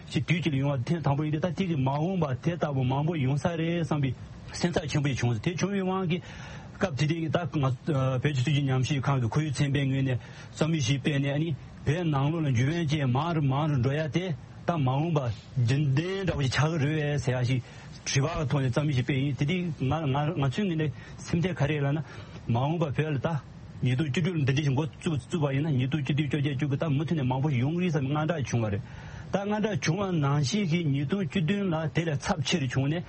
ཞིག་དུས་གཅིག་ལ་ཡོང་བ་ཐེངས་དང་པོ་ཡིན་དུས། ད་དེ་གི་མ་འོངས་པ་དེ་ལྟ་བུ་མང་པོ་ཡོང་ས་རེད་བསམ་པའི་སེམས་འཚབ་ཆེན་པོ་ཞིག་བྱུང་སོང་། དེ་བྱུང་བའི་དབང་གིས་སྐབས་དེ་དུས་ཀྱི་ད་ང་བོད་ཀྱི་སྲིད་བྱུས་ཉམས་ཞིབ་ཁང་གི་ཁོར་ཡུག་ཚན་པའི་ངོས་ནས་རྩོམ་ཡིག་ཞིག་སྤེལ་ནས། ཨ་ནི་བོད་ནང་ལོགས་ལ་འབྱུང་བའི་རྐྱེན་མང་རུ་མང་རུ་འགྲོ་ཡ་དེ་ད་མ་འོངས་པ་རྒྱུན་ལྡན་འདྲ་བོ་ཞིག་ཆགས་ཀྱི་རེད་པས་ཟེར་ཡ་ཞིག་དྲི་བ་གི་ཐོག་ནས་རྩོམ་ཡིག་ཞིག་སྤེལ་ཡིན། དེ་དུས་ང་ང་ང་ཚོའི་ངོས་ནས་སེམས་ཁྲལ་ག་རེ་ལབ་ན། མ་འོངས་པ་བོད་ལ་ད་ཉིས་སྟོང་བཅུ་དྲུག་ལ་འདི་འདྲ་ཞིག་འགོ་བཙུགས་བཙུགས་པ་ཡིན་ན། ཉིས་སྟོང་བཅུ་བདུན་བཅོ་བརྒྱད་བཅུ་དགུ་ད་མུ་མཐུད་ནས་མང་པོ་ཞིག་ཡོང་གི་རེད་བསམ་པའི་དངངས་སྐྲག་བྱུང་བ་རེད། ད་དངངས་སྐྲག་བྱུང་བ་ནང་བཞིན་གྱི་ཉིས་སྟོང་བཅུ་བདུན་ལ་དེ་ལས་ཚབས་ཆེ་རུ་བྱུང་ནས།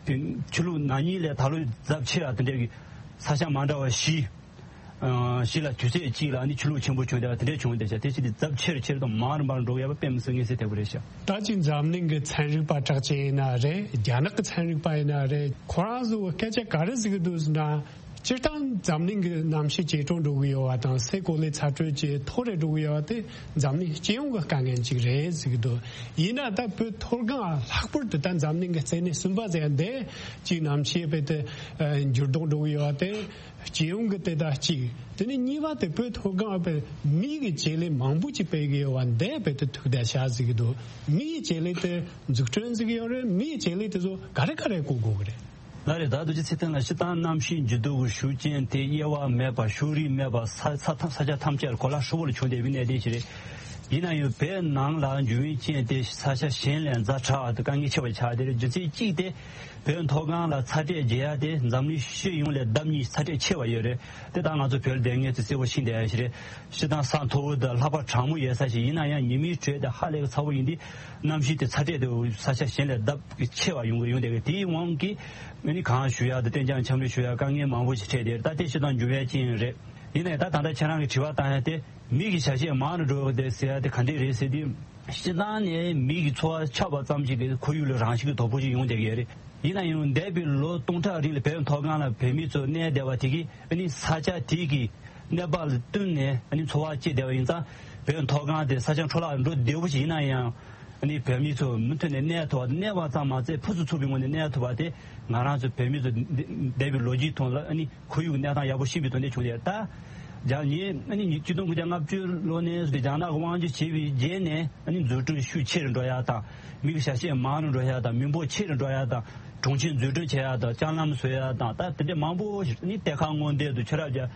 དེ་ཆུ་ལོག་ན་ནིང་ལས་ད་ལོ་ཚབས་ཆེ་ར་དེ་འདྲ་གི་ས་ཆ་མ་འདྲ་བ་བཞི། ཨ། བཞི་ལ་དུས་ཚོད་གཅིག་ལ་ནི་ཆུ་ལོག་ཆེན་པོ་བྱུང་བསྡད་པ་དེ་འདྲ་བྱུང་བསྡད་ཤག་དེ་བཞིན་དུ་ཚབས་ཆེ་རུ་ཆེ་རུ་དང་མང་རུ་མང་རུ་འགྲོ་གི་ཡོད་པ་དཔེ་མི་སྲིད་མངོན་གསལ་དོད་པོ་རེད་ཤག་ད་ཅིག་འཛམ་གླིང་གི་ཚན་རིག་པ་གྲགས་ཅན་ཡིན་ན་རེད། རྒྱ་ནག་གི་ཚན་རིག་པ་ཡིན་ན་རེད། ཁོ་རང་ཚོ་སྐད་ཆ་ག་རེ་ཟེར་གི་འདུག་ཟེར་ན། སྤྱིར་བཏང་འཛམ་གླིང་གི་གནམ་གཤིས་ཇེ་དྲག་འགྲོ་གི་ཡོད་པ་དང་། སའི་གོ་ལའི་ཚ་དྲོད་ཇེ་མཐོ་རུ་འགྲོ་གི་ཡོད་པ་དེ་འཛམ་གླིང་སྤྱི་ཡོངས་ཀྱི་དཀའ་ངལ་ཅིག་རེད་ཟེར་གི་འདུག་ཡིན་ན་ད་བོད་མཐོ་སྒང་ལྷག་པར་དུ་ད་འཛམ་གླིང་གི་རྩེ་ནས་གསུམ་པ་ཟེར་ཡ་འདི་ཅིག་གནམ་གཤིས་རྦད་དེ་འགྱུར་ལྡོག་འགྲོ་གི་ཡོད་པ་དེ་སྤྱི་ཡོངས་ཀྱི་དེ་ད་གཅིག་དེ་ནས་གཉིས་པ་དེ་བོད་མཐོ་སྒང་རྦད་མི་ཡི་བྱེད་ལས་མང་པོ་ཅིག་སྤེལ་གི་ཡོད་པ་འདི་རྦད་དེ་ཐུག་བསྡད་ཤག་ཟེར་གི་འདུག་མི་ཡི་བྱེད་ལས་དེ་འཛུགས་སྐྲུན་ཟེར་གི་ཡོད་རེད། མི་ཡི་བྱེད་ལས་དེ་ཚོ་ག་རེ་ག་རེ་བཀོལ་དགོས་གི་རེད། ལགས་རེད། ད་རྡོ་རྗེ་ཚེ་བརྟན་ལགས། སྤྱིར་བཏང་གནམ་གཤིས་འགྱུར་ལྡོག་གི་ཤུགས་རྐྱེན་དེ་དབྱེ་བ་མེད་པར་ཕྱོགས་རིས་མེད་པར་ས་ས་ཐམ་ས་ཆ་ཐམས་ཅད་ལ་གོ་ལ་ཧྲིལ་བོ་ལ་བྱུང་བསྡད་པའི་གནད་དོན་ཞིག་རེད། ཡིན་ན་ཡང་བོད་ནང་ལ་འགྱུར་བའི་རྐྱེན་དེ་ས་ཆ་གཞན་ལས་ཛ་དྲག་ཏུ་དཀའ་ངལ་ཆེ་བ་ཆགས་བསྡད་རེད། རྒྱུ་མཚན་གཅིག་དེ་བོད་མཐོ་སྒང་ལ་ཚ་དྲོད་རྒྱས་ཡ་དེ་འཛམ་གླིང་སྤྱི་ཡོངས་ལས་ལྡབ་གཉིས་ཚ་དྲོད་ཆེ་བ་ཡོད་རེད། དེ་ད་ང་ཚོ་བོད་ལ་བསྡད་མཁན་ཚོས་གསལ་པོ་ཤེས་བསྡད་ཡ་ཞིག་རེད། སྤྱིར་བཏང་ས་མཐོ་བོ་དང་ལྷགས་པ་གྲང་མོ་ཡོད་ས་ཞིག་ཡིན་ན་ཡང་ཉི་མའི་དྲོད་དེ་ཧ་ལས་ཚ་བོ་ཡིན་དུས་གནམ་གཤིས་དེ་ཚ་དྲོད་དེ་ས་ཆ་གཞན་ལས་ལྡབ་ཆེ་བ་ཡོང་གི་ཡོང་བསྡད་ཀྱི། དེའི་དབང་གིས་ཨ་ནི་གངས་བཞུ་ཡག་དང་གཏན་འཇགས་ཆར་པ་བཞུ་ཡག་དཀའ་ངལ་མང་པོ་ཞིག་འཕྲད་བསྡད་རེད། ད་དེ་སྤྱིར་བཏང་འགྱུར་བའི་རྐྱེན་རེད། ཡིན་ནའི་ད་ད་ལྟ་ཁྱེད་རང་གིས་དྲི་བ་བཏང་ཡ་དེ་མི་གི་བྱ་བྱེད་མང་རུ་འགྲོ་གི་འདུག་ཟེར་ཡ་དེ་ག་འདྲས་རེད་ཟེར་དུས། སྤྱིར་བཏང་ནས་མི་གི་འཚོ་བ་ཆགས་པ་ཙམ་ཞིག་གིས་ཁོར་ཡུག་ལ་རང་བཞིན་གྱི་དོ་ཕོག་ཅིག་ཡོང་བསྡད་ཀྱི་ཡོད་རེད། ཡིན་ན་ཡང་འདས་པའི་ལོ་སྟོང་ཕྲག་རིང་ལ་བོད་མཐོ་སྒང་ལ་བོད་མི་ཚོ་གནས་བསྡད་པ་དེ་གིས་ཨ་ནི་ས་ཆ་དེ་གི་གནས་བབ་ལ་བསྟུན་ནས་ཨ་ནི་འཚོ་བ་སྐྱེལ་བསྡད་པ་ཡིན་ཙང་། བོད་མཐོ་སྒང་དེ་ས་ཆ་འཕྲོ་བརླག་འགྲོ་བདེ་བོ་ཞིག་ཡིན་ན་ཡང་། ཨ་ནི་བོད་མི་ཚོ་མུ་མཐུད་ནས་གནས་ཐུབ་པ། གནས་པ་ཙམ་མ་ཟད་ཕུན་སུམ་ཚོགས་པའི་ངང་ནས་གནས་ཐུབ་པ་དེ་ང་རང་ཚོ་བོད་མི་ཚོ་འདས་པའི་ལོ་རྒྱུས་ཐོག་ལ་ཨ་ནི་ཁོར་ཡུག་གནས་སྟངས་ཡག་པོ་ཤེས་པའི་ཐོག་ནས་བྱུང་སྟེ། ད་རྒྱ་ཉིན་ཨ་ནི་ཉིས་ཆིག་སྟོང་དགུ་བརྒྱ་ལྔ་བཅུ་ལོ་ནས་རྒྱ་ནག་གི་དབང་སྒྱུར་བྱས་པའི་རྗེས་ནས་ཨ་ནི་འཛུགས་སྐྲུན་ཤུགས་ཆེ་རུ་འགྲོ་ཡག་དང་། མི་གི་བྱ་བྱེད་མང་རུ་འགྲོ་ཡག་དང་། མི་འབོར་ཆེ་རུ་འགྲོ་ཡག་དང་། གྲོང་ཁྱེར་འཛུགས་སྐྲུན་བྱེད་ཡག་དང་། ལྕགས་ལམ་བཟོ་ཡག་དང་། ད་དེ་འདྲ་མང་པོ་ཞིག་ཨ་ནི་གཏེར་ཁ་སྔོག་འདོན་དང་ཆུ་རགས་རྒྱག་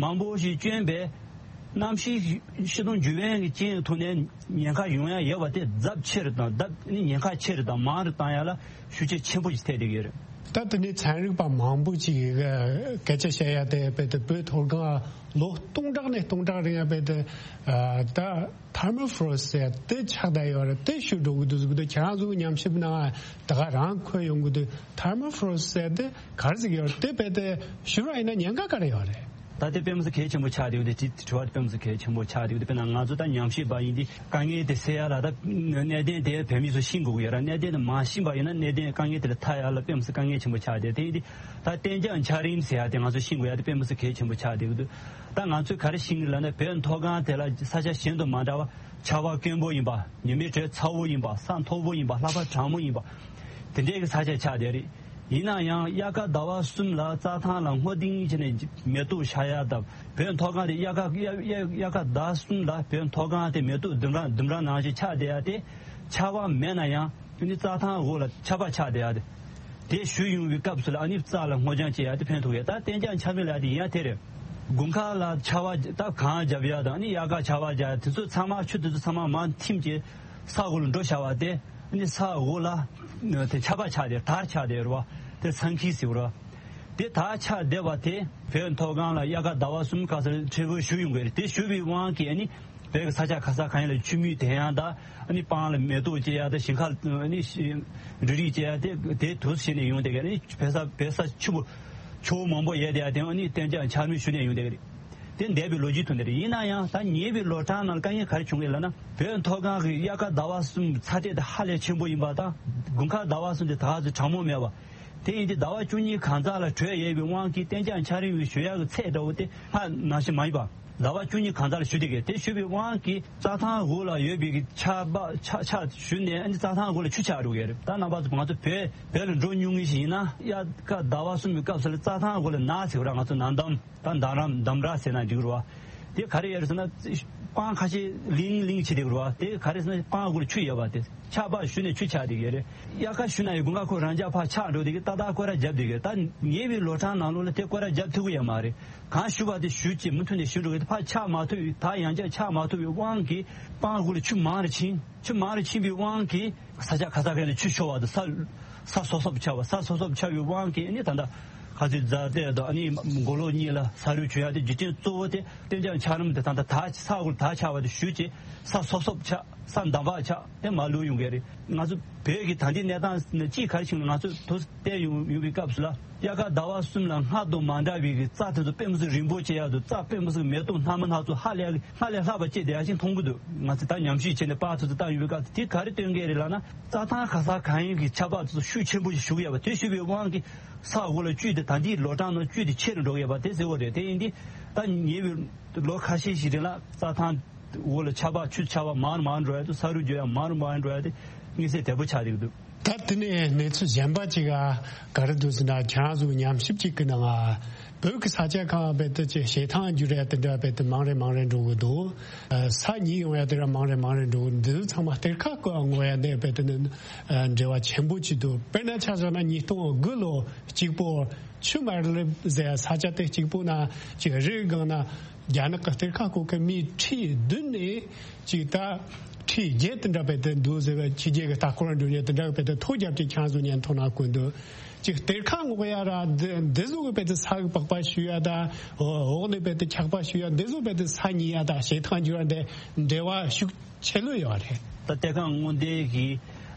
མང་པོ་ཞིག་བསྐྱོན་པས། གནམ་གཤིས་ཕྱི་ལོགས་འགྱུར་བའི་རྐྱེན་ཐོག་ནས་ཉེན་ཁ་ཡོང་ཡ་ཡོད་པ་དེ་ཚབས་ཆེ་རུ་དང་ཚབས་ཉེན་ཁ་ཆེ་རུ་དང་མང་རུ་བཏང་ཡ་ལ་ཤུགས་རྐྱེན་ཆེན་པོ་ཞིག་ཐེབས་བསྡད་ཀྱི་ཡོད་རེད། ད་དེ་ནས་ཚན་རིག་པ་མང་པོ་ཅིག་གིས་སྐད་ཆ་བཤད་ཡ་དེ་རྦད་དེ་བོད་མཐོ་སྒང་ལོ་སྟོང་ཕྲག་ནས་སྟོང་ཕྲག་རིང་ཡ་རྦད་དེ་ད་ཐར་མོ་ཕོ་རོ་ཟེར་དེ་ཆགས་བསྡད་ཡོད་རེད། དེ་ཞུ་འགྲོ་གི་འདུག་ཟེར་གི་འདུག་ཁྱེད་རང་ཚོ་གི་ཉམས་ཞིབ་ནང་ད་ག་རང་འཁོད་ཡོང་གི་འདུག་ཐར་མོ་ཕོ་རོ་ཟེར་དེ་ག་རེ་ཟེར་གི་ཡོད་རེད། དེ་རྦད་དེ་ཞུ་ར་ཡིན་ན་ཉེན་ཁ་ག་རེ་ཡོད་རེད། ད་དེ་དཔེ་མི་སྲིད་གལ་ཆེན་པོ་ཆགས་བསྡད་ཡོད་དེ། དེ་དྲི་བ་དེ་དཔེ་མི་སྲིད་གལ་ཆེན་པོ་ཆགས་བསྡད་ཡོད་དེ། དཔེར་ན་ང་ཚོ་ད་ཉམས་ཞིབ་པ་ཡིན་དུས་དཀའ་ངལ་དེ་སེལ་ཡ་ལ་ད་གནད་དོན་དེ་བོད་མི་ཚོ་ཤེས་དགོས་ཀྱི་ཡོད་ར། གནད་དོན་དེ་མ་ཤེས་པ་ཡིན་ན་གནད་དོན་དཀའ་ངལ་དེ་ལ་ཐར་ཡ་ལ་དཔེ་མི་སྲིད་དཀའ་ངལ་ཆེན་པོ་ཆགས་བསྡད་ཡོད་དེ། ཡིན་དུས་ད་གཏན་འཇགས་འཆར་རིམ་ཟེར་ཡ་དེ་ང་ཚོ་ཤེས་དགོས་ཡ་དེ་དཔེ་མི་སྲིད་གལ་ཆེན་པོ་ཆགས་བསྡད་ཡོད་དེ། ད་ང་ཚོས་ག་རེ་ཤེས་ཀྱི་ལབ་ན། བོད་མཐོ་སྒང་དེ་ལ་ས་ཆ་གཞན་དང་མ་འདྲ་བ་ཆར་པ་དཀོན་པོ་ཡིན་པ། ཉི་མའི་དྲོད་ཚ་བོ་ཡིན་པ། ས་མཐོ་བོ་ཡིན་པ། ལྷགས་པ་གྲང་མོ་ཡིན་པ། དེ་འདྲའི་གི་ས་ཆ་ཆགས་བསྡད་རེད། ཡིན་ན་ཡང་དབྱར་ཁ་ཟླ་བ་གསུམ་ལ་རྩྭ་ཐང་ལ་སྔོ་ལྡིང་བྱས་ནས་མེ་ཏོག་ཤར་ཡ་དང་། བོད་མཐོ་སྒང་དེ་དབྱར་ཁ་དབྱར་དབྱར་དབྱར་ཁ་ཟླ་གསུམ་ལ་བོད་མཐོ་སྒང་དེ་མེ་ཏོག་ལྡུམ་ར་ལྡུམ་ར་ནང་བཞིན་ཆགས་བསྡད་ཡ་དེ། ཆར་པ་མེད་ན་ཡང་ཨ་ནི་རྩྭ་ཐང་འོག་ལ་ཆར་པ་ཆགས་བསྡད་ཡ་དེ། དེ་བཞུར་ཡོང་བའི་སྐབས་སུ་ལ་ཨ་ནི་རྩྭ་ལ་སྔོ་ལྗང་སྐྱེ་ཡ་དེ་ཕན་ཐོགས་ཡ། ད་གཏན་འཇགས་འཆར་རིམ་ལབ་ཡ་དེ་ཡིན་ཡ་དེ་རེད། དགུན་ཁ་ལ་ཆར་པ་ད་གངས་རྒྱབ་ཡ་དང་ཨ་ནི་དབྱར་ཁ་ཆར་པ་རྒྱག་ཡ་དེ་ཚོ་ཚང་མ་ཆུ་དེ་ཚོ་ཚང་མ་མར་ཐིམ་བྱས་ས་འོག་ལ་འགྲོ་བཞག་པ་དེ། ཨ་ནི་ས་འོག་ལ་དེ་ཆར་པ་ཆགས་བསྡད། དར་ཆགས་བསྡད་རེད་བ། དེ་ཚང་ཁིལ་ཟེར་བ་རེད་བ། དེ་དར་ཆགས་བསྡད་པ་དེ་བོད་མཐོ་སྒང་ལ་དབྱར་ཁ་ཟླ་བ་གསུམ་སྐབས་སུ་ཕྲན་བུ་བཞུར་ཡོང་གི་རེད། དེ་བཞུར་བའི་དབང་གིས་ཨ་ནི་བོད་ཀྱི་ས་ཆ་ག་ས་གང་ཡིན་ལ་ཆུ་མིག་ལྡིང་ཡ་དང་། ཨ་ནི་སྤང་ལ་མེ་ཏོག་སྐྱེ་ཡ་དང་། ཞིང་ཁ་ཨ་ནི་འབྲུ་རིགས་སྐྱེ་ཡ་དེ་དེ་དུས་བྱས་ནས་ཡོང་བསྡད་ཀྱི། ཨ་ནི་བོད་ས་བོད་ས་ཆུ་བོ་ཆུ་བོ་མང་པོ་ཡལ་བསྡད་ཡ་དེ་ཨ་ནི་གཏན་འཇགས་འཆར་རིམ་ཞུ་ནས་ཡོང་བསྡད་ཀྱི་རེད། དེ་འདས་པའི་ལོ་རྒྱུས་ཐོག་ནས་རེད། ཡིན་ན་ཡང་ད་ཉེ་བའི་ལོ་གྲངས་ནང་ལ་དཀའ་ངལ་ག་རེ་བྱུང་གི་ལབ་ན། བོད་མཐོ་སྒང་གི་དབྱར་ཁ་ཟླ་བ་གསུམ་ཚ་དྲོད་དེ་ཧ་ལས་ཆེན་པོ་ཡིན་པ་དང་། དགུན་ཁ་ཟླ་བ་གསུམ་དེ་ད་ག་ཚོད་གྲང་མོ་མེད་པ། དེ་ཡིན་དུས་ཟླ་བ་བཅུ་གཉིས་གང་ཙམ་ལ་དྲོད་ཡལ་བའི་དབང་གིས་གཏན་འཇགས་འཆར་རིམ་ཞུ་ཡག་གི་ཚད་འདྲ་བོ་དེ་སྔར་ནང་བཞིན་མ་ཡིན་པ། ཟླ་བ་བཅུ་གཉིས་གང་ཙམ་ལ་ཞུ་བསྡད་ཀྱི། དེ་ཞུ་བའི་དབང་གིས་རྩྭ་ཐང་འོག་ལ་ཡོད་པའི་གི་ཆར་པ་ཆར་ཆར་ཞུ་ནས་ཨ་ནི་རྩྭ་ཐང་འོག་ལ་ཆུ་ཆགས་འགྲོ་གི་རེད། ད་རྣམ་པ་ཚོ་ང་ཚོ་བོད་བོད་ལ་འགྲོ་མྱོང་མཁན་ཞིག་ཡིན་ན། དབྱར་ཁ་ཟླ་བ་གསུམ་པའི་སྐབས་སུ་ལ་རྩྭ་ཐང་འོག་ལ་ནགས་ཟེར་བ་ར། ང་ཚོ་ནགས་འདམ། ད་འདམ་ར་འདམ་ར་ཟེར་ན་འགྲིག་རེད་བ། དེ་ག་རེ་ཡོད་རེད་ཟེར་ན། སྤང་ཁ་ཤས་ལིང་ལིང་བྱས་བསྡད་ཀྱི་རེད་བ། དེ་ག་རེ་ཟེར་ན་སྤང་འོག་ལ་ཆུ་ཡོད་པ་དེ། ཆར་པ་ཞུ་ནས་ཆུ་ཆགས་བསྡད་ཀྱི་རེད། དབྱར་ཁ་ཞུ་ན་ཡང་དགུན་ཁ་ཁོ་རང་འཇགས་ཕར་ཆགས་འགྲོ་བསྡད་ཀྱི། ཏག་ཏག་སྐོར་ར་བརྒྱབ་བསྡད་ཀྱི། ད་ཉེ་བའི་ལོ་གྲངས་ནང་ལོགས་ལ་དེ་སྐོར་ར་བརྒྱབ་ཐུབ་ཀྱི་ཡོད་མ་རེད། གང་ཞུ་བ་དེ་ཞུ་བྱས་མུ་མཐུད་ནས་ཞུ་འགྲོ་གི། ཕར་ཆགས་མ་ཐུབ་པའི། ད་ཡང་བསྐྱར་ཆགས་མ་ཐུབ་པའི་དབང་གིས་སྤང་འོག་ལ་ཆུ་མང་རུ་ཕྱིན། ཆུ་མང་རུ་ཕྱིན་པའི་དབང་གིས་ས་ཆ་ག་ས་ག་ནས་ཆུ་ཤོར་བ་དང་། ས་ས་སོབ་སོབ་ཆགས་པ། ས་སོབ་སོབ་ཆགས་པའི་དབང་གིས་ཨ་ནི་ད་ལྟ་ག་ཚོད་ཛ་དེ་དང་། ཨ་ནི་མགོ་ལོག་གཉིས་ལ་ས་རུད་བྱུང་ཡ་དེ་རྒྱུ་རྐྱེན་གཙོ་བོ་དེ་གཏན་འཇགས་འཆར་རིམ་དེ་ད་ལྟ་དར་ས་འོག་ལ་དར་ཆགས་པ་དེ་ཞུ་བྱས་ས་སོབ་སོབ་ཆགས། ས་འདམ་བག་ཆགས་དེ་མར་ལུད་ཡོང་གི་རེད། ང་ཚོ་བོད་ཀྱི་ད་ལྟའི་གནས་སྟངས་ནི་གཅིག་ག་རེ་བྱུང་ན། ང་ཚོ་དུས་བལྟས་ཡོང་ཡོང་བའི་སྐབས་སུ་ལ་དབྱར་ཁ་ཟླ་བ་གསུམ་ལ་སྔར་དང་མ་འདྲ་བའི་གི་རྩྭ་དེ་ཚོ་དཔེ་མི་སྲིད་རིང་པོ་སྐྱེ་ཡག་དང་། རྩྭ་དཔེ་མི་སྲིད་མེ་ཏོག་སྣ་མིན་སྣ་ཚོགས་ཧ་ལས་སྔར་ལས་ལྷག་པ་སྐྱེས་བསྡད་ཡག་ཅིག་མཐོང་གི་འདུག་ང་ཚོ་ད་ཉམས་ཞིབ་བྱས་ནས་པར་དེ་ཚོ་བཏང་ཡོང་བའི་སྐབས་སུ། དེ་ག་རེ་སྟོན་གྱི་རེད་ལབ་ན། རྩྭ་ཐང་ག་ས་གང་ཡིན་གྱི་ཆར་པ་དེ་ཚོ་ཤུགས་ཆེན་པོ་ཞིག་ཞུགས་ཡོད་པ། དེ་ཞུགས་པའི་དབང་གིས་ས་འོག་ལ་བཅུད་དེ་ད་ལྟའི་ལོ་གྲངས་ནང་བཅུད་དེ་ཆེ་རུ་འགྲོ་གི་ཡོད་པ་དེ་གསལ་པོ་རེད། དེ་ཡིན་དུས་ད་ཉེ་བའི་ལོ་ཁ་ཤས་ཤིག་རིང་ལ་རྩྭ་ཐང་ འོག་ལ་ཆར་པ་ཆུ་ཆར་པ་མང་རུ་མང་རུ་འགྲོ་ཡ་དུ་ས་རུད་རྒྱུ་ཡ་མང་རུ་མང་རུ་འགྲོ་ཡ་དེ་དམིགས་བསལ་དལ་པོ་ཆགས་བསྡད་ཀྱི་འདུག་ད་དེ་ནས་གནས་ཚུལ་གཞན་པ་ཅིག་ག་ག་རེ་འདུག་ཟེར་ན། ཁྱེད་རང་ཚོ་ཉམས་ཞིབ་ཅིག་གི་ནང་ང་བོད་ཀྱི་ས་ཆ་གང་རྦད་དེ་ཅིག་བྱེ་ཐང་འགྱུར་ཡ་དེ་འདྲ་རྦད་དེ་མང་རེ་མང་རེ་འགྲོ་གི་འདུག་ས་ཉིལ་ཡོང་ཡ་དེ་འདྲ་མང་རེ་མང་རེ་འགྲོ་གི་འདུག་ཚང་མ་གཏེར་ཁ་བཀོད་ཡོང་ཡ་ནས་རྦད་དེ་ནི་འབྲེལ་བ་ཆེན་པོ་ཅིག་འདུག་དཔེར་ན་ཆ་བཞག་ན་ཉིས་སྟོང་དགུ་ལོ་གཅིག་པོ་ཆུ་དམར་ལེབ་ཟེར་ས་ཆ་དེ་གཅིག་པོ་ན་ཅིག་རི་སྒང་ན་རྒྱ་ནག་གི་གཏེར་ཁ་བཀོད་མཁན་མི་ཁྲི་བདུན་ནས་ཅིག་ད་ཁྲི་བརྒྱད་དེ་འདྲ་རྦད་དེ་འདུག་ཟེར་བའི་ཕྱི་རྒྱལ་གྱི་ལྟ་སྐོར་འགྲོ་མཁན་དེ་འདྲ་རྦད་དེ་ཐོ་རྒྱབ་ཀྱི་ཁྱེད་རང་ཚོ་ཉན་ཐོག་ན་གོ་འདུག་ཅིག་གཏེར་ཁ་སྔོག་ཡ་ར་འདི་འདི་ཟུག་གི་རྦད་དེ་ས་གི་པགས་པ་བཤུ་ཡ་དང་འོག་ནས་རྦད་དེ་ཆག་པ་བཤུ་ཡ་འདི་ཟུག་རྦད་དེ་ས་ཉིལ་ཡ་དང་བྱེ་ཐང་འགྱུར་ཡ་འདི་འབྲེལ་བ་ཤུགས་ཆེ་ལོས་ཡོད་རེད། ད་གཏེར་ཁ་སྔོག་འདོན་གྱི་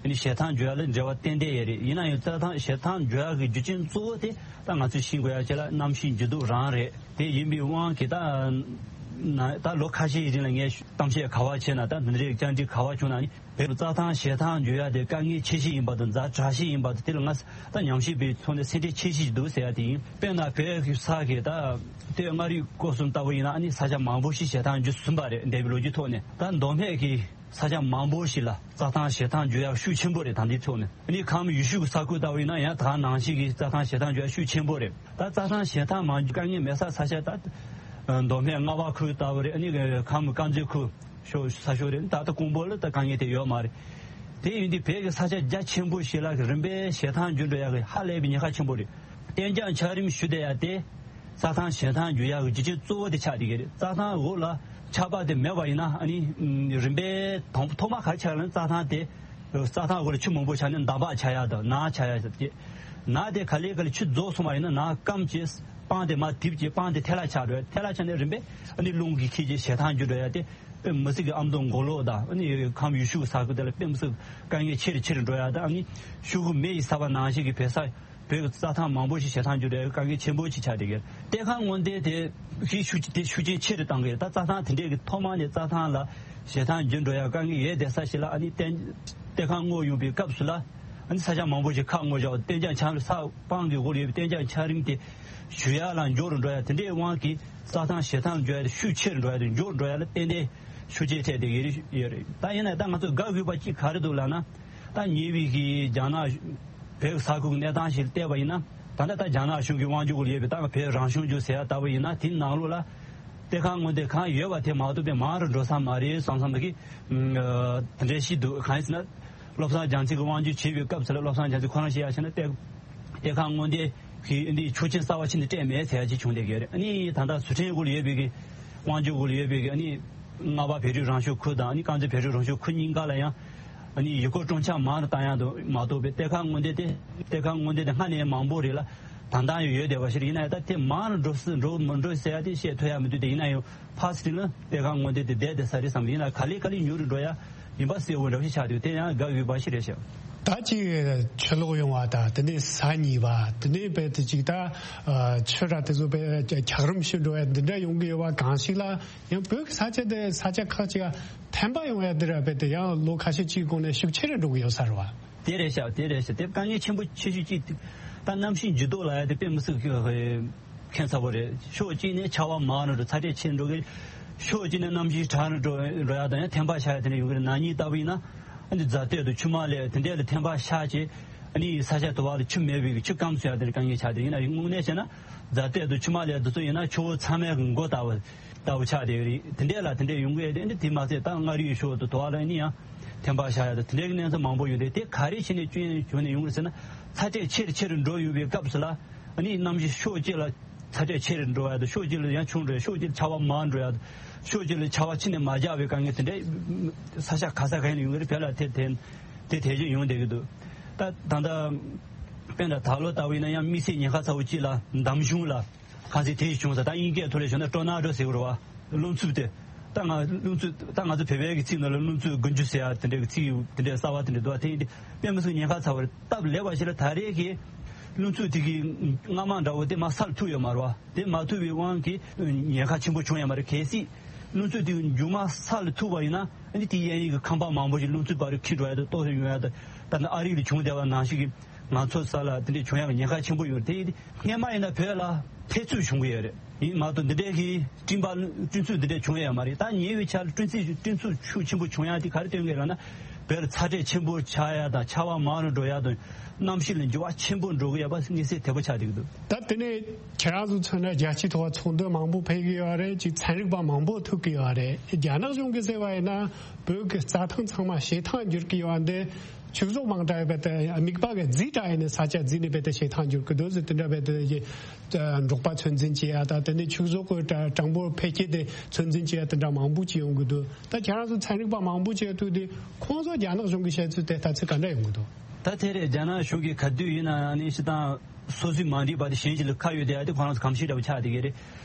ཨ་ནི་བྱེ་ཐང་འགྱུར་ཡ་ལ་འབྲེལ་བ་ཏན་ཏན་ཡོད་རེད། ཡིན་ན་ཡང་རྩྭ་ཐང་བྱེ་ཐང་འགྱུར་ཡ་གི་རྒྱུ་རྐྱེན་གཙོ་བོ་དེ་ད་ང་ཚོས་ཤེས་དགོས་ཡ་ཅིག་ལ་གནམ་གཤིས་འགྱུར་ལྡོག་རང་རེད། དེ་ཡིན་པའི་དབང་གིས་ད་ན་ད་ལོ་ཁ་ཤས་ཀྱི་རིང་ལ་ངས་གཏམ་བཤད་ག་བ་བྱས་ན་ད་འདི་འདྲའི་བཅར་འདྲི་ག་བ་བྱུང་ན་ནི་བོད་རྩྭ་ཐང་བྱེ་ཐང་འགྱུར་ཡ་དེ་དཀའ་ངལ་ཆེ་ཤོས་ཡིན་པ་དང་ཛ་དྲག་ཤོས་ཡིན་པ་དང་དེ་ལ་ང་ད་ཉམས་ཞིབ་པའི་ཐོག་ནས་སེམས་ཁྲལ་ཆེ་ཤོས་ཤིག་འདུག་ཟེར་ཡ་དེ་ཡིན། དཔེར་ན་བོད་ཀྱི་ས་གི་ད་སྟོད་མངའ་རིས་སྐོར་གསུམ་ལྟ་བུ་ཡིན་ན་ཨ་ནི་ས་ཆ་མང་པོ་ཞིག་བྱེ་ཐང་འགྱུར་ཟིན་པ་རེད། འདས་པའི་ལོ་རྒྱུས་ཐོག་ནས་ད་མདོ་སྨད་ཀྱི་ས་ཆ་མང་པོ་ཞིག་ལ་རྩྭ་ཐང་བྱེ་ཐང་འགྱུར་ཡག་ཤུགས་ཆེན་པོ་རེད། ད་འདི་ཐོག་ནས་ཨ་ནི་ཁམས་ཡུལ་ཤུལ་གྱི་ས་ཁུལ་ལྟ་བུ་ཡིན་ན་ཡང་ད་ནང་བཞིན་གྱི་རྩྭ་ཐང་བྱེ་ཐང་འགྱུར་ཡག་ཤུགས་ཆེན་པོ་རེད། ད་རྩྭ་ཐང་བྱེ་ཐང་མ་འགྱུར་དཀའ་ངལ་མེད་ས་ས་ཆ་ད་མདོ་སྨད་རྔ་བ་ཁུལ་ལྟ་བུ་རེད། ཨ་ནི་ཁམས་དཀར་མཛེས་ཁུལ་ཤོ་ས་ཤོག་རེད། ད་ལྟ་ཀོང་པོ་ལ་ད་དཀའ་ངལ་དེ་ཡོད་མ་རེད། དེ་ཡིན་དུས་བོད་ཀྱི་ས་ཆ་རྒྱ་ཆེན་པོ་ཞིག་ལ་རིམ་པས་བྱེ་ཐང་འགྱུར་འགྲོ་ཡག་གི་ཧ་ལས་པའི་ཉེན་ཁ་ཆེན་པོ་རེད། གཏན་འཇགས་འཁྱགས་རོམ་བཤུ་བསྡད་ཡ་དེ་རྩྭ་ཐང་བྱེ་ཐང་འགྱུར་ཡག་གི་རྒྱུ་རྐྱེན་གཙོ་བོ་དེ་ཆགས་བསྡད་ཀྱི་རེད། རྩྭ་ཐང་འོག་ལ་ཆར་པ་དེ་མེད་པ་ཡིན་ན་ཨ་ནི་རིམ་པས་དང་ཐོག་མ་ག་རེ་ཆགས་ལ་རྩྭ་ཐང་དེ་རྩྭ་ཐང་འོག་ལ་ཆུ་མང་པོ་ཆགས་ནས་འདམ་བག་ཆགས་ཡག་དང་ནགས་ཆགས་ཡག་ཟེར་གྱི། ནགས་དེ་ག་ལེ་ག་ལེ་ཆུ་རྫོགས་སོང་བ་ཡིན་ན་ནགས་སྐམ་གྱིས་སྤང་དེ་མར་རྡིབ་ཀྱིས་སྤང་དེ་ཐལ་བ་ཆགས་འགྲོ་ཡ། ཐལ་བ་ཆགས་ནས་རིམ་པས་ཨ་ནི་རླུང་གིས་འཁྱེར་གྱིས་བྱེ་ཐང་འགྱུར་འགྲོ་ཡ་དེ་དཔེ་མི་སྲིད་ཀྱི་ཨ་མདོ་མགོ་ལོག་དང་ཨ་ནི་ཁམས་ཡུལ་ཤུལ་ས་ཁུལ་དེ་ལ་དཔེ་མི་སྲིད་དཀའ་ངལ་ཆེ་རུ་ཆེ་རུ་འགྲོ་ཡ་དང་ཨ་ནི་ཤུལ་གུ་མེ་ཡིས་ཚ་བ་ནང་བཞིན་གྱི་བོད་ས་བོད་ཀྱི་རྩྭ་ཐང་མང་པོ་ཞིག་བྱེ་ཐང་འགྱུར་འགྲོ་ཡ་དཀའ་ངལ་ཆེན་པོ་ཞིག་ཆགས་བསྡད་ཀྱི་རེད། གཏེར་ཁ་སྔོག་འདོན་དེ་ཤུགས་ཆེ་དེ་ཤུགས་རྐྱེན་ཆེ་རུ་བཏང་གི་རེད། ད་རྩྭ་ཐང་དེ་འདྲས་ཀྱི་ཐོག་མ་ནས་རྩྭ་ཐང་ལ་བྱེ་ཐང་འགྱུར་འགྲོ་ཡ་དཀའ་ངལ་ཡོད་བསྡད་ས་ཞིག་ལ་ཨ་ནི་གཏན་གཏེར་ཁ་སྔོག་ཡོང་པའི་སྐབས་སུ་ལ་ཨ་ནི་ས་ཆ་མང་པོ་ཞིག་ཁ་སྔོག་བཞག་གཏན་འཇགས་འཁྱགས་རོམ་ས་སྤང་གི་འོག་ལ་ཡོད་པའི་གཏན་འཇགས་འཁྱགས་རོམ་དེ་བཞུ་ཡ་ལ་མགྱོགས་རུ་འགྲོ་ཡ་དེ་འདྲའི་དབང་གིས་རྩྭ་ཐང་བྱེ་ཐང་འགྱུར་ཡ་དེ་ཤུགས་ཆེ་རུ་འགྲོ་ཡ་དེ་མགྱོགས་རུ་འགྲོ་ཡ་ལ་ཏན་ཏན་ཤུགས་རྐྱེན་ཐེབས་བསྡད་ཡོད་རེད། ད་ཡིན་ན་ད་ང་ཚོ་དགའ་དགོས་པ་གཅིག་ག་རེ་འདུག་ལབ་ན། ད་ཉེ་བའི་གི་རྒྱ་ནག་བོད་ས་ཁུལ་གྱི་གནས་སྟངས་ཤིག་བལྟས་པ་ཡིན་ན། ད་ལྟ་ད་རྒྱ་ནག་གཞུང་གི་དབང་སྒྱུར་འོག་ལ་ཡོད་པའི་ད་བོད་རང་སྐྱོང་ལྗོངས་ཟེར་ཡ་ལྟ་བུ་ཡིན་ན་དེའི་ནང་ལོགས་ལ་གཏེར་ཁ་སྔོག་འདོན་གང་ཡོད་པ་དེ་མ་གཏོགས་པའི་མང་རུ་འགྲོ་ས་མ་རེད་བསམ་བསམ་གི་དེ་འདྲའི་ཤིག་འདུག་གང་ཡིན་ཟེར་ན། བློ་བཟང་རྒྱ་མཚོ་གི་དབང་སྒྱུར་བྱེད་པའི་སྐབས་སུ་ལ་བློ་བཟང་རྒྱ་མཚོས་ཁོ་རང་བཤད་ཡ་བྱས་ན་གཏེར་གཏེར་ཁ་སྔོག་འདོན་གྱི་འདི་ཆོག་མཆན་གསར་བ་ཕྱིན་ནས་སྤྲད་མེད་ཟེར་ཡ་ཅིག་བྱུང་བསྡད་ཀྱི་ཡོད་རེད། ཨ་ནི་ད་ལྟ་ཟི་ཁྲོན་འོག་ལ་ཡོད་པའི་གི་དབང་སྒྱུར་འོག་ལ་ཡོད་པའི་གི་ཨ་ནི་རྔ་བ་བོད་རིགས་རང་སྐྱོང་ཁུལ་དང་ཨ་ནི་དཀར་མཛེས་བོད་རིགས་རང་སྐྱོང་ཁུལ་གཉིས་ཀ་ལ་ཡང་ཨ་ནི་ཡུལ་སྐོར་སྤྲོ་འཆམ་མང་རུ་བཏང་ཡག་དུ་མ་གཏོགས་པའི་གཏེར་ཁ་སྔོག་འདོན་དེ་གཏེར་ཁ་སྔོག་འདོན་དེ་སྔ་ནས་མང་པོ་རེད་ལ་ད་ལྟ་ཡང་ཡོད་བསྡད་པ་ཞིག་རེད། ཡིན་ན་ཡང་ད་དེ་མང་རུ་འགྲོ་སྲིད་འགྲོ་མི་འགྲོ་ཟེར་ཡ་དེ་བཤད་ཐུབ་ཡ་མི་འདུག་དེ་ཡིན་ན་ཡང་ཕར་ཚུར་ལ་གཏེར་ཁ་སྔོག་འདོན་དེ་བསྡད་བསྡད་ས་རེད་བསམ། ཡིན་ན་ག་ལེ་ག་ལེ་ཉུང་རུ་འགྲོ་ཡ་ཡིན་པ་གསལ་བོ་འདྲ་བོ་ཞིག་ཆགས་འདུག་དེ་ཡང་དགའ་འོས་པ་ཞིག་རེད་ཤག་ད་ཅིག་ཆུ་ལོག་ཡོང་བ་དང་དེ་ནས་ས་ཉིལ་བ་དེ་ནས་རྦད་དེ་ཅིག་ད་ཆུ་ར་དེ་ཚོ་རྦད་འཁྱགས་རོམ་ཞིག་འགྲོ་བ་འདི་འདྲ་ཡོང་གི་ཡོད་པ་གང་ཞིག་ལ་ཡང་བོད་ཀྱི་ས་ཆ་དེ་ས་ཆ་ཁག་ཅིག་ཐན་པ་ཡོང་ཡ་འདི་ར་རྦད་དེ་ཡང་ལོ་ཁ་ཤས་ཅིག་གོང་ནས་ཤུགས་ཆེ་རུ་འགྲོ་གི་ཡོད་ས་རེད་བ། དེ་རེད་ཤག་དེ་རེད་ཤག་དེ་དཀའ་ངལ་ཆེན་པོ་ཆེ་ཤོས་ཅིག་ད་གནམ་གཤིས་འགྱུར་ལྡོག་ལ་ཡ་དེ་དཔེ་མི་སྲིད་ཁྱད་མཚར་པོ་རེད། ཕྱོགས་གཅིག་ནས་ཆར་པ་མང་རུ་འགྲོ་ཚ་དྲོད་ཆེ་རུ་འགྲོ་གི་རེད། ཕྱོགས་གཅིག་ནས་གནམ་གཤིས་གྲང་རུ་འགྲོ་འགྲོ་ཡ་དང་ཡང་ཐན་པ་ཆགས་ཡ་དེ་འདྲ་ཡོང་གི་རེད། ན་ནིང་ལྟ་བུ་ཡིན་ན་ཨ་ནི་རྫ་སྟོད་དང་ཆུ་དམར་ལ་དེ་འདྲ་ལ་ཐན་པ་ཤར་བྱས་ཨ་ནི་ས་ཆ་དུ་བ་ལ་ཆུ་མེད་པའི་ཆུ་སྐམ་སོང་ཡ་དེ་འདྲ་དཀའ་ངལ་ཆགས་དེ་ཡིན་ན་དངོས་གནས་བྱས་ན་རྫ་སྟོད་དང་ཆུ་དམར་ལ་དེ་ཚོ་ཡིན་ན་ཆུ་བོ་ཚང་མའི་མགོ་ལྟ་བུ་ལྟ་བུ་ཆགས་བསྡད་ཡོད་རེད། དེ་འདྲས་ལ་དེ་འདྲས་ཡོང་གི་ཡོད་རེད། འདི་དེ་མ་ཟད་ད་མངའ་རིས་ཕྱོགས་དུ་དོ་བ་ལ་ནི་ཡང་ཐན་པ་ཤར་ཡ་དང་དེ་འདྲས་ཀྱི་གནས་ཚུལ་མང་པོ་ཡོད་རེད། དེ་ག་རེ་བྱས་ནས་སྐྱོན་བྱུང་ནས་ཡོང་གི་རེད་ཟེར་ན་ཚ་དྲོད་ཆེ་རུ་ཆེ་རུ་འགྲོ་ཡོད་པའི་སྐབས་སུ་ལ་ཨ་ནི་གནམ་གཤིས་ཕྱོགས་གཅིག་ལ་ཚ་དྲོད་ཆེ་རུ་འགྲོ་ཡ་དང་ཕྱོགས་གཅིག་ལ་ཡང་ཆུང་འགྲོ་ཡ་ཕྱོགས་གཅིག་ལ་ཆར་པ་མང་འགྲོ་ཡ་དང་ཕྱོགས་གཅིག་ལ་ཆར་པ་ཕྱི་ནས་མ་རྒྱག་པའི་དཀའ་ངལ་དེ་འདྲས་ས་ཆ་ག་ས་ག་ཡིན་ན་ཡོང་གི་རེད། བོད་ལ་དེ་དེ་དེ་དེ་བཞིན་ཡོང་བསྡད་ཀྱི་འདུག་ད་ད་ལྟ་དཔེར་ན་ད་ལོ་ལྟ་བུ་ཡིན་ན་ཡང་དམིགས་བསལ་ཉེན་ཁ་ཚ་བོ་གཅིག་ལ་འདམ་གཞུང་ལ། གང་ཟེར་དེ་ཡི་བྱུང་ས་ད་དབྱིན་སྐད་ཐོག་ལ་ཞུ་ན་ཊོར་ནེ་ཌོ་ཟེར་གི་རེད་བ། རླུང་འཚུབ་དེ། ད་ང་རླུང་འཚུབ་ད་ང་ཚོ་བོད་པའི་གི་ཚིག་ནང་ལ་རླུང་འཚུབ་དགུན་ཆུ་ཟེར་ཡ་དེ་འདྲའི་གི་ཚིག་དེ་འདྲའི་གསར་བ་དེ་འདྲ་འདུག་བ། དེ་ཡིན་དེ་དཔེ་མི་སྲིད་ཉེན་ཁ་ཚ་བ་རེད། སྟབས་ལེགས་པ་ཞིག་ལ་ད་རེས་ཀྱི་རླུང་འཚུབ་དེ་གི་རྔ་མ་འདྲ་བོ་དེ་མར་ས་ལ་ཐུག་ཡོད་མ་རེད་བ། དེ་མ་ཐུག་པའི་དབང་གིས་ཉེན་ཁ་ཆེན་པོ་བྱུང་ཡོད་མ་རེད། གལ་སྲིད་རླུང་འཚུབ་དེ་གི་མཇུག་མ་ས་ལ་ཐུག་པ་ཡིན་ན་ཨ་ནི་དེ་གཡས་གཡོན་གྱི་ཁང་པ་མང་པོ་ཞིག་རླུང་འཚུབ་བར་འཁྱིལ་འགྲོ་ཡ་དང་ལྟོགས་ཤི་ཡོང་ཡ་དང་ད་ནི་ཨ་རི་ལ་བྱུང་བསྡད་པ་ནང་བཞིན་གྱི་ང་ཚོ་ས་ལ་དེ་འདྲའི་བྱུང་ཡ་གི་ཉེན་ཁ་ཆེན་པོ་ཡོད་རེད། དེ་ཡིན་དེ། སྔོན་མ་ཡིན་ན་བོད་ལ་འཕེལ་ཚུལ་བྱུང་གི་ཡོད་རེད། ཡིན་མ་གཏོགས་འདི་འདྲའི་གི་སྤྲིན་པ་སྤྲིན་ཚུགས་འདི་འདྲའི་བྱུང་ཡ་མ་རེད། ད་ཉེ་བའི་ཆར་སྤྲིན་ཚུགས་སྤྲིན་ཚུགས་ཤུགས་ཆེན་པོ་བྱུང་ཡ་དེ་ག་རེ་སྟོན་གི་ལབ་ན། བོད་ལ་ཚ་དྲོད་ཆེན་པོ་ཆགས་ཡ་དང་ཆར་པ་མང་རུ་འགྲོ་ཡ་དང་གནམ་གཤིས་ལ་འགྱུར་བ་ཆེན་པོ་འགྲོ་གི་ཡོད་པ་དངོས་གསལ་དོད་པོ་ཆགས་བསྡད་ཀྱི་འདུག་ད་དེ་ནས་ཁྱེད་རང་ཚོ་མཚོན་ན་རྒྱལ་སྤྱིའི་ཐོག་ཚོགས་འདུ་མང་པོ་ཕེབས་ཀྱི་ཡོད་རེད། ཅིག་ཚན་རིག་པ་མང་པོ་ཐུག་གི་ཡོད་རེད། རྒྱ་ནག་གཞུང་གི་ཟེར་བ་ཡིན་ན་བོད་ཀྱི་རྩྭ་ཐང་ཚང་མ་བྱེ་ཐང་འགྱུར་གྱི་ཡོད་འདི། ཕྱུགས་ཟོག་མང་དྲགས་བས་ཏེ་མིད་པ་གི་རྫས་དྲགས་ནས་ས་ཆ་རྫས་ནས་བས་ཏེ་བྱེ་ཐང་འགྱུར་གི་འདུག་ཟེར། དེ་འདྲ་བས་ཏེ་འབྲོག་པ་ཚོད་འཛིན་བྱེད་ཡ་དང་དེ་ནས་ཕྱུགས་ཟོག་གི་གྲངས་འབོར་འཕེལ་རྒྱས་དེ་ཚོད་འཛིན་བྱེད་ཡ་དེ་འདྲ་མང་པོ་ཅིག་ཡོང་གི་འདུག་ད་ཁྱེད་རང་ཚོ་ཚན་རིག་པ་མང་པོ་ཅིག་ཐུག་དུས་ཁོང་ཚོ་རྒྱ་ནག་གཞུང་གི་བཤད་ཚུལ་དེ་ལྟ་ཚུལ་ག་འདྲ་ཡོང་གི་འདུག་ད་དེ་རེད། རྒྱ་ནག་གཞུང་གི་ག་དུས་ཡིན་ན་ནི་སྤྱིར་བཏང་སོ་སོའི་མ་འགྲིག་པ་དེ་གཞན་ཞིག་ལ་ཁ་གཡོགས་བསྡད་ཡ་དེ་ཁོ་རང་ཚོ་གོམས་གཤིས་འདྲ་པོ་ཆགས་བསྡད་ཀྱི་རེད།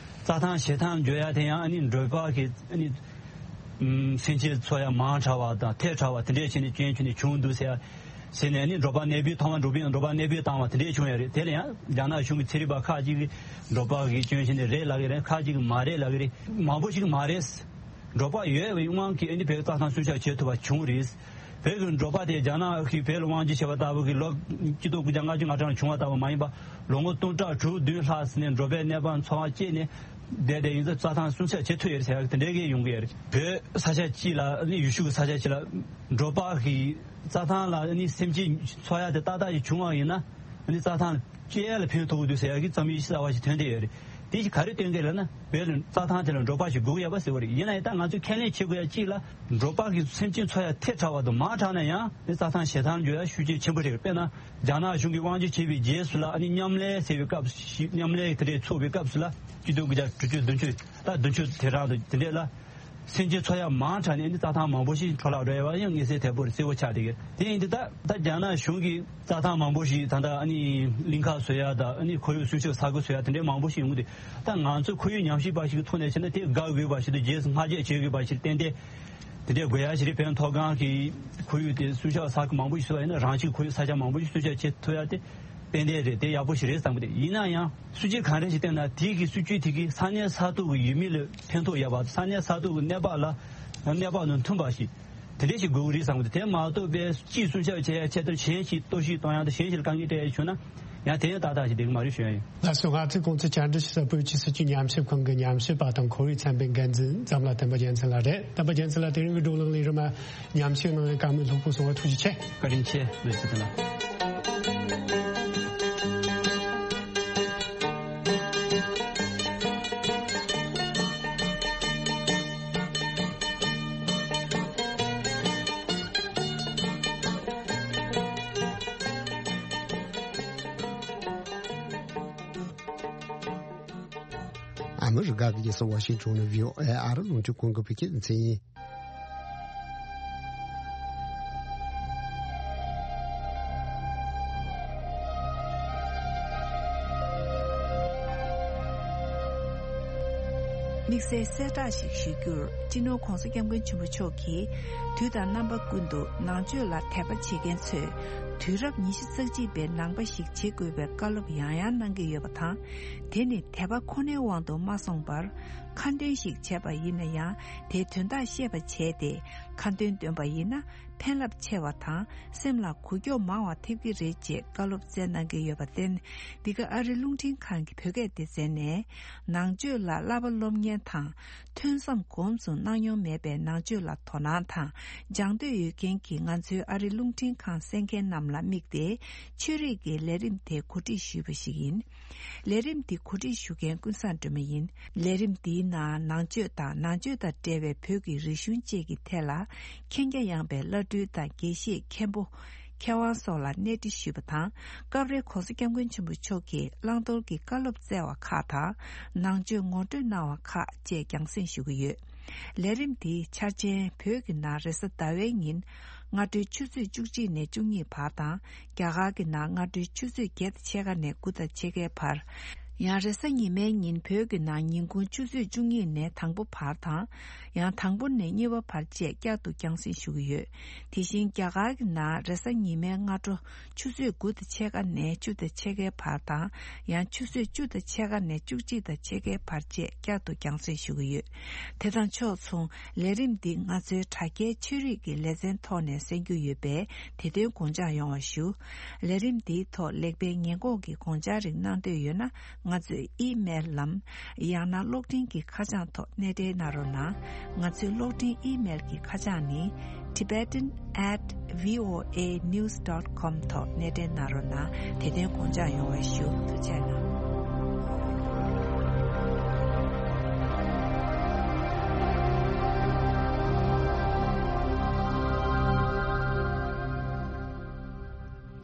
རྩྭ་ཐང་བྱེ་ཐང་འགྱུར་ཡ་དེ་ཡང་ཨ་ནི་འབྲོག་པ་གི་ཨ་ནི་སེམས་ཅན་འཚོ་ཡ་མང་དྲགས་པ་དང་ཐལ་དྲགས་པ་དེ་འདྲས་བྱས་ནས་སྐྱོན་བྱས་ནས་བྱུང་འདུག་ཟེར་ཟེར་ནས་ནི་འབྲོག་པ་གནས་སྤོས་བཏང་བ་འབྲོག་པའི་འབྲོག་པ་གནས་སྤོས་བཏང་བ་དེ་འདྲས་བྱུང་ཡ་རེད། དེ་ལ་ཡང་རྒྱ་ནག་གཞུང་གི་ཚན་རིག་པ་ཁག་ཅིག་གིས་འབྲོག་པ་གིས་སྐྱོན་བྱས་ནས་རེད་ལབ་ཀྱི་རེད། ཁག་ཅིག་གིས་མ་རེད་ལབ་ཀྱི་རེད། མང་པོ་ཞིག་གིས་མ་རེད། འབྲོག་པ་ཡོད་པའི་དབང་གིས་ཨ་ནི་བོད་རྩྭ་ཐང་སྲུང་སྐྱོབ་བྱེད་ཐུབ་པ་བྱུང་རེད། བོད་ཀྱི་འབྲོག་པ་དེ་རྒྱ་ནག་གིས་བོད་ལ་དབང་སྒྱུར་བྱས་པ་ལྟ་བུ་གི་ལོ་ཆིག་སྟོང་དགུ་བརྒྱ་ལྔ་བཅུ་ང་གྲངས་བྱུང་བ་ལྟ་བུ་མ་ཡིན་པ་ལོ་ངོ་སྟོང་ཕྲག་དྲུག་བདུན་ལྷག་ཙམ་ནས་འབྲོག་པའི་གནས་བབ་འཚོ་བ་སྐྱེལ་ནས་བསྡད་བསྡད་ཡིན་ཙང་རྩྭ་ཐང་སྲུང་སྐྱོབ་བྱེད་ཐུབ་ཡོད་རེད་ཟེར་ཡག་དེ་འདྲའི་གི་ཡོང་གི་ཡོད་རེད། བོད་ས་ཆ་གཅིག་ལ་ནི་ཡུལ་ཤུལ་གྱི་ས་ཆ་གཅིག་ལ་འབྲོག་པ་གི་རྩྭ་ཐང་ལ་ནི་སེམས་ཅན་འཚོ་ཡག་དེ་ཏག་ཏག་ཅིག་བྱུང་བ་ཡིན་ན་ནི་རྩྭ་ཐང་སྤྱི་ཡ་ལ་ཕན་ཐོགས་ཀྱི་འདུག་ཟེར་ཡག་གི་རྩོམ་ཡིག་གསར་བ་ཞིག་ཐོན་བསྡད་ཡོད་རེད། དེ་ཞིག་ག་རེ་སྟོན་གྱི་ལབ་ན་བོད་ལ་རྩྭ་ཐང་དེ་ལ་འབྲོག་པ་ཞིག་དགོས་ཀྱི་ཡོད་པ་ཟེར་བ་རེད། ཡིན་ན་ཡང་ད་ང་ཚོས་ཁས་ལེན་བྱེད་དགོས་ཡ་གཅིག་ལ་འབྲོག་པ་གི་སེམས་ཅན་འཚོ་ཡ་ཐལ་དྲགས་པ་དང་མང་དྲགས་ན་ཡང་ནི་རྩྭ་ཐང་བྱེ་ཐང་འགྱུར་ཡ་ཤུགས་རྐྱེན་ཆེན་པོ་རེད། དཔེར་ན་རྒྱ་ནག་གཞུང་གིས་དབང་སྒྱུར་བྱས་པའི་རྗེས་སུ་ལ་ཨ་ནི་མཉམ་ལས་ཟེར་བའི་སྐབས་ཤིག་མཉམ་ལས་དེ་འདྲས་ཚོགས་པའི་སྐབས་སུ་ལ་ཆིག་སྟོང་དགུ་བརྒྱ་དྲུག་ཅུ་བདུན་ཅུ་ད་བདུན་ཅུ་དེ་རང་དུ་དེ་འདྲས་ལ་སེམས་ཅན་འཚོ་ཡ་མང་དྲགས་ནས་ཨ་ནི་རྩྭ་ཐང་མང་པོ་ཞིག་འཕྲོ་བརླག་འགྲོ་ཡ་བ་ཡང་མངོན་གསལ་དོད་པོ་རེད། གསལ་པོ་ཆགས་བསྡད་ཀྱི་རེད། དེ་ཡིན་དུས་ད་ད་རྒྱ་ནག་གཞུང་གིས་རྩྭ་ཐང་མང་པོ་ཞིག་ད་ལྟ་ཨ་ནི་གླིང་ཁ་བཟོ་ཡ་དང་ཨ་ནི་ཁོར་ཡུག་སྲུང་སྐྱོབ་ས་ཁུལ་བཟོ་ཡ་དེ་འདྲའི་མང་པོ་ཞིག་ཡོང་གི་འདུག་ད་ང་ཚོ་ཁོར་ཡུག་ཉམས་ཞིབ་པ་ཞིག་གི་ཐོག་ནས་བྱས་ན་དེ་དགའ་དགོས་པ་ཞིག་དང་རྗེས་སུ་སྔ་རྗེས་བྱེད་དགོས་པ་ཞིག་ཏན་ཏན་དེ་འདྲའི་དགོས་ཡ་ཞིག་རེད། བོད་མཐོ་སྒང་གི་ཁོར་ཡུག་དེ་སྲུང་སྐྱོབ་ས་ཁུལ་མང་པོ་ཞིག་བཟོ་བ་ཡིན་ན་རང་བཞིན་ཁོར་ཡུག་ས་ཆ་མང་པོ་ཞིག་སྲུང་སྐྱོབ་བྱེད་ཐུབ་ཡ་དེ་ཏན་ཏན་རེད། དེ་ཡག་པོ་ཞིག་རེད་བསམ་གི་འདུག་ཡིན་ན་ཡང་སྲིད་ཇུས་གང་རེ་ཞིག་བཏིང་ན་དེ་གི་སྲིད་ཇུས་དེ་གི་ས་གནས་ས་ཐོག་གི་ཡུལ་མི་ལ་ཕན་ཐོགས་ཡོད་པ་ས་གནས་ས་ཐོག་གི་གནས་བབ་ལ་གནས་བབ་དང་མཐུན་པ་ཞིག་དེ་འདྲས་ཞིག་དགོས་ཀྱི་རེད་བསམ་གི་འདུག་དེ་མ་གཏོགས་པའི་སྤྱིའི་སྲུང་སྐྱོབ་བྱེད་ཡ་ཆེད་དུ་གཞན་ཞིག་གཏོར་བཤིག་གཏོང་ཡ་དང་གཞན་ཞིག་ལ་དཀའ་ངལ་སྤྲད་ཡ་བྱུང་ན་ཡང་དེ་ཡང་ཏག་ཏག་ཞིག་བསྡད་ཀྱི་མ་རེད་ཞུ་ཡ་ཡིན། ལགས་སོ། ང་ཚོས་གོང་ཚོས་བཅར་འདྲི་ཞུ་ས་བོད་ཀྱི་སྲིད་བྱུས་ཉམས་ཞིབ་ཁང་གི་ཉམས་ཞིབ་པ་དང་ཁོར་ཡུག་ཚན་པའི་འགན་འཛིན་འཛམ་ལྷ་བསྟན་པ་རྒྱལ་མཚན་ལགས་རེད། བསྟན་པ་རྒྱལ་མཚན་ལགས་དེ་རིང་གི་བགྲོ་གླེང་ལས་རིམ་ལ་ཉམས་ཞིབ་གནང་བའི་བཀའ་མོལ་ལྷུག་པོ་གསུང་བར་ཐུགས་རྗེ་ཆེ། བཀའ་དྲིན་ཆེ། ལགས་སོ། དེ་ལ། ཨ་མི་རི་ཀ་གི་རྒྱལ་ས་ཝ་ཤིང་ཊོན་ནས་བྷི་ཨོ་ཨེ་ཨ་རི་རླུང་འཕྲིན་ཁང་གི་བོད་སྐད་སྡེ་ཚན་ཡིན། དམིགས་བསལ་གསལ་བསྒྲགས་ཤིག་ཞུ་རྒྱུར། སྤྱི་ནོར་༧གོང་ས་༧སྐྱབས་མགོན་ཆེན་པོ་མཆོག་གིས་དུས་དང་རྣམ་པ་ཀུན་ཏུ་ནང་ཆོས་ལ་དད་པ་བྱེད་མཁན་ཚོས་དུས་རབས་ཉི་ཤུ་རྩ་གཅིག་པའི་ནང་པ་ཞིག་བྱེད་དགོས་པའི་བཀའ་སློབ་ཡང་ཡང་གནང་གི་ཡོད་པ་དང་། དེ་ནི་དད་པ་ཁོ་ནའི་དབང་དུ་མ་སོང་བར་ཁ་འདོན་ཞིག་བྱས་པ་ཡིན་ན་ཡང་དེའི་དོན་དག་ཤེས་པ་བྱས་ཏེ་ཁ་འདོན་འདོན་པ་ཡིན་ན་ཕན་རླབས་ཆེ་བ་དང་སེམས་ལ་འགུག་སྐྱོབ་མང་བ་ཐེབས་ཀྱི་རེད་ཅེས་བཀའ་སློབ་སྩལ་གནང་གི་ཡོད་པར་བརྟེན། འདི་ག་ཨ་རི་རླུང་འཕྲིན་ཁང་གི་བོད་སྐད་སྡེ་ཚན་ནས་ནང་ཆོས་ལ་བསླབ་པ་སློབ་མཁན་དང་། ཐོས་བསམ་སྒོམ་གསུམ་གནང་མྱོང་མེད་པའི་ནང་ཆོས་ལ་དོ་སྣང་དང་སྦྱང་འདོད་ཡོད་མཁན་གྱི་ང་ཚོའི་ཨ་རི་རླུང་འཕྲིན་ཁང་གསན་མཁན་རྣམས་ལ་དམིགས་ཏེ་ཆོས་རིག་གི་ལས་རིམ་དེ་གོ་སྒྲིག་ཞུས་པ་ཞིག་ཡིན། ལས་རིམ་འདི་གོ་སྒྲིག་ཞུ་མཁན་ཀུན་བཟང་སྒྲོལ་མ་ཡིན། ལས་རིམ་འདིའི་ནང་ནང་ཆོས་དང་ནང་ཆོས་དང་འབྲེལ་བའི་བོད་ཀྱི་རིག་གཞུང་བཅས་ཀྱི་ཐད་ལ་མཁྱེན་རྒྱ་ཡངས་པའི་བླ་སྤྲུལ་དང་དགེ་བཤེས་མཁན་པོ། མཁས་དབང་སོགས་ལ་གནས་འདྲི་ཞུས་པ་དང་། སྐབས་རེ་༧གོང་ས་༧སྐྱབས་མགོན་ཆེན་པོ་མཆོག་གིས་བླང་དོར་གྱི་བཀའ་སློབ་སྩལ་བ་ཁག་དང་། ནང་ཆོས་ངོ་སྤྲོད་གནང་བ་ཁག་བཅས་རྒྱང་སྲིང་ཞུ་གི་ཡོད། ལས་རིམ་འདིའི་འཆར་ཅན་བོད་ཀྱི་ནང་རེས་གཟའ་ཟླ་བའི་ཉིན་སྔ་དྲོའི་ཆུ་ཚོད་བཅུ་གཅིག་ནས་བཅུ་གཉིས་བར་དང་། རྒྱ་གར་གྱི་ནང་སྔ་དྲོའི་ཆུ་ཚོད་བརྒྱད་དང་ཕྱེད་ཀ་ནས་དགུ་དང་ཕྱེད་ཀའི་བར། ཡང་རེས་གཟའ་ཉི་མའི་ཉིན་བོད་ཀྱི་ནང་ཉིན་གུང་ཆུ་ཚོད་བཅུ་གཉིས་ནས་དང་པོ་བར་དང་། ཡང་དང་པོ་ནས་གཉིས་པ་བར་བཅས་བསྐྱར་དུ་རྒྱང་སྲིང་ཞུ་གི་ཡོད། དེ་བཞིན་རྒྱ་གར་གྱི་ནང་རེས་གཟའ་ཉི་མའི་སྔ་དྲོ་ཆུ་ཚོད་དགུ་དང་ཕྱེད་ཀ་ནས་བཅུ་དང་ཕྱེད་ཀའི་བར་དང་། ཡང་ཆུ་ཚོད་བཅུ་དང་ཕྱེད་ཀ་ནས་བཅུ་གཅིག་དང་ཕྱེད་ཀའི་བར་བཅས་བསྐྱར་དུ་རྒྱང་སྲིང་ཞུ་གི་ཡོད། དེ་དང་ཕྱོགས་མཚུངས་ལས་རིམ་འདི་ང་ཚོའི་དྲ་རྒྱའི་ཆོས་རིག་གི་ལེ་ཚན་ཐོག་ནས་གསན་རྒྱུ་ཡོད་པས་དེ་དོན་དགོངས་འཇགས་ཡོང་བ་ཞུ། ལས་རིམ་འདིའི་ཐོག་ལེགས་སྤེལ་ཉེས་འགོག་གི་དགོངས་འཆར་རིགས་གནང་འདོད་ཡོད་ན། ང་ཚོའི་ཨི་མེལ་ལམ། ཡང་ན་གློག་འཕྲིན་གྱི་ཁ་བྱང་ཐོག་གནས་འབྲེལ་གནང་རོགས་གནང་། ང་ཚོའི་གློག་འཕྲིན་ཨི་མེལ་གྱི་ཁ་བྱང་ནི། Tibetan at V O A news dot com ཐོག་གནས་འབྲེལ་གནང་རོགས་གནང་། དེ་དོན་དགོངས་འཇགས་ཡོང་བའི་ཞུ། ཐུགས་རྗེ་གནང་།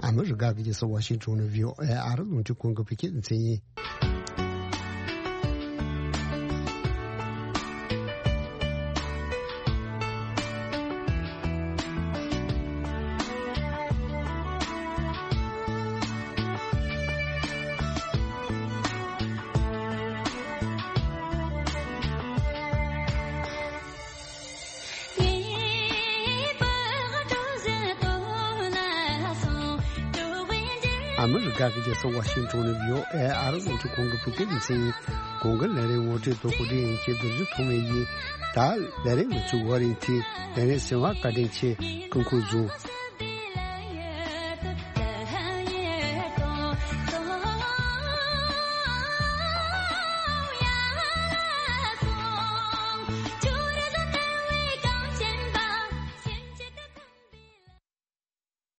ཨ་མི་རི་ཀ་གི་རྒྱལ་ས་ཝ་ཤིང་ཊོན་ནས་བྷི་ཨོ་ཨེ་ཨ་རི་རླུང་འཕྲིན་ཁང་གི་བོད་སྐད་སྡེ་ཚན་ཡིན། ཨ་མི་རི་ཀ་གི་རྒྱལ་ས་ཝ་ཤིང་ཊོན་ནས་བྷི་ཨོ་ཨེ་ཨ་རི་རླུང་འཕྲིན་ཁང་གི་བོད་སྐད་སྡེ་ཚན་ཡིན། གོང་གི་ལས་རིམ་ངོ་སྤྲོད་དང་གོ་སྒྲིག་ཡིན་གྱི་རྡོ་རྗེ་ཐོགས་མེད་ཡིན། ད་ལས་རིམ་ང་ཚོའི་བར་ཡིན་ཏེ། ལས་རིམ་གསན་པར་བཀའ་དྲིན་ཆེ། སྐུ་ཁམས་བཟང་།